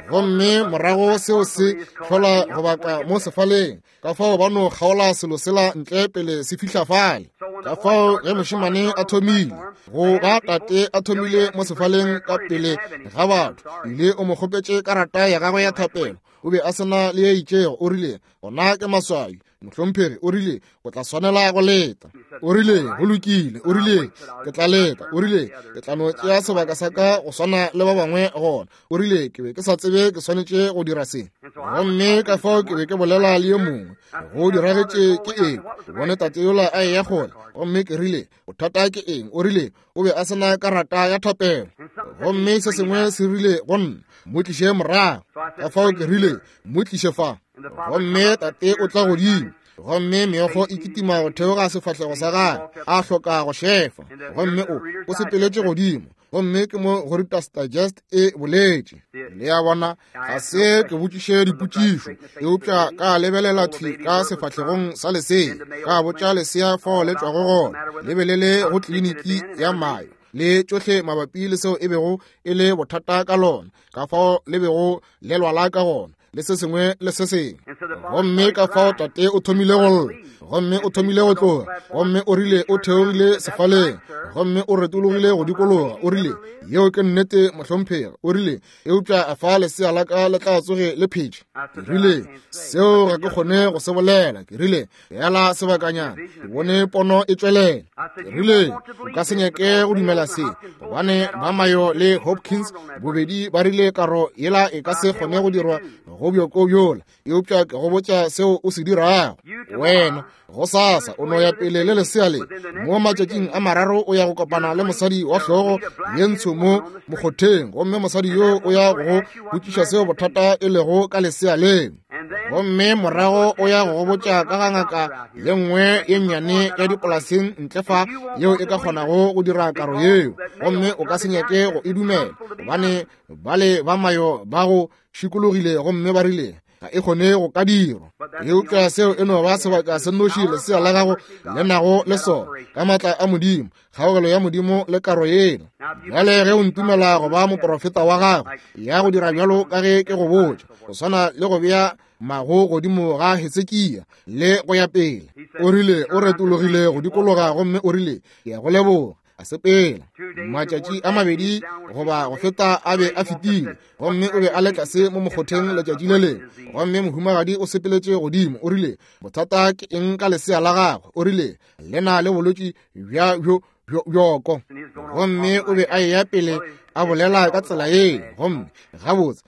Gomme morago seo se hlola go baka mo sefaleng, ka fao ba no kgaola selo sela ntle pele se fihla fale. Ka fao ge mošemane a thomile go ba tate a thomile mo sefaleng ka pele ga batho, ile o mo kgopetše karata ya gagwe ya thapelo, o be a sena le ye itšego. O rile, gona ke maswabi mohlomphegi, o rile o tla swanela go leta. O rile go lokile, o rile ke tla leta, o rile ke tla no tšea sebaka sa ka go swana le ba bangwe gona. O rile ke be ke sa tsebe ke swanetše go dira se, gomme ka fao ke be ke bolela le yo mongwe go diragetše ke eng. Ke bone tate yola a eya kgole, gomme ke rile bothata ke eng? O rile o be a sena karata ya thapelo, gomme se sengwe se rile go nna, mo tliše morago. Ka fao ke rile mo tliše fa, gomme tate o tla godimo, gomme meokgo e kitima go theoga sefahlego sa gagwe, a hloka go šefa, gomme o o sepeletše godimo, gomme ke mo go Reader's Digest e boletše. Le a bona, ga se ke botšiše dipotšišo, eupša ka lebelela thwi ka sefahlegong sa lesea, ka botša lesea fao le tšwago gona, le be le le go kliniki ya Mayo, le tšohle mabapi le seo e bego e le bothata ka lona, ka fao le bego le lwala ka gona, le se sengwe le se sengwe. Gomme ka fao tate o thomile go lla, gomme o thomile go tloga, gomme o rile o theogile sefaleng, gomme o retologile go dikologa. O rile yeo ke nnete mohlomphegi, o rile eupša a fa lesea la ka le tla tsoge le phetše. Ke rile seo ga ke kgone go se bolela. Ke rile bjala sebakanyana, ke bone pono e tšwelela. Ke rile o ka se nyake go dumela se, gobane ba Mayo le Hopkins bobedi ba rile karo yela e ka se kgone go dirwa go bjoko bjola, eupša ke go botša seo o se dirago. Wena Gosasa o no ya pele le lesea le. Mo matšatšing a mararo o ya go kopana le mosadi wa hlogo ye ntsho mo mokgotheng, gomme mosadi yo o ya go botšiša seo bothata e lego ka lesea le. Gomme morago o ya go botša ka ga ngaka ye nngwe ye nnyane ya dipolaseng ntle fa yeo e ka kgonago go dira karo yeo, gomme o ka se nyake go e dumela, gobane bale ba mayo ba go šikologile gomme ba rile ga e kgone go ka dirwa. Eupša seo e no ba sebaka se nnoši lesea la gago le nago le sona, ka maatla a Modimo, kgaogelo ya Modimo le karo yela. Bjale ge o ntumela go ba moprofeta wa gago, ya go dira bjalo ka ge ke go botša, go swana le go bea mago godimo ga Hesekia le go ya pele. O rile o retologile go dikologa gomme o rile, ke ya go leboga. A sepela. Matšatši a mabedi goba go feta a be a fetile, gomme o be a le tlase mo mokgotheng letšatši le lengwe, gomme mohumagadi o sepeletše godimo. O rile, bothata ke eng ka lesea la gagwe? O rile, le na le bolwetši bja bjo bjoko. Gomme o be a eya pele a bolela ka tsela yeo, gomme gabotse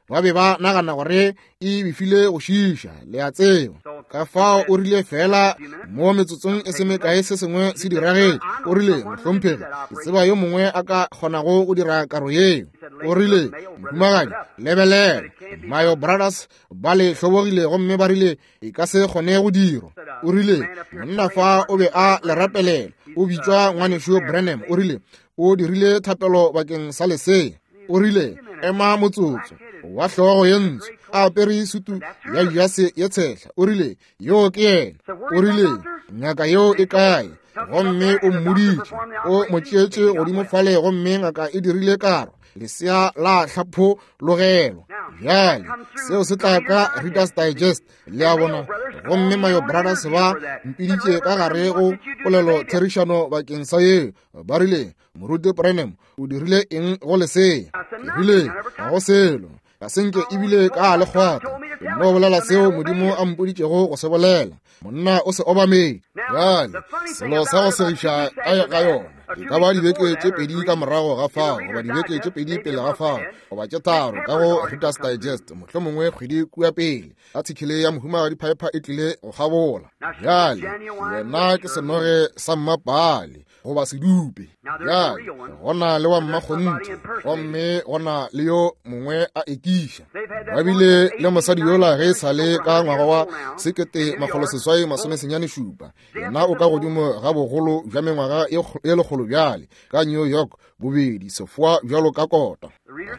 ba be ba nagana gore e befile go šiša, le a tseba. Ka fao o rile fela mo metsotsong e se mekae se sengwe se diragetše. O rile, mohlomphegi, ke tseba yo mongwe a ka kgonago go dira karo yeo. O rile, mohumagadi, lebelela, Mayo Brothers ba le hlobogile gomme ba rile e ka se kgone go dirwa. O rile, monna fa o be a le rapelela, o bitšwa ngwanešo Branham. O rile, o dirile thapelo bakeng sa lesea. O rile, ema motsotso, wa hlogo ye ntsho, a apere sutu ya jase ye tshehla. O rile, yo ke yena. O rile, ngaka yeo e kae? Gomme o mmoditše, o mo tšeetše godimo fale, gomme ngaka e dirile karo, lesea la hlapologelwa. Bjale seo se tla ka Reader's Digest, le a bona. Gomme Mayo Brothers ba mpiditše ka gare go polelo therišano bakeng sa yeo. Ba rile, Moruti Branham, o dirile eng go lesea? Ke rile, ga go selo, ga se nke ebile ka le kgwata. Ke no bolela seo Modimo a mpoditšego go se bolela. Monna o se obamele. Bjale selo sa go segiša ka ga yona e ka ba dibeke tše pedi ka morago ga fao, goba dibeke tše pedi pele ga fao, goba tše tharo ka go Reader's Digest, mohlomongwe kgwedi kua pele, athikele ya mohumagadi Piper e tlile go kgabola. Bjale yena ke senoge sa mmapale goba sedupe. Bjale gona le wa mmakgonthe, gomme gona le yo mongwe a ekiša. Ba bile le mosadi yola ge e sale ka ngwaga wa sekete makgolo seswai masome senyane šupa. Yena o ka godimo ga bogolo bja mengwaga ye lekgolo bjale, ka New York, bobedi sefoa bjalo ka kota.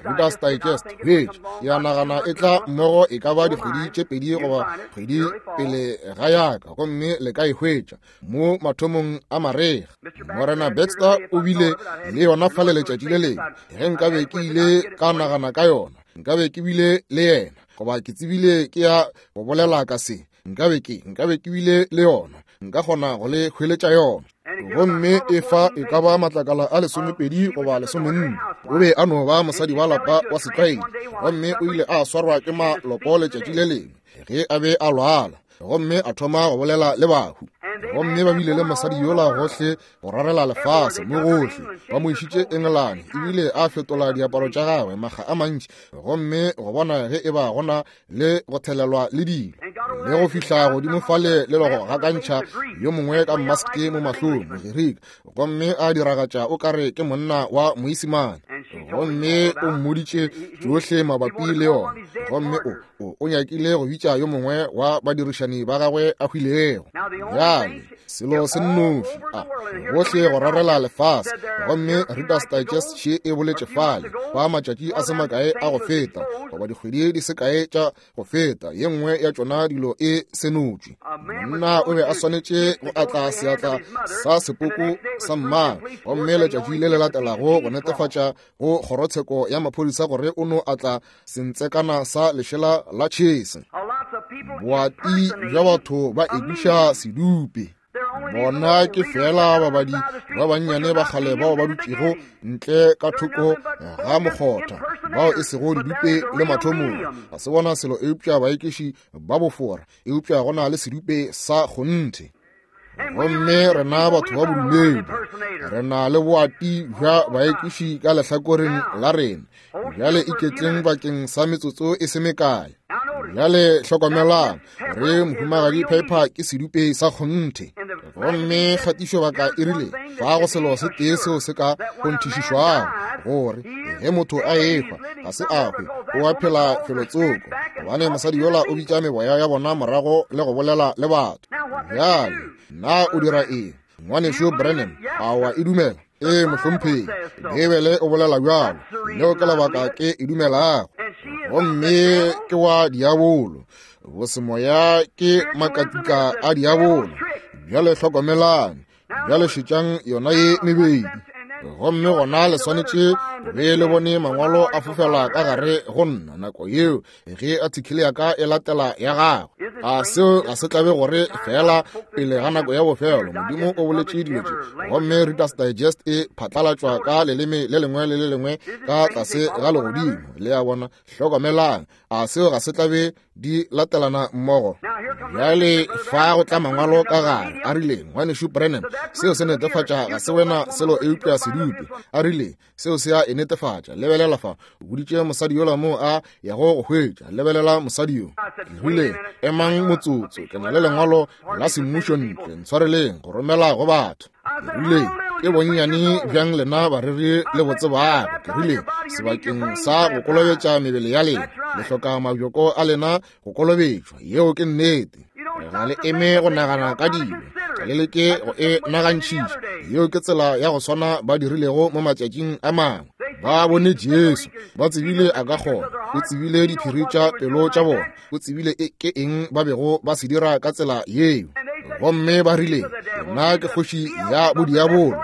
Reader's Digest hwetše ya nagana e tla mmogo e ka ba dikgwedi tše pedi goba kgwedi pele ga yaka, gomme le ka e hwetša mo mathomong a marega. Morena Baxter o bile le yona fale letšatši le lengwe. Ge nkabe ke ile ka nagana ka yona, nkabe ke bile le yena, goba ke tsebile ke ya go bolela ka se, nkabe ke nkabe ke bile le yona, nka kgona go le hweletša yona. Gomme e fa e ka ba matlakala a lesomepedi goba lesomenne. O be a no ba mosadi wa lapa wa setlwaedi, gomme o ile a swarwa ke maloko letšatši le lengwe ge a be a lwala, gomme a thoma go bolela le bahu. Gomme ba bile le mosadi yola gohle go rarela lefase mo gohle, ba mo išitše Engelane, ebile a fetola diaparo tša gagwe makga a mantši, gomme go bona ge e ba gona le go thelelwa le dilo, le go fihla godimo fale le go gakantšha yo mongwe ka maske mo mahlong, Mogerika, gomme a diragatša o kare ke monna wa Moisimane. Gomme o mmoditše tšohle mabapi le yona, gomme o o nyakile go bitša yo mongwe wa badirišani ba gagwe a hwilego. Bjale selo se nnoši a gohle go rarela lefase, gomme Reader's Digest še e boletše fale ba matšatši a se makae a go feta, goba dikgwedi di se kae tša go feta, ye nngwe ya tšona dilo e senotšwe. Monna o be a swanetše go atla seatla sa sepoko sa mmagwe, gomme letšatši le le latelago go netefatša go kgorotsheko ya maphodisa gore o no atla sentsekana sa lešela la tšhese. Boati bja batho ba ekiša sedupe. Bona ke fela babadi ba bannyane ba kgale bao ba dutšego ntle ka thoko ga mokgotha, bao e sego didupe le mathomong. Ga se bona selo eupša baekiši ba bofora, eupša go na le sedupe sa kgonthe. Gomme rena batho ba bodumedi re na le boati bja baekiši ka lehlakoreng la rena. Bjale iketleng bakeng sa metsotso e se mekae. Bjale hlokomelang re Mohumagadi Piper ke sedupe sa kgonthe. Gomme kgatišobaka e rile fa go selo se tee seo se ka kgonthišišwago, gore ge motho a ehwa ga se a hwe, o a phela felotsoko, gobane mosadi yola o bitša meboya ya bona morago le go bolela le batho. Bjale na o dira eng, ngwanešu Branham? A wa e dumela? Ee, mohlomphegi, Beibele o bolela bjalo. Leo ke lebaka ke e dumelago. Gomme ke wa diabolo, bosemoya ke makatika a diabolo. Bjale hlokomelang, bjale šetšang yona ye mebedi. Gomme gona le swanetše be le bone mangwalo a fofela ka gare go nna nako yeo ge athikele ya ka e latela ya gagwe. A seo ga se tlabe gore fela pele ga nako ya bofelo Modimo o boletše dilo tše, gomme Reader's Digest e phatlalatšwa ka leleme le lengwe le le lengwe ka tlase ga legodimo. Le a bona? Hlokomelang, a seo ga se tlabe di latelana mmogo? Bjale fa go tla mangwalo ka gare a rile, ngwanešu Branham, seo se netefatša ga se wena selo eupša sedupe. A rile seo se a e netefatša. Lebelela fa, o boditše mosadi yola moo a yago go hwetša. Lebelela mosadi yo. Ke rile, emang motsotso, ke na le lengwalo la semmušo ntle, ntshwareleng go romela go batho. Ke rile, ke bonnyane bjang lena bareri le botsebago. Ke rile, sebakeng sa go kolobetša mebele ya lena, le hloka mabjoko a lena go kolobetšwa. Yeo ke nnete. Ga le eme go nagana ka dilo, ga le leke go e nagantšhiša. Yeo ke tsela ya go swana ba dirilego mo matšatšing a mangwe. Ba bone Jesu, ba tsebile a ka kgona, o tsebile diphiri tša pelo tša bona, o tsebile ke eng ba bego ba se dira ka tsela yeo. Gomme ba rile, nna ke kgoši ya bodiabolo,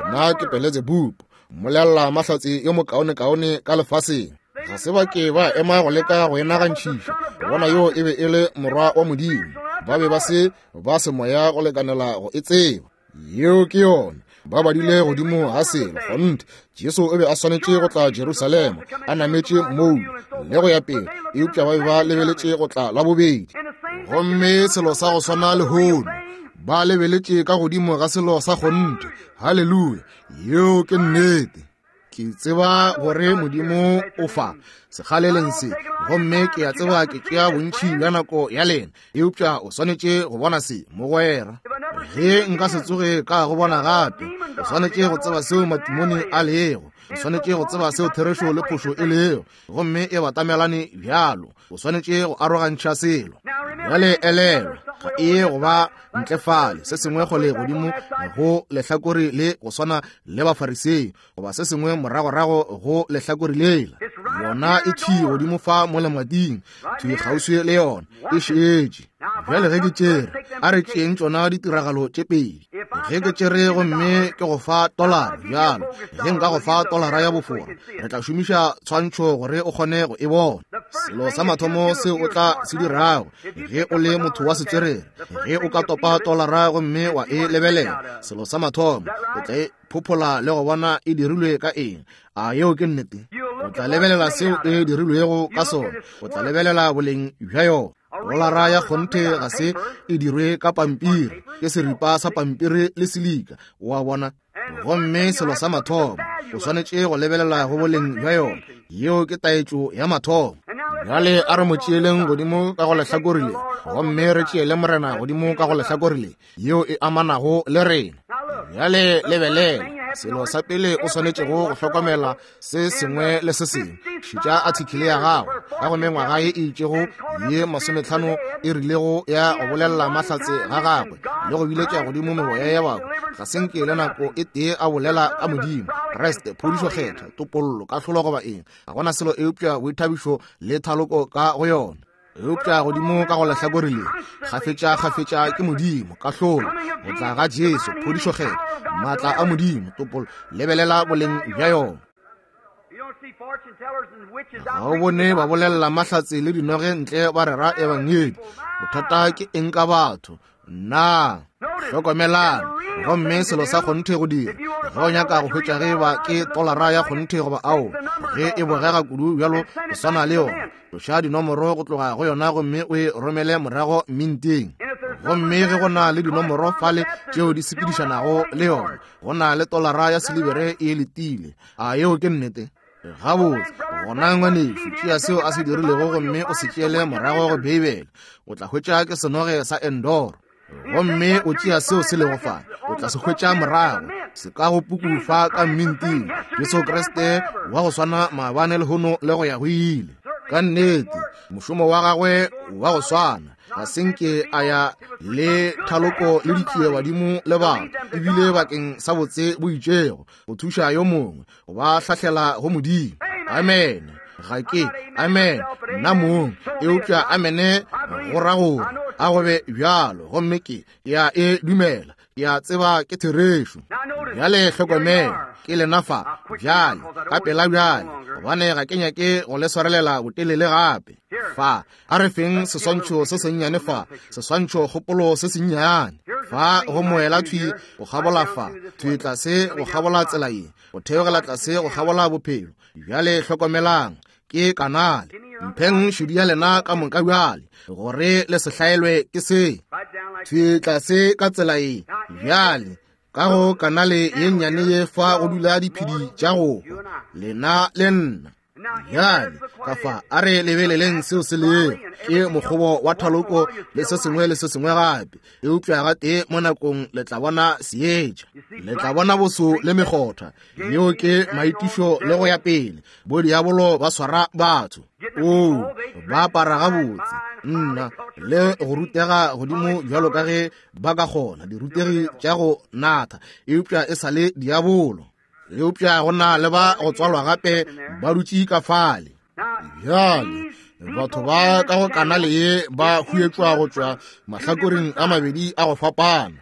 nna ke Beelzebub, mmolella mahlatse yo mokaonekaone ka lefaseng. Ga se ba ke ba ema go leka go e nagantšhiša, bona yo e be e le morwa wa Modimo. Ba be ba se ba semoya go lekanela go e tseba. Yeo ke yona. Ba badile godimo ga selo kgonthe. Jesu o be a swanetše go tla Jerusalema a nametše moulu le go ya pele, eupša ba be ba lebeletše go tla la bobedi. Gomme selo sa go swana lehono, ba lebeletše ka godimo ga selo sa kgonthe. Haleluya, yeo ke nnete. Ke tseba gore Modimo o fa sekgaleleng se, gomme ke a tseba ke tšea bontši bja nako ya lena, eupša o swanetše go bona se, mogwera. Ge nka se tsoge ka go bona gape, o swanetše go tseba seo matimone a lego, o swanetše go tseba seo therešo le phošo e lego, gomme e batamelane bjalo. O swanetše go arogantšha selo. Bjale elelwa, ga e ye go ba ntle fale se sengwe kgole godimo go lehlakore le go swana le Bafarisei, goba se sengwe moragorago go lehlakore lela. Yona e thwi godimo fa mo lemating, thwi kgauswi le yona, e šetše. Bjale ge ke tšere, a re tšeeng tšona ditiragalo tše pedi. Ge ke tšere gomme ke go fa tolara bjalo, ge nka go fa tolara ya bofora, re tla šomiša tshwantšho gore o kgone go e bona. Selo sa mathomo seo o tla se dirago ge o le motho wa setswerere, ge o ka topa tolara gomme wa e lebelela, selo sa mathomo o tla e phophola le go bona e dirilwe ka eng. A yeo ke nnete? O tla lebelela seo e dirilwego ka sona, o tla lebelela boleng bja yona. Dolara ya kgonthe ga se e dirwe ka pampiri, ke seripa sa pampiri le silika, wa bona. Gomme selo sa mathomo o swanetše go lebelela go boleng bja yona. Yeo ke taetšo ya mathomo. Bjale a re mo tšeeleng godimo ka go lehlakore le, gomme re tšeele Morena godimo ka go lehlakore le, yeo e amanago le rena. Bjale lebelela, selo sa pele o swanetšego go hlokomela se sengwe le se sengwe. Šetša athikele ya gago ka go mengwaga ye e itšego ye masometlhano e rilego ya go bolelela mahlatse ga gagwe le go biletša godimo meboya ya batho, ga se nke le nako e tee a bolela ka Modimo, Kriste, phodišo kgethwa, topollo, kahlolo goba eng. Ga gona selo eupša boithabišo le thaloko ka go yona. Eupša godimo ka go lehlakore le, kgafetša kgafetša ke Modimo, kahlolo, go tla ga Jesu, phodišo kgethwa, maatla a Modimo, topollo. Lebelela boleng bja yona. Ga o bone ba bolelela mahlatse le dinoge ntle ba rera ebangedi. Bothata ke eng ka batho? Nna hlokomelang. Gomme selo sa kgonthe go dira, ge o nyaka go hwetša ge ba ke tolara ya kgonthe goba ao, ge e bogega kudu bjalo go swana le yona, tloša dinomoro go tloga go yona gomme o e romele morago minteng. Gomme ge go na le dinomoro fale tšeo di sepedišanago le yona, go na le tolara ya silibere e letile. A yeo ke nnete? Gabotse, gona ngwanešu, tšea seo a se dirilego gomme o se tšeele morago go Beibele, o tla hwetša ke senoge sa Endoro. Gomme o tšea seo se lego fa, o tla se hwetša morago, se ka go puku fa ka mminting, Jesu Kriste wa go swana maabane lehono le go ya go ile. Ka nnete, mošomo wa gagwe wa go swana, ga se nke a ya le thaloko le ditšie badimo le batho, ebile bakeng sa botse bo itšego, go thuša yo mongwe, go ba hlahlela go Modimo. Amen. Ga ke, amen, nna mong, eupša amene go ra gore a go be bjalo, gomme ke ya e dumela, ke a tseba ke therešo. Bjale hlokomela, ke lena fa, bjale, ka pela bjale, gobane ga ke nyake go le swarelela botelele gape. Fa, a re feng seswantšho se sennyane fa, seswantšho kgopolo se sennyane. Fa go moela thwi go kgabola fa, thwi tlase go kgabola tsela ye, go theogela tlase go kgabola bophelo. Bjale hlokomelang, ke kanale. Mpheng šedi ya lena ka moka bjale, gore le se hlaelwe ke se. Thwi tlase ka tsela ye, bjale, ka go kanale ye nnyane ye fa go dula diphedi tša go hwa, lena le nna. Bjale, ka fa a re lebeleleng seo se lego, ke mokgobo wa thaloko le se sengwe le se sengwe gape, eupša gatee mo nakong le tla bona seetša, le tla bona boso le mekgotha, yeo ke maitišo le go ya pele. Bo diabolo ba swara batho, oo, ba apara gabotse, nna, le go rutega godimo bjalo ka ge ba ka kgona, dirutegi tša go natha, eupša e sa le diabolo. Eupša go na le ba go tswalwa gape ba dutše ka fale. Bjale, batho ba ka go kanale ye ba huetšwa go tšwa mahlakoreng a mabedi a go fapana.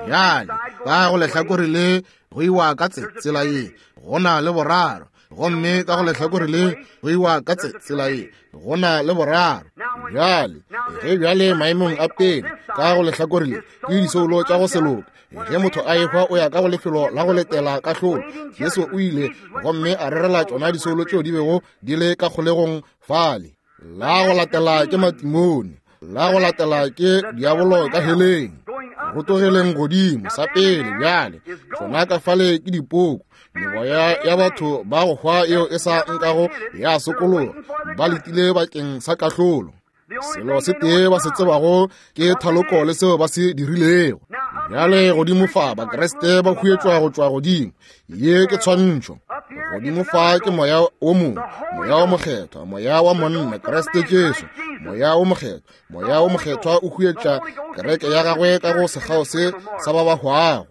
Bjale, ka go lehlakore le go iwa ka tsela ye, go na le boraro, gomme ka go lehlakore le go iwa ka tsela ye, go na le boraro. Bjale, ge bjale maemong a pele, ka go lehlakore le ke disoulo tša go se loke. Ge motho a ehwa o ya ka go lefelo la go letela kahlolo. Jesu o ile gomme a rerela tšona disoulo tšeo di bego di le ka kgolegong fale. La go latela ke matimone, la go latela ke diabolo ka heleng. Go tlogeleng godimo sa pele bjale, tšona ka fale ke dipoko, meboya ya batho ba go hwa yeo e sa nkago ya sokologa, ba letile bakeng sa kahlolo. Selo se tee ba se tsebago ke thaloko le seo ba se dirilego. Bjale godimo fa Bakriste ba huetšwa go tšwa godimo. Ye ke tshwantšho. Godimo fa ke moya o mongwe, moya o mokgethwa, moya wa monna Kriste Jesu, moya o mokgethwa. Moya o mokgethwa o huetša kereke ya gagwe ka go sekgao se sa ba ba hwago.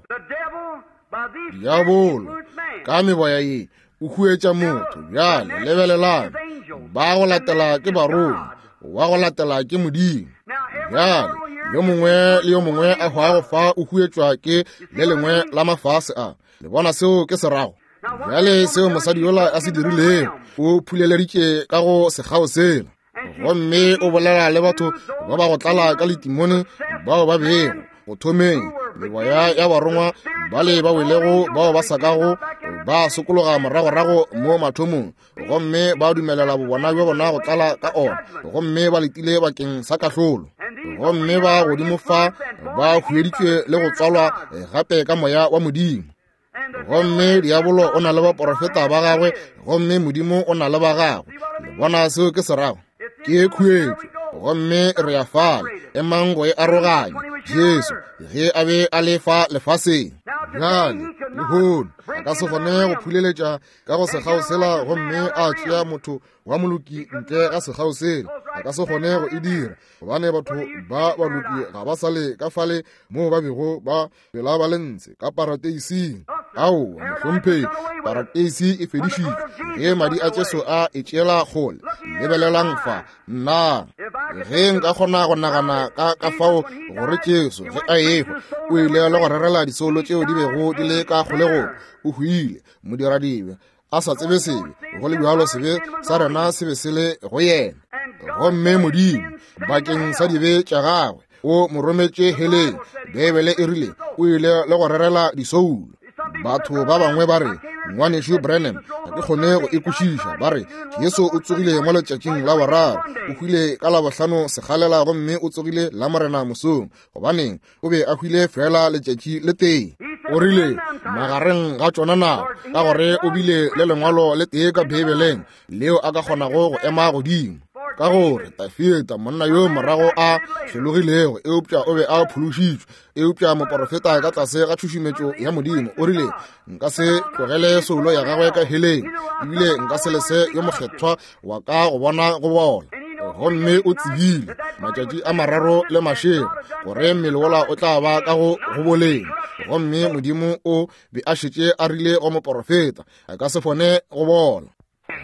Diabolo ka meboya ye o huetša motho. Bjale lebelelang, ba go latela ke barongwa, wa go latela ke Modimo. Bjale yo mongwe le yo mongwe a hwago fa o huetšwa ke le lengwe la mafase a. Le bona seo ke se rago? Bjale seo mosadi yola a se dirilego, o phuleleditše ka go sekgao sela, gomme o bolela le batho ba ba go tlala ka letimone bao ba bego go thomeng meboya ya barongwa bale ba welego bao ba sa kago ba sokologa moragorago mo mathomong, gomme ba dumelela bobona bja bona go tlala ka ona, gomme ba letile bakeng sa kahlolo. Gomme ba godimo fa ba hueditšwe le go tswalwa gape ka moya wa Modimo. Gomme diabolo o na le baporofeta ba gagwe, gomme Modimo o na le ba gagwe. Le bona seo ke se rago? Ke khuetšo, gomme re ya fale, emang go e aroganya. Jesu ge a be a le fa lefaseng, bjale lehono a ka se kgone go phuleletša ka go sekgao sela gomme a tšea motho wa moloki ntle ga sekgao sela. A ka se kgone go e dira, gobane batho ba baloki ga ba sale ka fale moo ba bego ba phela ba le ntshe ka parateising. Aowa, mohlomphegi, parateisi e fedišitšwe ge madi a Jesu a e tšeela kgole. Lebelelang fa, nna ge nka kgona go nagana ka ka fao gore Jesu ge a ehwa o ile le go rerela disoulo tšeo di bego di le ka kgolegong. O hwile modiradibe a sa tsebe sebe, go le bjalo sebe sa rena se be se le go yena, gomme Modimo bakeng sa dibe tša gagwe o mo rometše heleng. Beibele e rile o ile le go rerela disoulo. Batho ba bangwe ba re, ngwanešu Branham, ga ke kgone go e kwešiša. Ba re Jesu o tsogile mo letšatšing la boraro, o hwile ka Labohlano sekgalela gomme o tsogile la Morena mosong. Gobaneng? O be a hwile fela letšatši le tee. O rile, magareng ga tšona nako, ka gore o bile le lengwalo le tee ka Beibeleng leo a ka kgonago go ema godimo. Ka gore Tafita monna yo morago a hlologilego, eupša o be a phološitšwe, eupša moporofeta ka tlase ga tšhušumetšo ya Modimo o rile, nka se tlogele soulo ya gagwe ka heleng, ebile nka se lese yo mokgethwa wa ka go bona go bola. Gomme o tsebile matšatši a mararo le mašego gore mmele wola o tla ba ka go go boleng. Gomme Modimo o be a šetše a rile go moporofeta a ka se kgone go bola.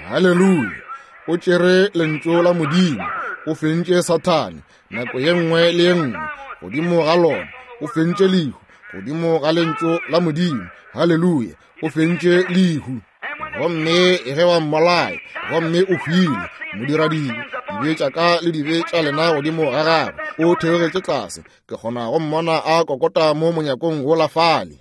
Haleluya! O tšere lentšu la Modimo, o fentše Sathane nako ye nngwe le ye nngwe godimo ga lona, o fentše lehu godimo ga lentšu la Modimo. Haleluya! O fentše lehu. Gomme ge ba mmolaya, gomme o hwile, modiradibe, dibe tša ka le dibe tša lena godimo ga gagwe, o theogetše tlase. Ke kgona go mmona a kokota mo monyakong wola fale.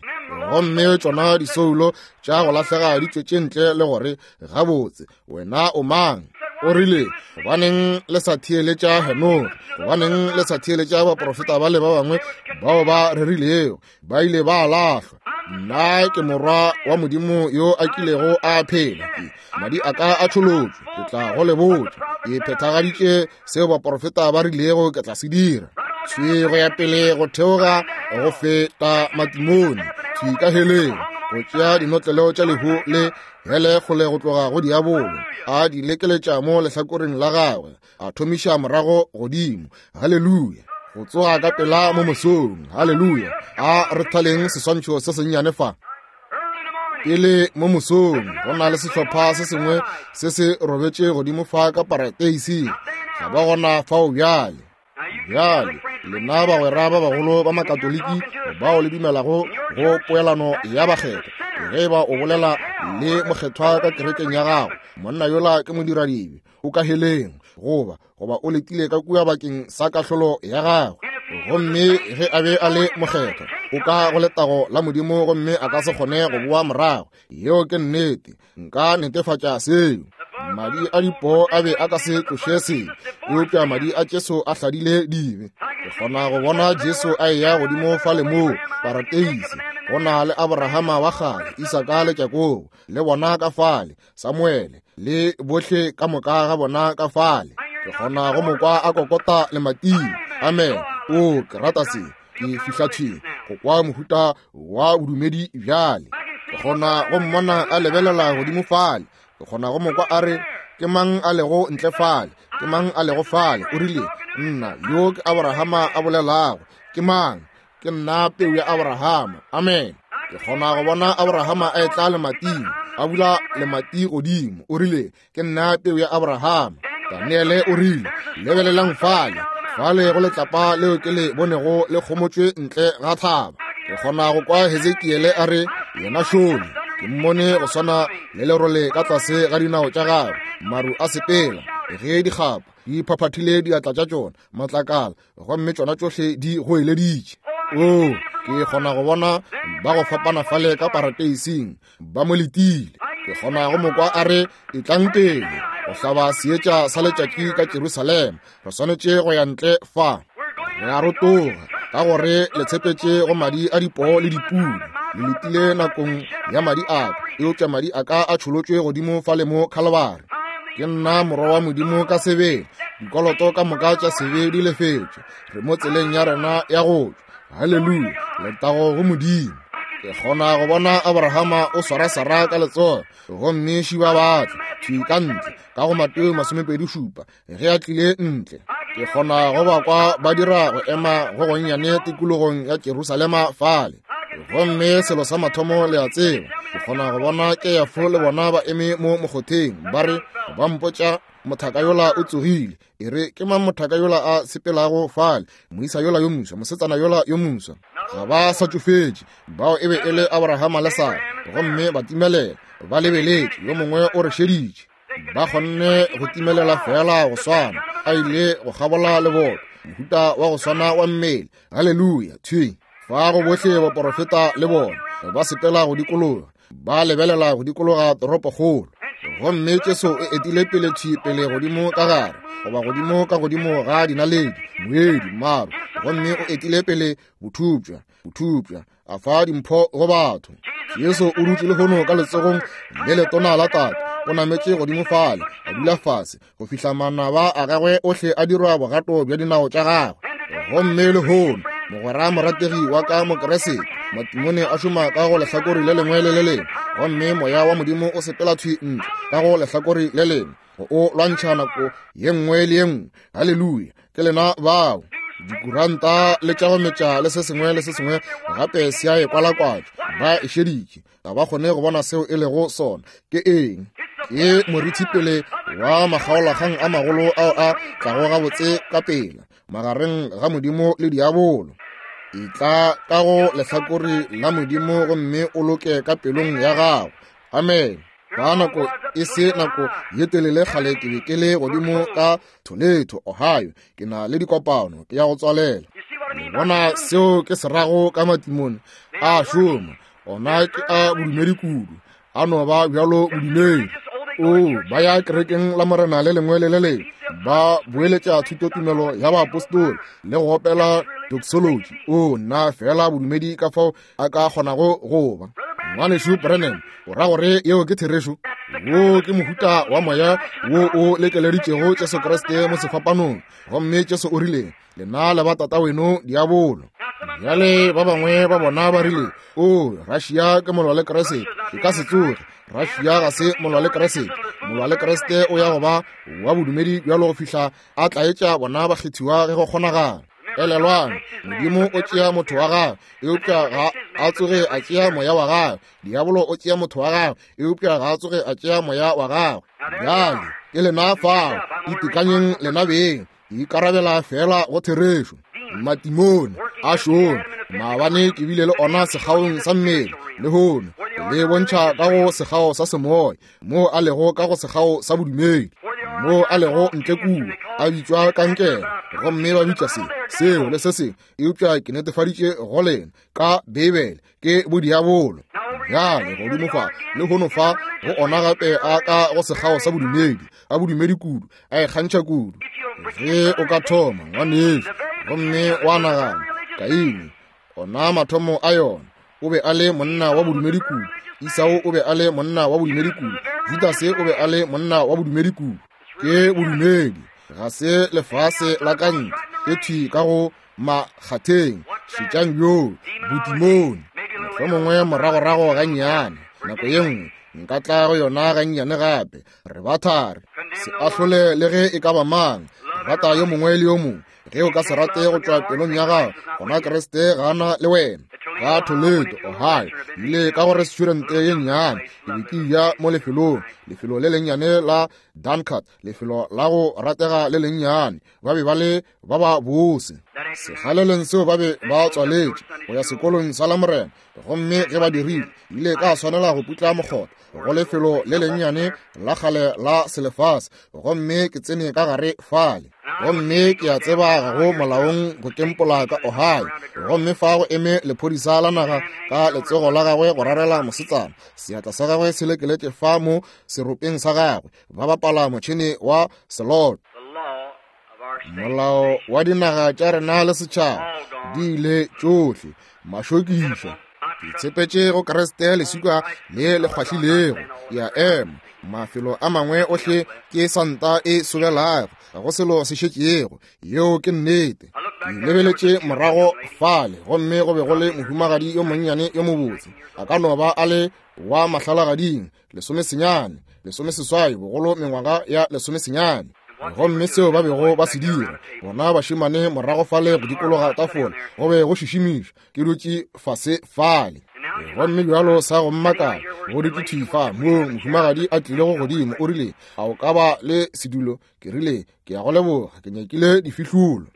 Gomme tšona disoulo tša go lahlega di tšwetše ntle le gore, gabotse, wena o mang? O rile, gobaneng le sa theeletša Henoge? Gobaneng le sa theeletša baprofeta ba le ba bangwe bao ba rerilego? Ba ile ba lahlwa. Nna ke morwa wa Modimo yo a kilego a phela. Ke madi a ka a tšholotšwe, ke tla go le botša. Ke phethagaditše seo baprofeta ba rilego ke tla se dira. Thwi go ya pele go theoga go feta matimone, thwi ka heleng, go tšea dinotlelo tša lehu le hele kgole go tloga go diabolo, a di lekeletša mo lehlakoreng la gagwe, a thomiša morago godimo. Haleluya! Go tsoga ka pela mo mosong. Haleluya! A re thaleng seswantšho se sennyane fa. Pele mo mosong go na le sehlopha se sengwe se se robetše godimo fa ka parateising. Ga ba gona fao bjale. Bjale lena bagwera ba bagolo ba Makatoliki bao le dumelago go poelano ya bakgethwa, ge ba o bolela le mokgethwa ka kerekeng ya gago, monna yola ke modiradibe, o ka heleng, goba goba o letile ka kua bakeng sa kahlolo ya gagwe. Gomme ge a be a le mokgethwa, o ka go letago la Modimo, gomme a ka se kgone go boa morago. Yeo ke nnete, nka netefatša seo. Madi a dipoo a be a ka se tloše sebe, eupša madi a Jesu a hladile dibe. Ke kgona go bona Jesu a eya godimo fale moo parateise, go na le Abrahama wa kgale, Isaka le Jakobo, le bona ka fale, Samuele le bohle ka moka ga bona ka fale. Ke kgona go mo kwa a kokota lemating. Amen. O, ke rata se. Ke fihla thwi go kwa mohuta wa bodumedi bjale. Ke kgona go mmona a lebelela godimo fale. Ke kgona go mo kwa a re, ke mang a lego ntle fale? Ke mang a lego fale? O rile, nna yo ke Abrahama a bolelago. Ke mang? Ke nna peu ya Abrahama. Amen. Ke kgona go bona Abrahama a etla lemating, a bula lemati godimo. O rile, ke nna peu ya Abrahama. Daniele o rile, lebelelang fale, fale go letlapa leo ke le bonego le kgomotšwe ntle ga thaba. Ke kgona go kwa Hezekiele a re, yena šole, ke mmone go swana le lerole ka tlase ga dinao tša gagwe, maru a sepela, ge dikgapa di phaphathile diatla tša tšona, matlakala, gomme tšona tšohle di goeleditše. O, ke kgona go bona ba go fapana fale ka parateising, ba mo letile. Ke kgona go mo kwa a re, etlang pele go hlaba seetša sa letšatši ka Jerusalema, re swanetše go ya ntle fa. Re a rotoga ka gore le tshepetše go madi a dipoo le dipudi, le letile nakong ya madi a ka, eupša madi a ka a tšholotšwe godimo fale mo Kalvari. Ke nna morwa wa Modimo ka sebele, dikoloto ka moka tša sebe di lefetšwe, re mo tseleng ya rena ya go tšwa. Haleluya! Letago go Modimo. Ke kgona go bona Abrahama o swara Sara ka letsogo, gomme šiba batla thwi ka ntle ka go Mateo masomepedi šupa ge a tlile ntle. Ke kgona go ba kwa ba dira go ema go gonnyane tikologong ya Jerusalema fale. Gomme selo sa mathomo le a tseba, ke kgona go bona Keafo le bona ba eme mo mokgotheng, ba re, ba mpotša mothaka yola o tsogile. E re, ke mang mothaka yola a sepelago fale? Moisa yola yo moswa, mosetsana yola yo moswa. Ga ba sa tšofetše, bao e be e le Abrahama le Sara, gomme ba timelela, ba lebeletše, yo mongwe o re šeditše. Ba kgonne go timelela fela go swana, a ile go kgabola leboto, mohuta wa go swana wa mmele. Haleluya! Thwi fa go bohle baporofeta le bona ba sepela go dikologa, ba lebelela go dikologa toropokgolo. Gomme Jesu o etile pele thwi pele godimo ka gare, goba godimo ka godimo ga dinaledi, moedi, maru, gomme o etile pele bothupša, bothupša, a fa dimpho go batho. Jesu o dutše lehono ka letsogong le letona la Tate, o nametše godimo fale, a dula fase go fihla manaba a gagwe ohle a dirwa bogato bja dinao tša gagwe. Gomme lehono mogwera morategi wa ka Mokeresete, matimone a šoma ka go lehlakore le lengwe le le lengwe, gomme moya wa Modimo o sepela thwi ntle ka go lehlakore le lengwe, o lwantšha nako ye nngwe le ye nngwe. Haleluya! Ke lena bao. Dikuranta le tša go metša le se sengwe le se sengwe gape se a e kwalakwatša, ba e šeditše, ga ba kgone go bona seo e lego sona. Ke eng? Ke morithipele wa makgaolakgang a magolo ao a tlago gabotse ka pela magareng ga Modimo le diabolo. Etla ka go lehlakore la Modimo gomme o loke ka pelong ya gago. Amen. Ka nako e se nako ye telele kgale ke be ke le godimo ka Toledo, Ohio. Ke na le dikopano, ke ya go tswalela. Le bona seo ke se rago ka matimone a šoma, ona ke a bodumedi kudu, a no ba bjalo bodumedi. O ba ya kerekeng la Morena le lengwe le le lengwe, ba boeletša thutotumelo ya baapostoli le go opela doxology. O nna fela bodumedi ka fao a ka kgonago go ba. Ngwanešu Branham, o ra gore yeo ke therešo? Wo ke mohuta wa moya wo o lekeleditšego Jesu Kriste mo sefapanong, gomme Jesu o rile, lena le ba tata weno diabolo. Bjale ba bangwe ba bona ba rile, o Russia ke molwa le Kriste. E ka se tsoge. Russia ga se molwa le Kriste. Molwa le Kriste o ya go ba wa bodumedi bjalo go fihla a tlaetša bona bakgethiwa ge go kgonagala. Elelwang, Modimo o tšea motho wa gagwe, eupša ga a tsoge a tšea moya wa gagwe. Diabolo o tšea motho wa gagwe, eupša ga a tsoge a tšea moya wa gagwe. Bjale ke lena fao, itekanyeng lena beng, ikarabela fela go therešo. Matimone a šoma, maabane ke bile le ona sekgaong sa mmele, lehono le bontšha ka go sekgao sa semoya, moo a lego ka go sekgao sa bodumedi, moo a lego ntle kua a bitšwa kankere, gomme ba bitša se, seo le se sengwe, eupša ke netefaditše go lena ka Beibele ke bodiabolo. Bjale godimo fa lehono fa go ona gape a ka go sekgao sa bodumedi, a bodumedi kudu, a ikgantšha kudu. Ge o ka thoma ngwanešu gomme wa nagana, Kaine ona mathomo a yona, o be a le monna wa bodumedi kudu, Esau o be a le monna wa bodumedi kudu, Judase o be a le monna wa bodumedi kudu. Ke bodumedi, ga se lefase la ka ntle, ke thwi ka go makgatheng. Šetšang bjoo bodimone. Mohlomongwe moragorago gannyane, nako ye nngwe nka tla go yona gannyane gape. Re ba thari, se ahlole le ge e ka ba mang, rata yo mongwe le yo mongwe. Ge o ka se rate go tšwa pelong ya gago, gona Kriste gana le wena. Ka Toledo, Ohio, ile ka go restaurante ye nnyane, ke be ke ja mo lefelong, lefelo le lennyane la Dunkard, lefelo la go ratega le lennyane. Ba be ba le ba ba bose. Sekgaleleng seo ba be ba tswaletše go ya sekolong sa Lamorena, gomme ge ba dirile, ile ka swanela go putla mokgotha go lefelo le lennyane la kgale la selefase, gomme ke tsene ka gare fale. Gomme ke a tseba ga go molaong go kempola ka Ohio, gomme fa go eme lephodisa la naga ka letsogo la gagwe go rarela mosetsana, seatla sa gagwe se lekeletše fa mo seropeng sa gagwe, ba bapala motšhene wa slot. Molao wa dinaga tša rena le setšhaba di ile tšohle mašokišo. Ke tshepetše go Kriste leswika le le kgwahlilego, ya ema. Mafelo a mangwe ohle ke santa e sobelago, ga go selo se šetšego. Yeo ke nnete. Ke lebeletše morago fale, gomme go be go le mohumagadi yo monnyane yo mobotse, a ka no ba a le wa mahlalagading, lesomesenyane, lesomeseswai, bogolo mengwaga ya lesomesenyane. Gomme seo ba bego ba se dira, bona bašemane morago fale go dikologa tafola, go be go šišimiša. Ke dutše fase fale, gomme bjalo sa go mmakala, go dutše thwi fa moo mohumagadi a tlilego godimo, o rile, a o ka ba le sedulo? Ke rile, ke ya go leboga, ke nyakile difihlulo.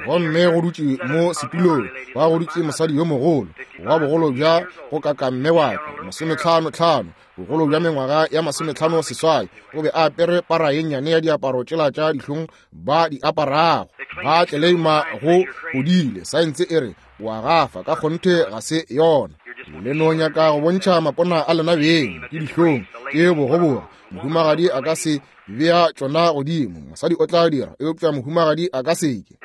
Gomme go dutše mo setulong, ba go dutše mosadi yo mogolo wa bogolo bja go kaka mme wa ka, masometlhano tlhano, bogolo bja mengwaga ya masometlhano seswai. O be a apere para ye nnyane ya diaparo tšela tša dihlong ba di aparago, ba tleleima go godile. Saense e re wa gafa, ka kgonthe ga se yona. Le no nyaka go bontšha mapona a lena beng, ke dihlong, ke bogoboga. Mohumagadi a ka se bea tšona godimo, mosadi o tla dira, eupša mohumagadi a ka seke.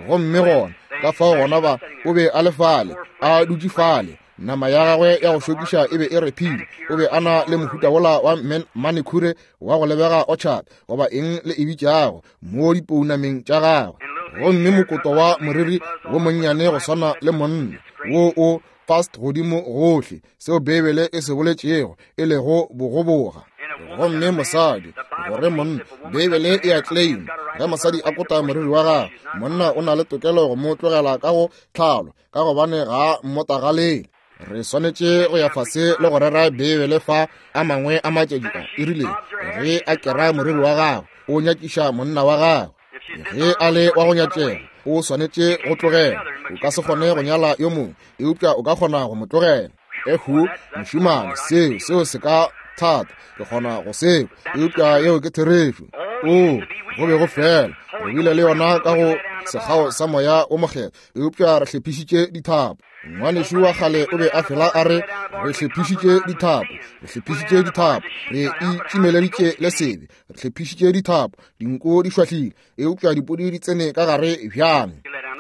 Gomme gona ka fao gona ba o be a le fale, a dutše fale, nama ya gagwe ya go šokiša e be e rephile. O be a na le mohuta wola wa manikhure wa go lebega orchard goba eng le e bitšago mo dipounameng tša gagwe, gomme mokoto wa moriri wo monnyane go swana le monna wo o fast godimo gohle, seo Beibele e se boletšego e lego bogoboga. Gomme mosadi gore monna, Beibele e a claim, ge mosadi a kota moriri wa gagwe, monna o na le tokelo go mo tlogela ka go tlhalo, ka gobane ga mmotagalele. Re swanetše go ya fase le go rera Beibele fa a mangwe a matšatši a. E rile ge a kera moriri wa gagwe, o nyakiša monna wa gagwe. Ge a le wa go nyatšega, o swanetše go tlogela. O ka se kgone go nyala yo mongwe, eupša o ka kgona go mo tlogela. Ehu, mošemane, seo seo se ka thata, ke kgona go seo, eupša yeo ke therešo. O go be go fela, re bile le yona ka go sekgao sa moya o mokgethwa, eupša re hlephišitše dithapo. Ngwanešu wa kgale o be a fela a re, re hlephišitše dithapo, re hlephišitše dithapo, re itšimeleditše le sebe, re hlephišitše dithapo, dinko di šwahlile, eupša dipodi di tsene ka gare bjang.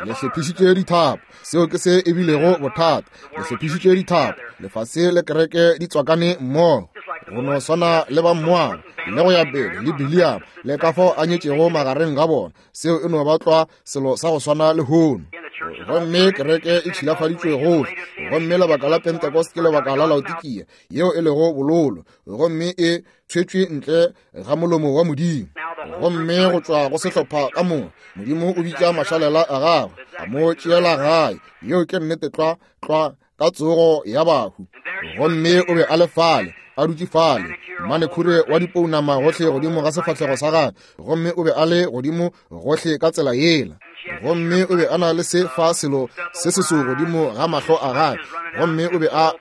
Le hlephišitše dithapo, seo ke se e bilego bothata. Le hlephišitše dithapo, lefase le kereke di tswakane mmogo, go no swana le ba Moaba le go ya pele le Biliam le ka fao a nyetšego magareng ga bona. Seo e no ba tlwa selo sa go swana le hono. Gomme kereke e tšhilafaditšwe gohle, gomme lebaka la Pentecost ke lebaka la Laodikia, yeo e lego bololo, gomme e tshwetšwe ntle ga molomo wa Modimo. Gomme go tšwa go sehlopha ka moka, Modimo o bitša mašalela a gagwe, a mo tšeela gae. Yeo ke nnete tlwa tlwa ka tsogo ya bahu. Gomme o be a le fale, a dutše fale, manekhure wa dipounama gohle godimo ga sefahlego sa gagwe, gomme o be a le godimo gohle ka tsela yela. Gomme o be a na le se fa selo se seso godimo ga mahlo a gagwe, gomme o be a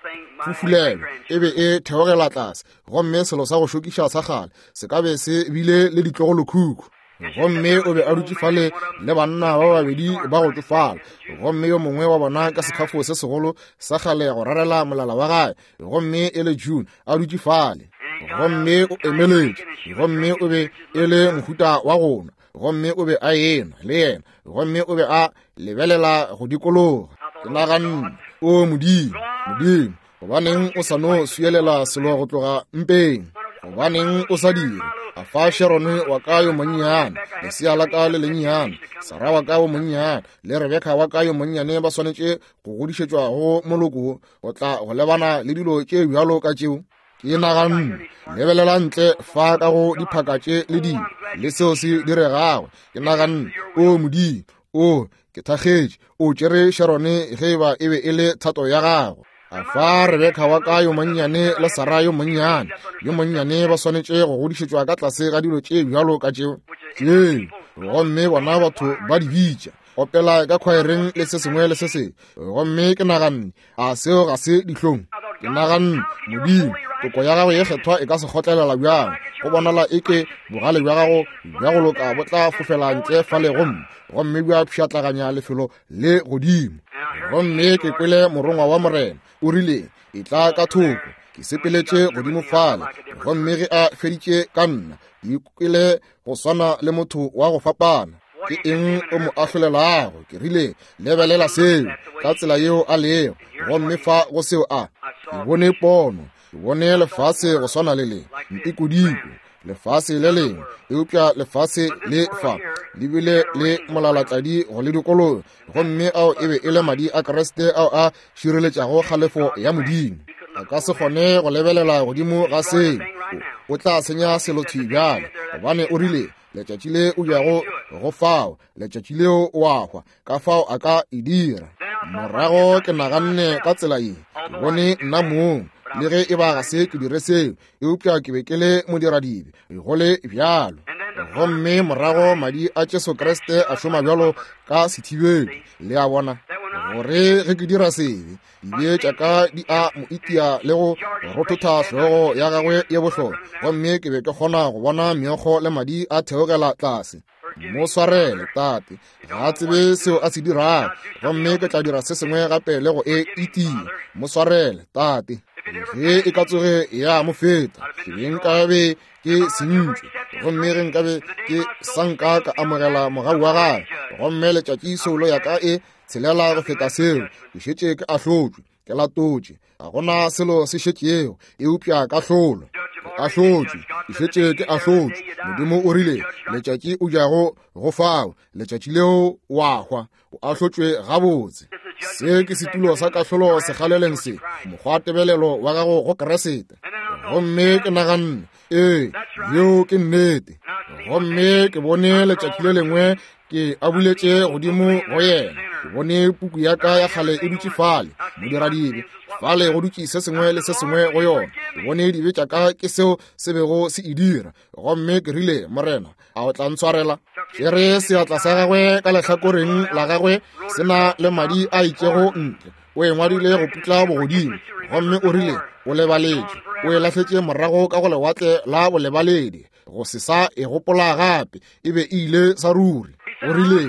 fufulelwa, e be e theogela tlase, gomme selo sa go šokiša sa kgale se ka be se bile le ditlogolokhukhu. Gomme o be a dutše fale le banna ba babedi ba go tšofala, gomme yo mongwe wa bona ka sekhafo se segolo sa kgale go rarela molala wa gagwe, gomme e le June a dutše fale. Gomme o emeletše, gomme o be e le mohuta wa gona, gomme o be a enwa le yena, gomme o be a lebelela go dikologa. Ke naganne, o Modimo, Modimo, gobaneng o sa no swielela selo go tloga mpeng? Gobaneng o sa dire? A fa Sharone wa ka yo monnyane, lesea la ka le lennyane, Sara wa ka yo monnyane, le Rebeka wa ka yo monnyane ba swanetše go godišetšwa go moloko go tla go lebana le dilo tše bjalo ka tšeo. Ke naganne, lebelela ntle fa ka go diphaka tše le dilo le seo se diregago. Ke naganne, o Modimo, o ke thakgetše, o tšere Sharone ge eba e be e le thato ya gago. A fa Rebeka wa ka yo monnyane le Sara yo monnyane, yo monnyane ba swanetše go godišetšwa ka tlase ga dilo tše bjalo ka tšeo. Tšeo, gomme bona batho ba di bitša opela ka khwaereng le se sengwe le se sengwe. Gomme ke naganne, a seo ga se dihlong? Ke naganne, Modimo, toko ya gago ye kgethwa e ka se kgotlelela bjang? Go bonala eke bogale bja gago bja go loka bo tla fofela ntle fale gomme gomme bja pšhatlaganya lefelo le godimo. Gomme ke kwele morongwa wa Morena o rile, e tla ka thoko. Ke sepeletše godimo fale, gomme ge a feditše ka nna, ke ikwele go swana le motho wa go fapana. Ke eng o mo ahlolelago? Ke rile, lebelela seo ka tsela yeo a lego, gomme fa go seo a. Ke bone pono, ke bone lefase go swana le le ntikodiko, lefase le lengwe, eupša lefase le fa le bile le molalatladi go le dikologa, gomme ao e be e le madi a Kriste ao a šireletšago kgalefo ya Modimo. A ka se kgone go lebelela godimo ga seo, o tla senya selo thwi bjale, gobane o rile letšatši le o jago go fao, letšatši leo o a hwa, ka fao a ka e dira. Morago ke naganne ka tsela ye, ke bone nna mong, le ge e ba ga se ke dire seo, eupša ke be ke le modiradibe go le bjalo. Gomme morago madi a Jesu Kriste a šoma bjalo ka sethibedi, le a bona, gore ge ke dira sebe, dibe tša ka di a mo itia le go rothotha hlogo ya gagwe ye bohlokwa, gomme ke be ke kgona go bona meokgo le madi a theogela tlase. Mo swarele, tate, ga a tsebe seo a se dirago, gomme ke tla dira se sengwe gape le go e itia. Mo swarele, tate. Ge e ka tsoge ya mo feta, ke be nkabe ke sentšwe, gomme ge nkabe ke sa nka ka amogela mogau wa gagwe, gomme letšatši soulo ya ka e tshelela go feta seo, ke šetše ke ahlotšwe, ke latotše, ga gona selo se šetšego eupša kahlolo. Ke ahlotšwe, ke šetše ke ahlotšwe. Modimo o rile, letšatši o jago go fao, letšatši leo wa hwa, o ahlotšwe gabotse. Se ke setulo sa kahlolo sekgaleleng se, mokgwa tebelelo wa gago go Keresete. Gomme ke naganne, ee, yeo ke nnete. Gomme ke bone letšatši le lengwe ke abuletše godimo go yena. Ke bone puku ya ka ya kgale e dutše fale, modiradibe fale go dutše se sengwe le se sengwe go yona. Ke bone dibe tša ka ke seo se bego se e dira. Gomme ke rile, Morena, a o tla ntshwarela? Tšere seatla sa gagwe ka lehlakoreng la gagwe se na le madi a itšego ntle. O e ngwadile go putla bogodimo, gomme o rile o lebaletše, o e lahletše morago ka go lewatle la bolebaledi, go se sa e gopola gape, e be e ile sa ruri. O rile,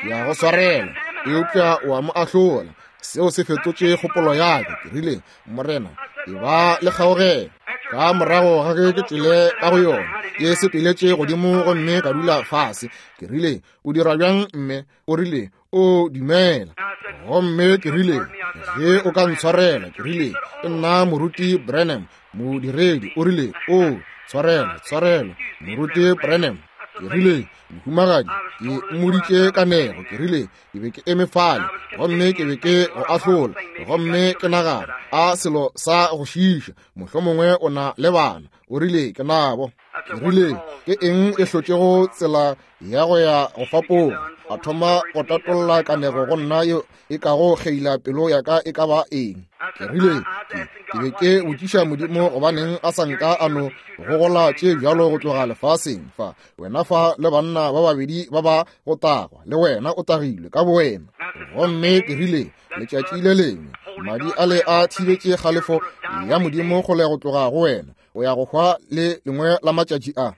ke ya go swarela, eupša o a mo ahlola. Seo se fetotše kgopolo ya ka. Ke rile, Morena, e ba le kgaogelo. Ka morago ga ge ke tšwele ka go yona, ke sepeletše godimo gomme ka dula fase. Ke rile, o dira bjang mme? O rile, o dumela. Gomme ke rile, ge o ka ntshwarela, ke rile, ke nna Moruti Branham, modiredi. O rile, o tshwarela, tshwarela, Moruti Branham. Ke rile, mohumagadi, ke mmoditše kanego. Ke rile, ke be ke eme fale, gomme ke be ke go ahlola, gomme ke nagana a selo sa go šiiša, mohlomongwe o na le bana. O rile, ke nabo. Ke rile, ke eng e hlotšego tsela ya go ya go fapoga? A thoma go tatolla kanego go nna yo e kago kgeila pelo ya ka e ka ba eng. Ke rile, ke, ke be ke botšiša Modimo gobaneng a sa nka a no gogola tše bjalo go tloga lefaseng fa, wena fa le banna ba babedi ba ba go tagwa, le wena o tagilwe ka bowena. Gomme ke rile, letšatši le lengwe madi a le a thibetše kgalefo ya Modimo kgole go tloga go wena, o ya go hwa le lengwe la matšatši a.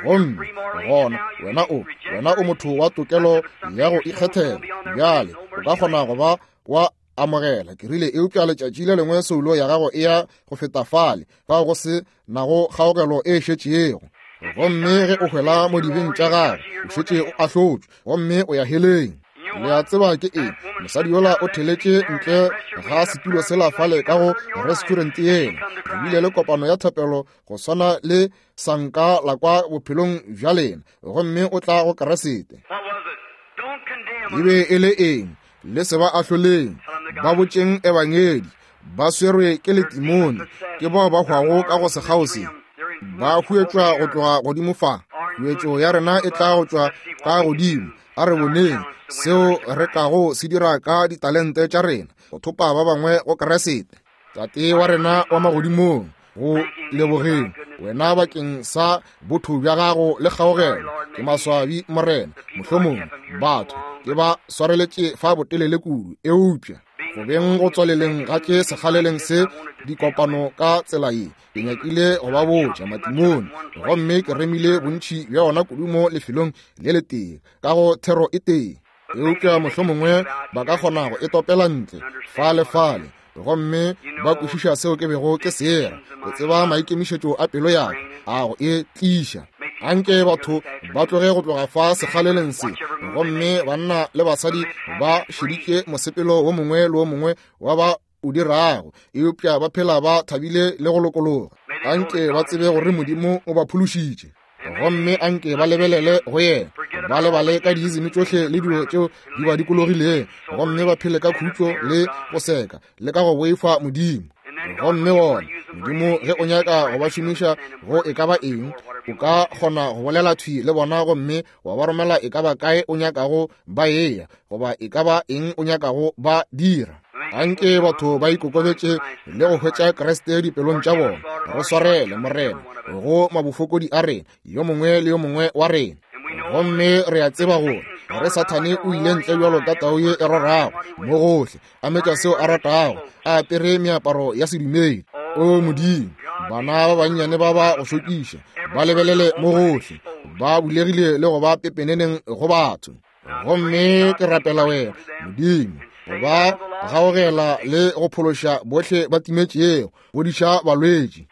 Gomme gona wena o wena o motho wa tokelo ya go ikgethela, bjale o ka kgona go ba wa amogela. Ke rile, eupša letšatši le lengwe soulo ya gago e ya go feta fale, fao go se nago kgaogelo e šetšego. Gomme ge o hwela mo dibeng tša gago, o šetše o ahlotšwe, gomme o ya heleng. Le a tseba ke eng? Mosadi yola o theletše ntle ga setulo sela fale ka go restaurant yela. Re bile le kopano ya thapelo go swana le sanka la kwa bophelong bja lena, gomme o tla go Keresete. E be e le eng? Le se ba ahloleng, ba botšeng ebangedi, ba swerwe ke letimone, ke bao ba hwago ka go sekgao se, ba huetšwa go tloga godimo fa. Huetšo ya rena e tla go tšwa ka godimo. A re boneng seo re kago se dira ka ditalente tša rena go thopa ba bangwe go Keresete. Tate wa rena wa magodimong, go lebogeng wena bakeng sa botho bja gago le kgaogelo. Ke maswabi Morena, mohlomongwe batho ke ba swareletše fa botelele kudu, eupša go beng go tswaleleng ga tše sekgaleleng se dikopano ka tsela ye, ke nyakile go ba botša matimone, gomme ke remile bontši bja ona kudu mo lefelong le letee ka go thero e tee. Eupša mohlomongwe ba ka kgona go e topela ntle fale fale, gomme ba kwešiša seo ke bego ke sera. Ke tseba maikemišetšo a pelo ya ka a go e tliša. Anke batho ba tloge go tloga fa sekgaleleng se, gomme banna le basadi ba šeditše mosepelo wo mongwe le wo mongwe wa ba o dirago, eupša ba phela ba thabile le go lokologa. Anke ba tsebe gore Modimo o ba phološitše, gomme anke ba lebelele go yena, ba lebale ka diizimi tšohle le dilo tšeo di ba dikologileng, gomme ba phele ka khutšo le go seka le ka go boifa Modimo. Gomme gona Modimo ge o nyaka go ba šomiša go e ka ba eng, o ka kgona go bolela thwi le bona, gomme wa ba romela e ka ba kae o nyakago ba eya, goba e ka ba eng o nyakago ba dira. Anke batho ba ikokobetše le go hwetša Kriste dipelong tša bona. Re swarele Morena go mabofokodi a rena, yo mongwe le yo mongwe wa rena. Gomme re a tseba gore gore Sathane o ile ntle bjalo ka tau ye e rorago mo gohle, a metša seo a ratago, a apere meaparo ya sedumedi. O Modimo, bana ba bannyane ba ba go šokiša, ba lebelele mo gohle, ba bulegile le go ba pepeneneng go batho. Gomme ke rapela wena Modimo go ba Gaogela le go phološa bohle ba timetšego, fodiša balwetši.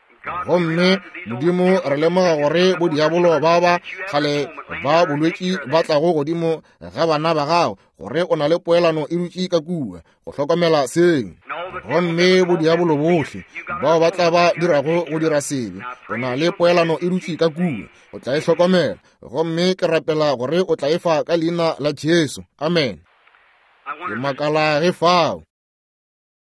Gomme Modimo, re lemoga gore bodiabolo ba ba kgale ba bolwetši ba tlago godimo ga bana ba gago, gore o na le poelano e dutše ka kua go hlokomela seo. Gomme bodiabolo bohle bao ba tla ba dirago go dira sebe, o na le poelano e dutše ka kua, o tla e hlokomela. Gomme ke rapela gore o tla e fa ka leina la Jesu. Amen. Ke makala ge fao.